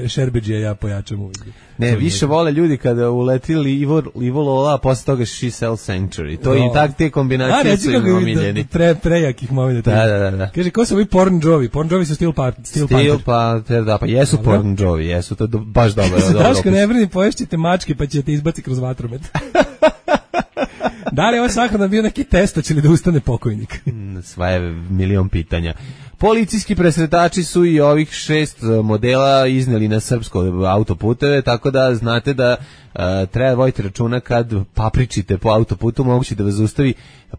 Šerbeđija, ja pojačam uvijek. Ne, više vole ljudi kada uletili Ivo Lola, a posle toga She Sells Sanctuary. To i tak te kombinacije su im omiljeni. Prejakih momenta. Da. Kaže, ko su ovi Porn Jovi? Porn Jovi su Steel Panther. Da, pa jesu Porn Jovi, jesu, to baš dobro. Daško, ne brini, poješćete mačke, pa ćete izbaci kroz vatromet. Da li je ovaj sahrana bio neki test, će li da ustane pokojnik? Sva je milion pitanja. Policijski presretači su i ovih 6 modela izneli na srpsko autoputeve, tako da znate da treba voditi računa kad papričite po autoputu, moguće da vas zaustavi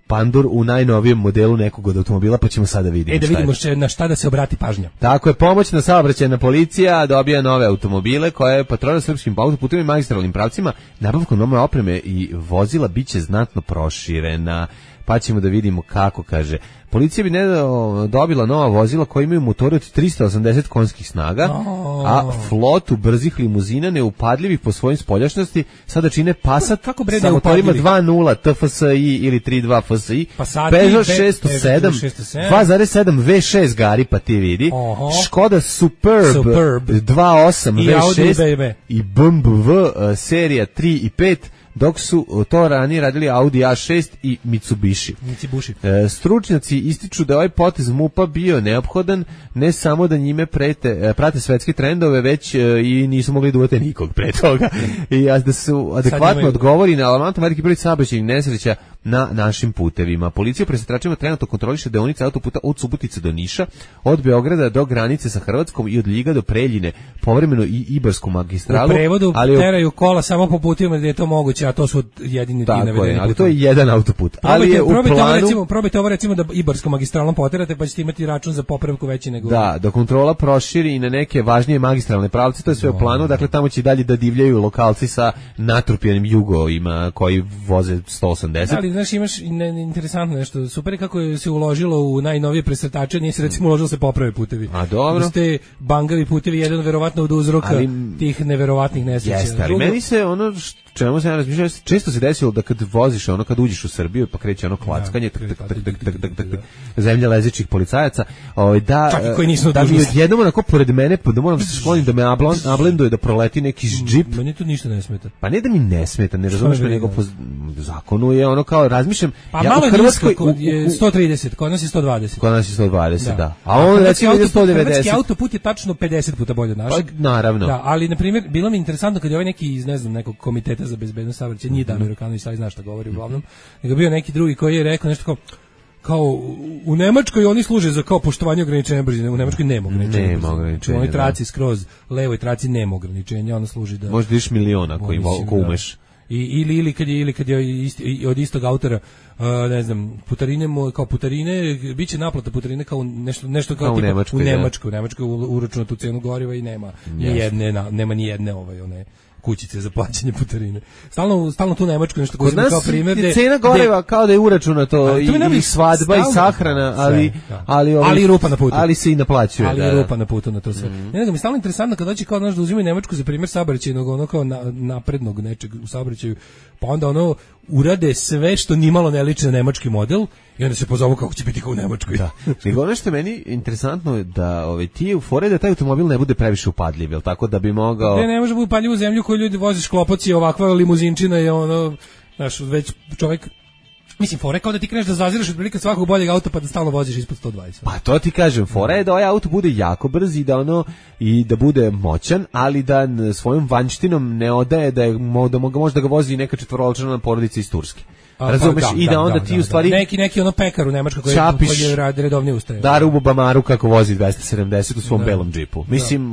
pandur u najnovijem modelu nekog od automobila, pa ćemo sada vidjeti. Da vidimo na šta da se obrati pažnja. Tako je, pomoćna saobraćajna policija dobija nove automobile koje patrolira srpskim autoputovima i magistralnim pravcima. Nabavkom nove opreme i vozila biće znatno proširena. Pa ćemo da vidimo kako, kaže. Policija bi dobila nova vozila koja imaju motore od 380 konjskih snaga, a flotu brzih limuzina neupadljivih po svojim spoljašnosti sada čine Passat sa motorima 2.0 TFSI ili 3.2 FSI, Peugeot 607, 2.7 V6 gari, pa ti vidi, Škoda Superb 2.8 V6 i BMW serija 3 i 5, dok su to ranije radili Audi A6 i Mitsubishi. Stručnjaci ističu da je ovaj potez MUP-a bio neophodan, ne samo da njime prate svetske trendove, već i nisu mogli da uvete nikog pre toga. I da su adekvatno odgovori na alarmantan veliki broj saobraćajnih nesreća na našim putevima. Policija presretačima trenutno kontroliše deonice autoputa od Subotice do Niša, od Beograda do granice sa Hrvatskom i od Ljiga do Preljine, povremeno i Ibarsku magistralu. U prevodu teraju kola samo po putima gdje je to moguće, a to su jedini ti navedeni putevi. Ali to je jedan autoput. Ali je u planu... Probajte ovo recimo da Ibarskom magistralom poterate, pa ćete imati račun za popravku veći nego... Da kontrola proširi i na neke važnije magistralne pravce, to je sve u planu, dakle tamo će dalje da divljaju lokalci sa natrupljenim jugovima koji voze 180. Ali znaš, imaš interesantno nešto, super je kako se uložilo u najnovije presretače, nije se recimo uložilo se poprave putevi. A dobro. Da ste bangavi putevi, jedan verovatno od uzroka tih neverovatnih nesreća. Jeste, ali meni se ono čemu se ja razmišljam, često se desilo da kad voziš, kad uđeš u Srbiju, pa kreće ono klackanje, zemlja lezećih policajaca, da mi odjednom onako pored mene, pa da moram se sklonim da me ablenduje, da proleti neki džip. Meni to ništa ne smeta. Pa ne da mi ne smeta, ne razumiješ me, nego po zakonu je ono kao razmišljam. Pa malo je Hrvatskoj je 130, kod nas je 120. Kod nas je 120, da. A on recimo je 190. Hrvatski autoput je tačno 50 puta bolje od našeg. Pa naravno. Da, ali na primjer bilo mi interesantno kad je ovaj neki iz ne znam nekog komiteta za bezbednost saobraćaja, nije Damir Rukanović, ali zna šta govori uglavnom, nego bio neki drugi koji je rekao nešto kao u Nemačkoj oni služe za kao poštovanje ograničenja brzine, u Nemačkoj nema ograničenja. Nema ograničenja. U onoj traci skroz levoj traci nema ograničenja, ona služi da možda iš miliona koji umeš. Ili kad je od istog autora, ne znam, putarine kao putarine, biće naplata putarine kao nešto kao u Nemačkoj, uračuna tu cenu goriva i nema ni jedne one kućice za plaćanje putarine. Stalno tu Nemačku nešto koji kao primjer je cena goriva kao da je uračunato i svadba i sahrana, ali rupa na putu. Ali se i naplaćuje. Ali rupa na putu na to sve. Ne nego mi stalno interesantno kad dođe kao da uzimaju Nemačku za primjer saobraćajnog, ono kao naprednog nečeg u saobraćaju, pa onda ono urade sve što nimalo ne liči na nemački model i onda se pozovu kako će biti kao u Nemačkoj. Da. Nego ono što je meni interesantno je da ti u fore da taj automobil ne bude previše upadljiv, jel tako da bi mogao... Ne može biti upadljiv u zemlju koju ljudi voziš klopoci, ovakva limuzinčina je ono, znaš, već čovjek... Mislim, fora je kao da ti kreneš da zaziraš otprilike svakog boljeg auta pa da stalno voziš ispod 120. Pa to ti kažem, fora je da ovaj auto bude jako brz i da bude moćan, ali da svojom vanjštinom ne odaje da možda ga vozi neka četvorolačna porodica iz Turske. Razumeš? I da onda ti u stvari... Neki ono pekar u Nemačkoj koji je redovnije ustaje. Da rubu Bamaru kako vozi 270 u svom belom džipu. Mislim,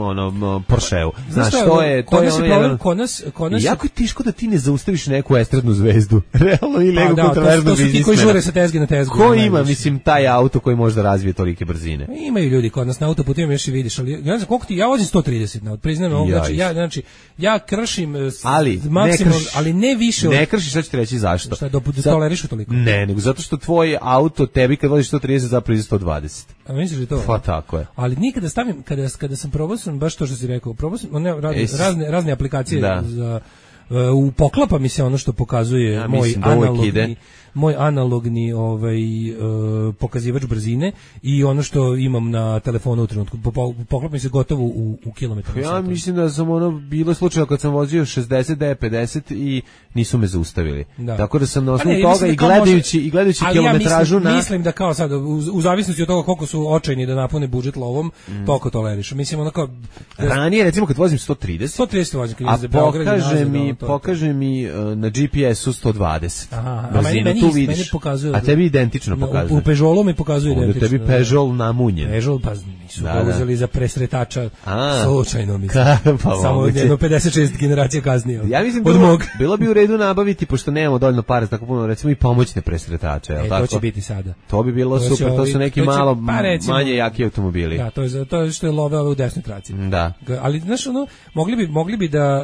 Porscheu. Znaš, to je ono... Kod nas... Jako je tiško da ti ne zaustaviš neku estradnu zvezdu. Realno ili neku kontroverznu biznismena. To su ti koji žure sa tezge na tezgu. Ko ima, mislim, taj auto koji može da razvije tolike brzine? Imaju ljudi kod nas na autoputima još i vidiš, ali ja znam koliko ti, ja vozim 130 na priznam ovo, znači ja kršim maksimum, ali ne više. Ne kršiš, sad ću ti reći zašto. Tolerišu toliko? Ne, nego zato što tvoj auto tebi kad voziš 130 zapravo iza 120. A misliš da to? Pa tako je. Ali nikada stavim, kada sam probao sam baš to što si rekao, probao sam razne aplikacije za u poklapa mi se ono što pokazuje moj analogni pokazivač brzine i ono što imam na telefonu u trenutku. Poklapa mi se gotovo u kilometar. Ja mislim da sam bilo slučajno kad sam vozio 60 D50 i nisu me zaustavili. Da. Tako da sam na osnovu toga i gledajući kilometražu mislim da kao sad u zavisnosti od toga koliko su očajni da napune budžet lovom, toliko tolerišu. Mislim onako ranije recimo kad vozim 130 vozim za Beograd pokaže mi na GPS-u 120. Aha, meni pokazuje. A tebi identično pokazuje. U Peugeotu mi pokazuje identično. Tebi Peugeot namunjen. Peugeot pa nisu ga uzeli za presretača slučajno mislim. Samo jedno 56 generacija kasnije. Ja mislim bilo bi u redu nabaviti pošto nemamo dovoljno para tako puno recimo i pomoćne presretače, je l' tako? To će biti sada. To bi bilo super, to su neki malo manje jaki automobili. Da, to je što je love u desnoj traci. Da. Ali znaš ono, mogli bi da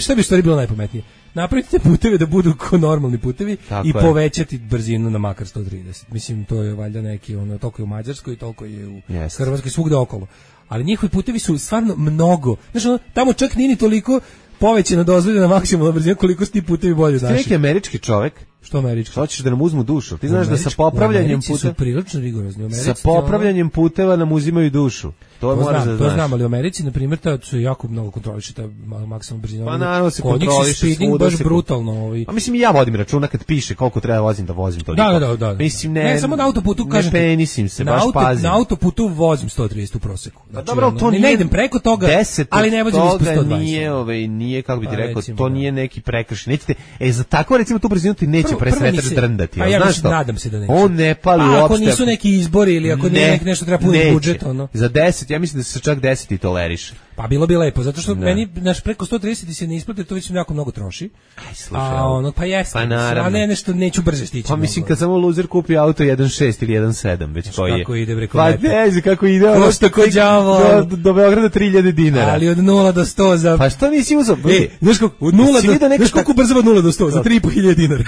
šta bi stvari bilo najpametnije? Napravite puteve da budu ko normalni putevi i povećati brzinu na makar 130. Mislim, to je valjda neki, toliko je u Mađarskoj i toliko je u Hrvatskoj, svugde okolo. Ali njihovi putevi su stvarno mnogo. Znaš, tamo čak nije ni toliko povećana dozvoljena maksimalna brzina koliko su ti putevi bolje naši. Ti neki američki čovjek. Što američki? Hoćeš da nam uzmu dušu. Ti znaš da sa popravljanjem puteva su prilično rigorozni. Sa popravljanjem puteva nam uzimaju dušu. To moraš da znaš. To znam, ali u Americi na primjer se jako mnogo kontroliše ta maksimalna brzina. Pa naravno se kontroliše speeding baš brutalno. A mislim i ja vodim računa kad piše koliko treba vozim toliko. Da. Mislim ne samo na autoputu kažem. Ne penisim se, baš pazim. Na autoputu vozim 130 u proseku. Znači, dobro, to ne idem preko toga, ali ne vozim ispod 120. Nije kako bi ti rekao, to nije neki prekršaj. Nećete, za tako recimo tu brzinu ti neće presretač drndati. Ja nadam se da neće. On ne pali uopšte. Ako nisu neki izbori ili ako nije nešto treba puniti budžet, Za 10, ja mislim da se čak 10 i toleriše. Pa bilo bi lepo, zato što meni preko 130 se ne isplate, to već jako mnogo troši. Aj, slušaj. Pa jeste. A ne nešto neću brže stići. Pa mislim kad samo luzer kupi auto 1.6 ili 1.7, već koji je. Kako ide preko Pa ne, kako ide. Košta ko đavo. Do Beograda 3000 dinara. Ali od 0 do 100 za... Pa što nisi uzeo? Znaš koliko brzo od 0 do 100? Za 3.500 dinara.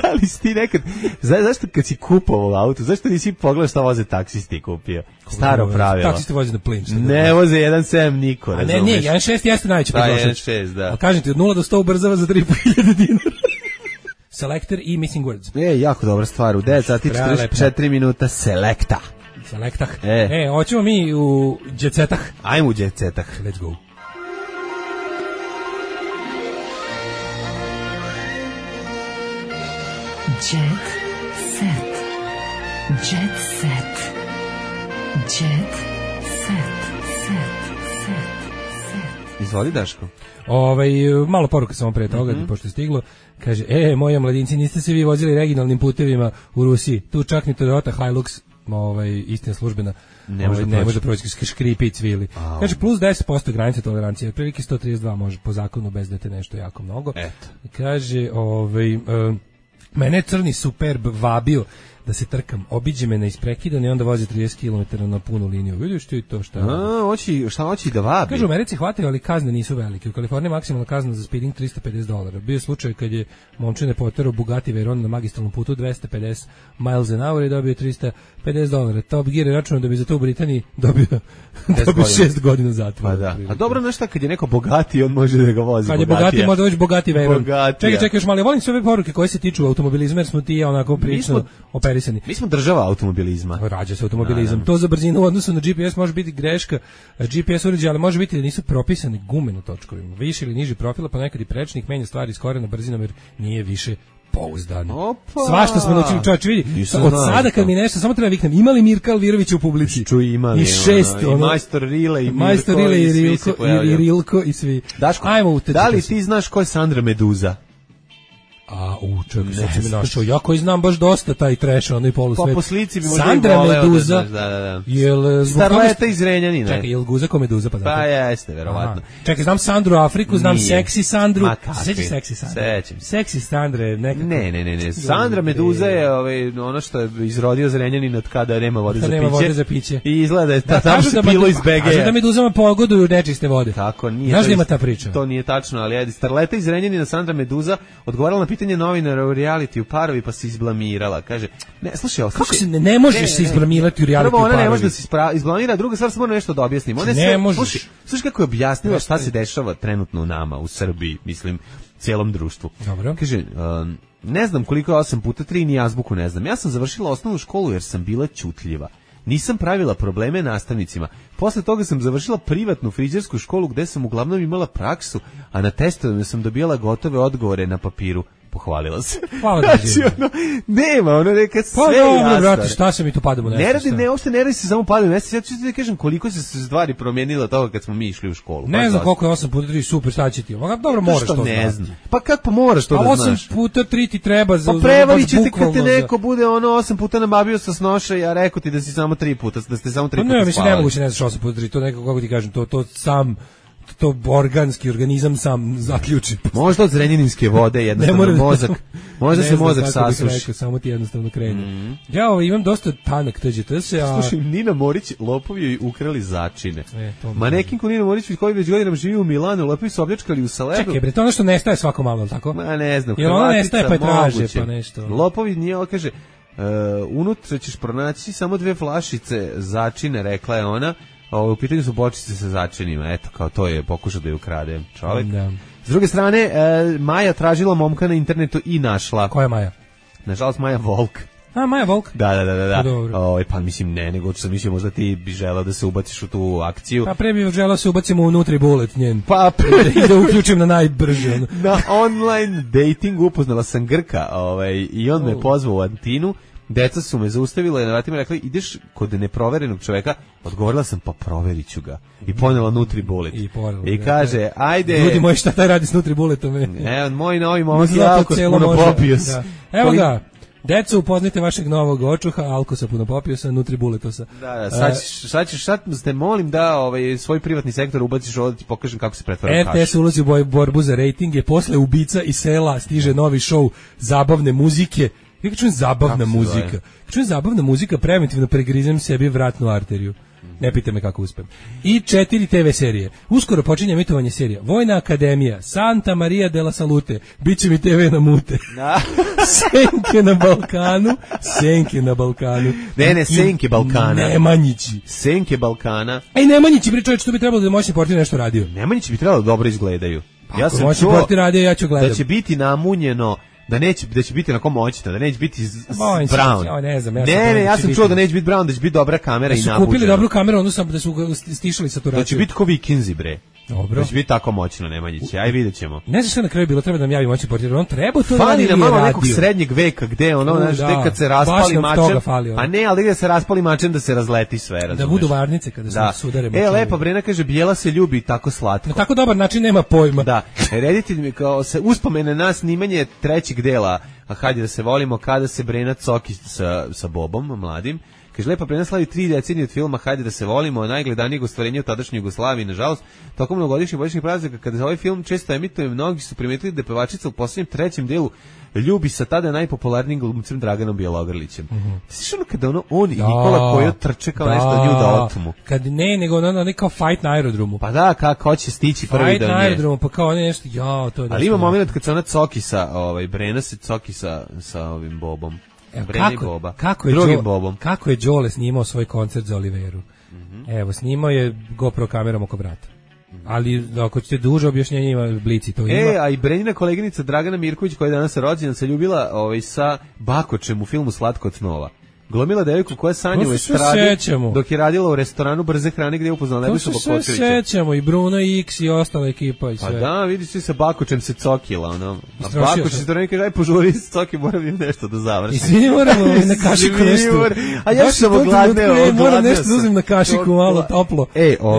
Da li si ti nekad, zašto kad si kupovao auto, zašto nisi pogledao šta voze taksisti kupio? Staro pravilo. Taksisti voze na plin. Ne voze 1.7 niko, razumeš? A ne, 1.6 jeste najveći potrošač. Da, 1.6, da. Ali kažem ti, od 0 do 100 ubrzava za 3.500 dinara. Selector i Missing Words. Jako dobra stvar, u 9 sati 44 minuta Selecta. Selektah. Hoćemo mi u džetsetah. Ajmo u džetsetah. Let's go. Jet set. Jet set. Jet set. Set. Izvoli, Daško. Malo poruka samo pre toga, pošto je stiglo. Kaže, moji mladinci, niste se vi vozili regionalnim putevima u Rusiji. Tu čak ni Toyota Hilux, istina službena, ne može proći škripi i cvili. Kaže, plus 10% granice tolerancije, prilike 132 može po zakonu bez da te nešto jako mnogo. Eto. Kaže, mene je crni Superb vabio da se trkam, obiđe me na isprekidane i onda vozi 30 km na punu liniju. Vidiš ti to šta hoći da vabi? Kaže, u Americi hvataju, ali kazne nisu velike. U Kaliforniji maksimalna kazna za speeding $350. Bio je slučaj kad je momčine poterao Bugatti Veyron na magistralnom putu 250 miles an hour i dobio $350. Top Gear je računao da bi za to u Britaniji dobio 6 godina zatvora. Pa da. A dobro, nešto kad je neko bogati, on može da ga vozi. Kad je bogati, može doći Bugatti Veyron. Čekaj, još malo, volim sve ove poruke koje se tiču automobilizma, jer smo ti onako prilično operisani. Mi smo država automobilizma. Rađa se automobilizam. To za brzinu u odnosu na GPS može biti greška. GPS uređaj, ali može biti da nisu propisane gume na točkovima. Više ili niži profila, pa nekad i prečnik menja stvari iz korena brzinom jer nije više pouzdano. Svašta smo naučili, čovječ, vidi. Od sada kad mi nešto, samo treba viknem, imali Mirka Alvirović u publici? Imali. I 6. I Majstor Rile, i Majstor Rile, i Rilko, i svi. Daško, da li ti znaš ko je Sandra Meduza? Čekaj, sad si mi našao. Ja koji znam baš dosta taj trash, onaj polusvet. Pa po slici bi možda Sandra i voleo Meduza, da. Jel Starleta iz Renjanina. Čekaj, jel Guza ko Meduza? Pa jeste, verovatno. Čekaj, znam Sandru Afriku, znam Seksi Sandru. Sećaš Seksi Sandru? Sećam. Seksi Sandra nekako. Ne. Sandra Meduza je ono što je izrodio za Renjanin od kada nema vode za piće. I izgleda da je tamo se pilo iz BG. Kažu da Meduzama pogoduju nečiste vode. Tako, nije. Znaš da ima ta priča? To nije tačno, ali ajde. Starleta iz Renjanina, Sandra Meduza, odgovarala na pitanje novinara u reality u Parovi, pa se izblamirala. Kaže, kako se ne možeš se izblamirati u reality u Parovi? Prvo, ona ne može da se izblamira, druga stvar, samo nešto da objasnim. Ne možeš. Slušaj kako je objasnila šta se dešava trenutno u nama, u Srbiji, mislim, cijelom društvu. Dobro. Kaže, ne znam koliko je 8 puta 3, ni azbuku ne znam. Ja sam završila osnovnu školu jer sam bila ćutljiva. Nisam pravila probleme nastavnicima. Posle toga sam završila privatnu frizersku školu gde sam uglavnom imala praksu, a na testovima sam dobijala gotove odgovore na papiru. Pohvalila se. Hvala da nema, ono neka sve jasno. Brate, šta se mi tu padamo nesvest? Ne radi se samo padamo nesvest. Ja ću ti da kažem koliko se stvari promijenilo toga kad smo mi išli u školu. Ne znam koliko je 8 puta 3 super, šta će ti? Dobro, moraš to znati. Pa kako moraš to da znaš? 8 puta 3 ti treba za... Pa prevarit ćete kad te neko bude 8 puta nabavio sa snoša, ja rekao ti da si samo 3 puta, da ste samo 3 puta spavali. Ne, mislim, nemoguće ne znaš 8 puta 3, to nekako, kako ti kažem, to sam... to organski organizam sam zaključi. Možda od zrenjaninske vode jednostavno mozak. Možda se mozak sasuši. Samo ti jednostavno krene. Ja imam dosta tanak TGTS. Slušaj, Nina Morić, lopovi joj ukrali začine. Manekinku Nina Morić koji već godinama živi u Milanu, lopovi su opljačkali u Salebu. Čekaj, bre, to ono što nestaje svako malo, tako? Ma ne znam. Jer ona nestaje pa traže, pa nešto. Lopovi nije, kaže, unutra ćeš pronaći samo 2 flašice začine, rekla je ona. U pitanju su bočice sa začinima, eto, kao to je pokušao da je ukrade čovjek. Da. S druge strane, Maja tražila momka na internetu i našla. Koja je Maja? Nažalost, Maja Volk. Maja Volk? Da. Pa mislim, nego što sam mislio, možda ti bi želeo da se ubaciš u tu akciju. Pa pre bih želeo se ubacimo u NutriBullet njen. Pa i da uključim na najbrže. Na online datingu upoznala sam Grka i on me pozvao u Antinu. Deca su me zaustavila i na vratima rekli, ideš kod neproverenog čoveka. Odgovorila sam, pa proverit ću ga. I ponela NutriBullet. I kaže, ajde. Ljudi moji, šta taj radi s NutriBulletom? Moj novi momak je Alkos Punopopios. Evo ga. Deco, upoznajte vašeg novog očuha, Alkosa Punopopiosa, NutriBulletosa. Da, sad te molim da svoj privatni sektor ubaciš ovdje, ti pokažem kako se pretvara kaš. RTS ulazi u borbu za rejtinge, posle Ubica i sela stiže novi show zabavne muzike. Ja čujem zabavna muzika. Čujem zabavna muzika, preventivno pregrizem sebi vratnu arteriju. Ne pite me kako uspem. I 4 TV serije. Uskoro počinje emitovanje serija. Vojna akademija, Santa Maria de la Salute, biće mi TV na mute. Senke na Balkanu. Ne, Senke Balkana. Nemanjići. Senke Balkana. Nemanjići, bre čovječ, to bi trebalo da moćni portir nešto radio. Nemanjići bi trebalo da dobro izgledaju. Ja sam moćni portir radio, ja ću gledati. Da će biti namunjeno, da će biti onako moćno, da neće biti brown. Ja sam čuo da neće biti brown, da će biti dobra kamera i nabuđena. Da su kupili dobru kameru, onda sam da su stišali saturacije. Da će biti ko Vikinzi, bre. Dobro. Da će biti tako moćno Nemanjić. Aj vidjet ćemo. Ne znam što na kraju bilo, treba da nam javi moćni portir. On treba to Fali nam malo nekog radio. srednjeg veka, gde ono, znaš, Da. gde kad se raspali Baš nam mačem, toga fali, ono. a ne, ali gde se raspali mačem da se razleti sve, razumeš? Da budu varnice kada se sudare mačevi. Lepa Brena kaže, Bijela se ljubi tako slatko. Na tako dobar način nema pojma. Da, reditelj mi kao se uspomene na snimanje trećeg dela, a hajde da se volimo, kada se Brena coki sa Bobom, mladim. Kaže, Lepa Brena slavi 3 decenije od filma Hajde da se volimo, najgledanijeg ostvarenja u tadašnjoj Jugoslaviji. Nažalost, tokom mnogogodišnjih božićnih praznika, kada se ovaj film često emituje, mnogi su primetili da je pevačica u posljednjem trećem delu ljubi sa tada najpopularnijim glumcem Draganom Bjelogrlićem. Znaš ono kada on i Nikola Kojo trče kao nešto nju da otmu? Kad nego ono kao fight na aerodromu. Pa da, kako će stići prvi fight do nje. na aerodromu, pa kao nešto, to je. Ali ima moment kad se ona coki sa, Brena se coki sa ovim Bobom. Brena i Boba. Kako je Đole snimao svoj koncert za Oliveru? Evo, snimao je GoPro kamerom oko vrata. Ali ako ćete duže objašnjenje, ima Blici to ima. A i Brenjina koleginica Dragana Mirković, koja je danas rođena, se ljubila sa Bakočem u filmu Slatko od snova. Glumila devojku koja sanja u estradi dok je radila u restoranu brze hrane gdje je upoznala Nebojšu Bakočevića. To se sećamo, i Bruno X i ostala ekipa i sve. Pa da, vidiš se sa Bakočem se cokila, ono. A Bakoč se to kaže, aj požuri se coki, moram nešto da završim. I svi moramo na kašiku nešto. A ja sam ogladneo. Moram nešto da uzem na kašiku, malo toplo.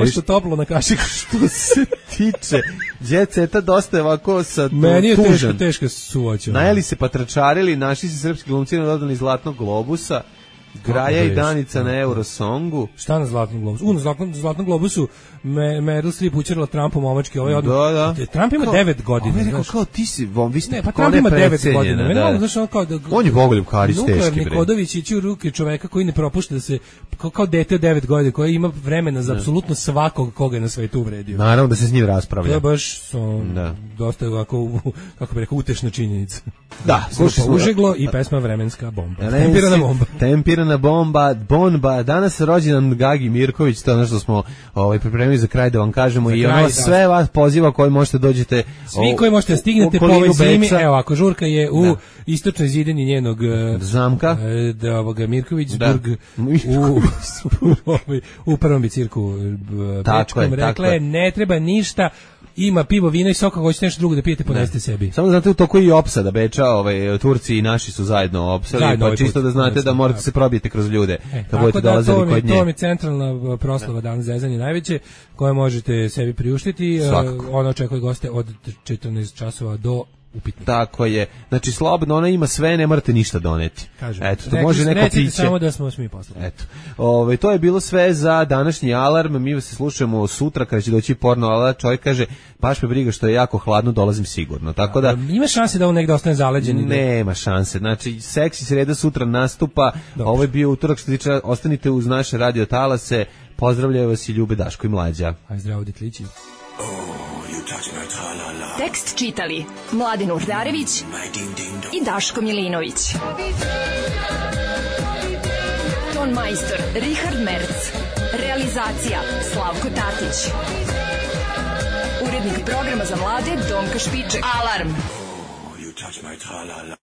Nešto toplo na kašiku. Što se tiče Đeceta, dosta je ovako sa tužan. Meni je teška suvoća. Najeli se, patračarili, našli se srpski glumci na dodani Zlatnog globusa. Graja i Danica na Eurosongu. Šta na Zlatnom globusu? Na Zlatnom globusu Meryl Streep učerila Trumpu momački. Da. Trump ima 9 godina. On je rekao kao ti si, vi ste pa Trump ima 9 godina. On je Bogoljub Karić teški. Nuklearni kodović ići u ruke čoveka koji ne propušta da se, kao dete od 9 godina, koji ima vremena za apsolutno svakog koga je na svetu uvredio. Naravno da se s njim raspravlja. To je baš dosta ovako, kako bi rekao, utešna činjenica. Da, slušaj, užeglo i pesma Vremenska bomba. Tempirana bomba. Danas rođendan Gagi Mirković, to je ono što smo pripremili za kraj da vam kažemo i ono sve vas poziva koji možete dođete. Svi koji možete stignete po ovoj zimi, evo ako žurka je u istočnoj zidini njenog zamka, Mirkovićburg u prvom bicirku Bečkom, rekla je ne treba ništa. Ima pivo, vino i sok, ako hoćete nešto drugo da pijete, ponesite sebi. Samo da znate, u toku i opsada Beča, Turci i naši su zajedno opsali, pa čisto da znate da morate se probijete kroz ljude, kad budete dolazili kod nje. To mi je centralna proslava danas zezanje najveće, koje možete sebi priuštiti. Ona očekuje goste od 14 časova do upitnika. Tako je. Znači, slobodno, ona ima sve, ne morate ništa doneti. Kažem, eto, to može neko piće. Recite samo da smo smi poslali. Eto. To je bilo sve za današnji alarm. Mi se slušamo sutra kada će doći porno alarm. Čovjek kaže, baš me briga što je jako hladno, dolazim sigurno. Tako da ima šanse da on negde ostane zaleđen? Nema šanse. Znači, Seksi sreda sutra nastupa. Dobro. Ovo je bio utorak, što tiče, ostanite uz naše radio talase. Pozdravljaju vas i Ljube, Daško i Mlađa. Aj zdravo, ditlići. Tekst čitali Mladen Urdarević i Daško Milinović. Ton majstor Richard Merc. Realizacija Slavko Tatić. Urednik programa za mlade Donka Špiček. Alarm!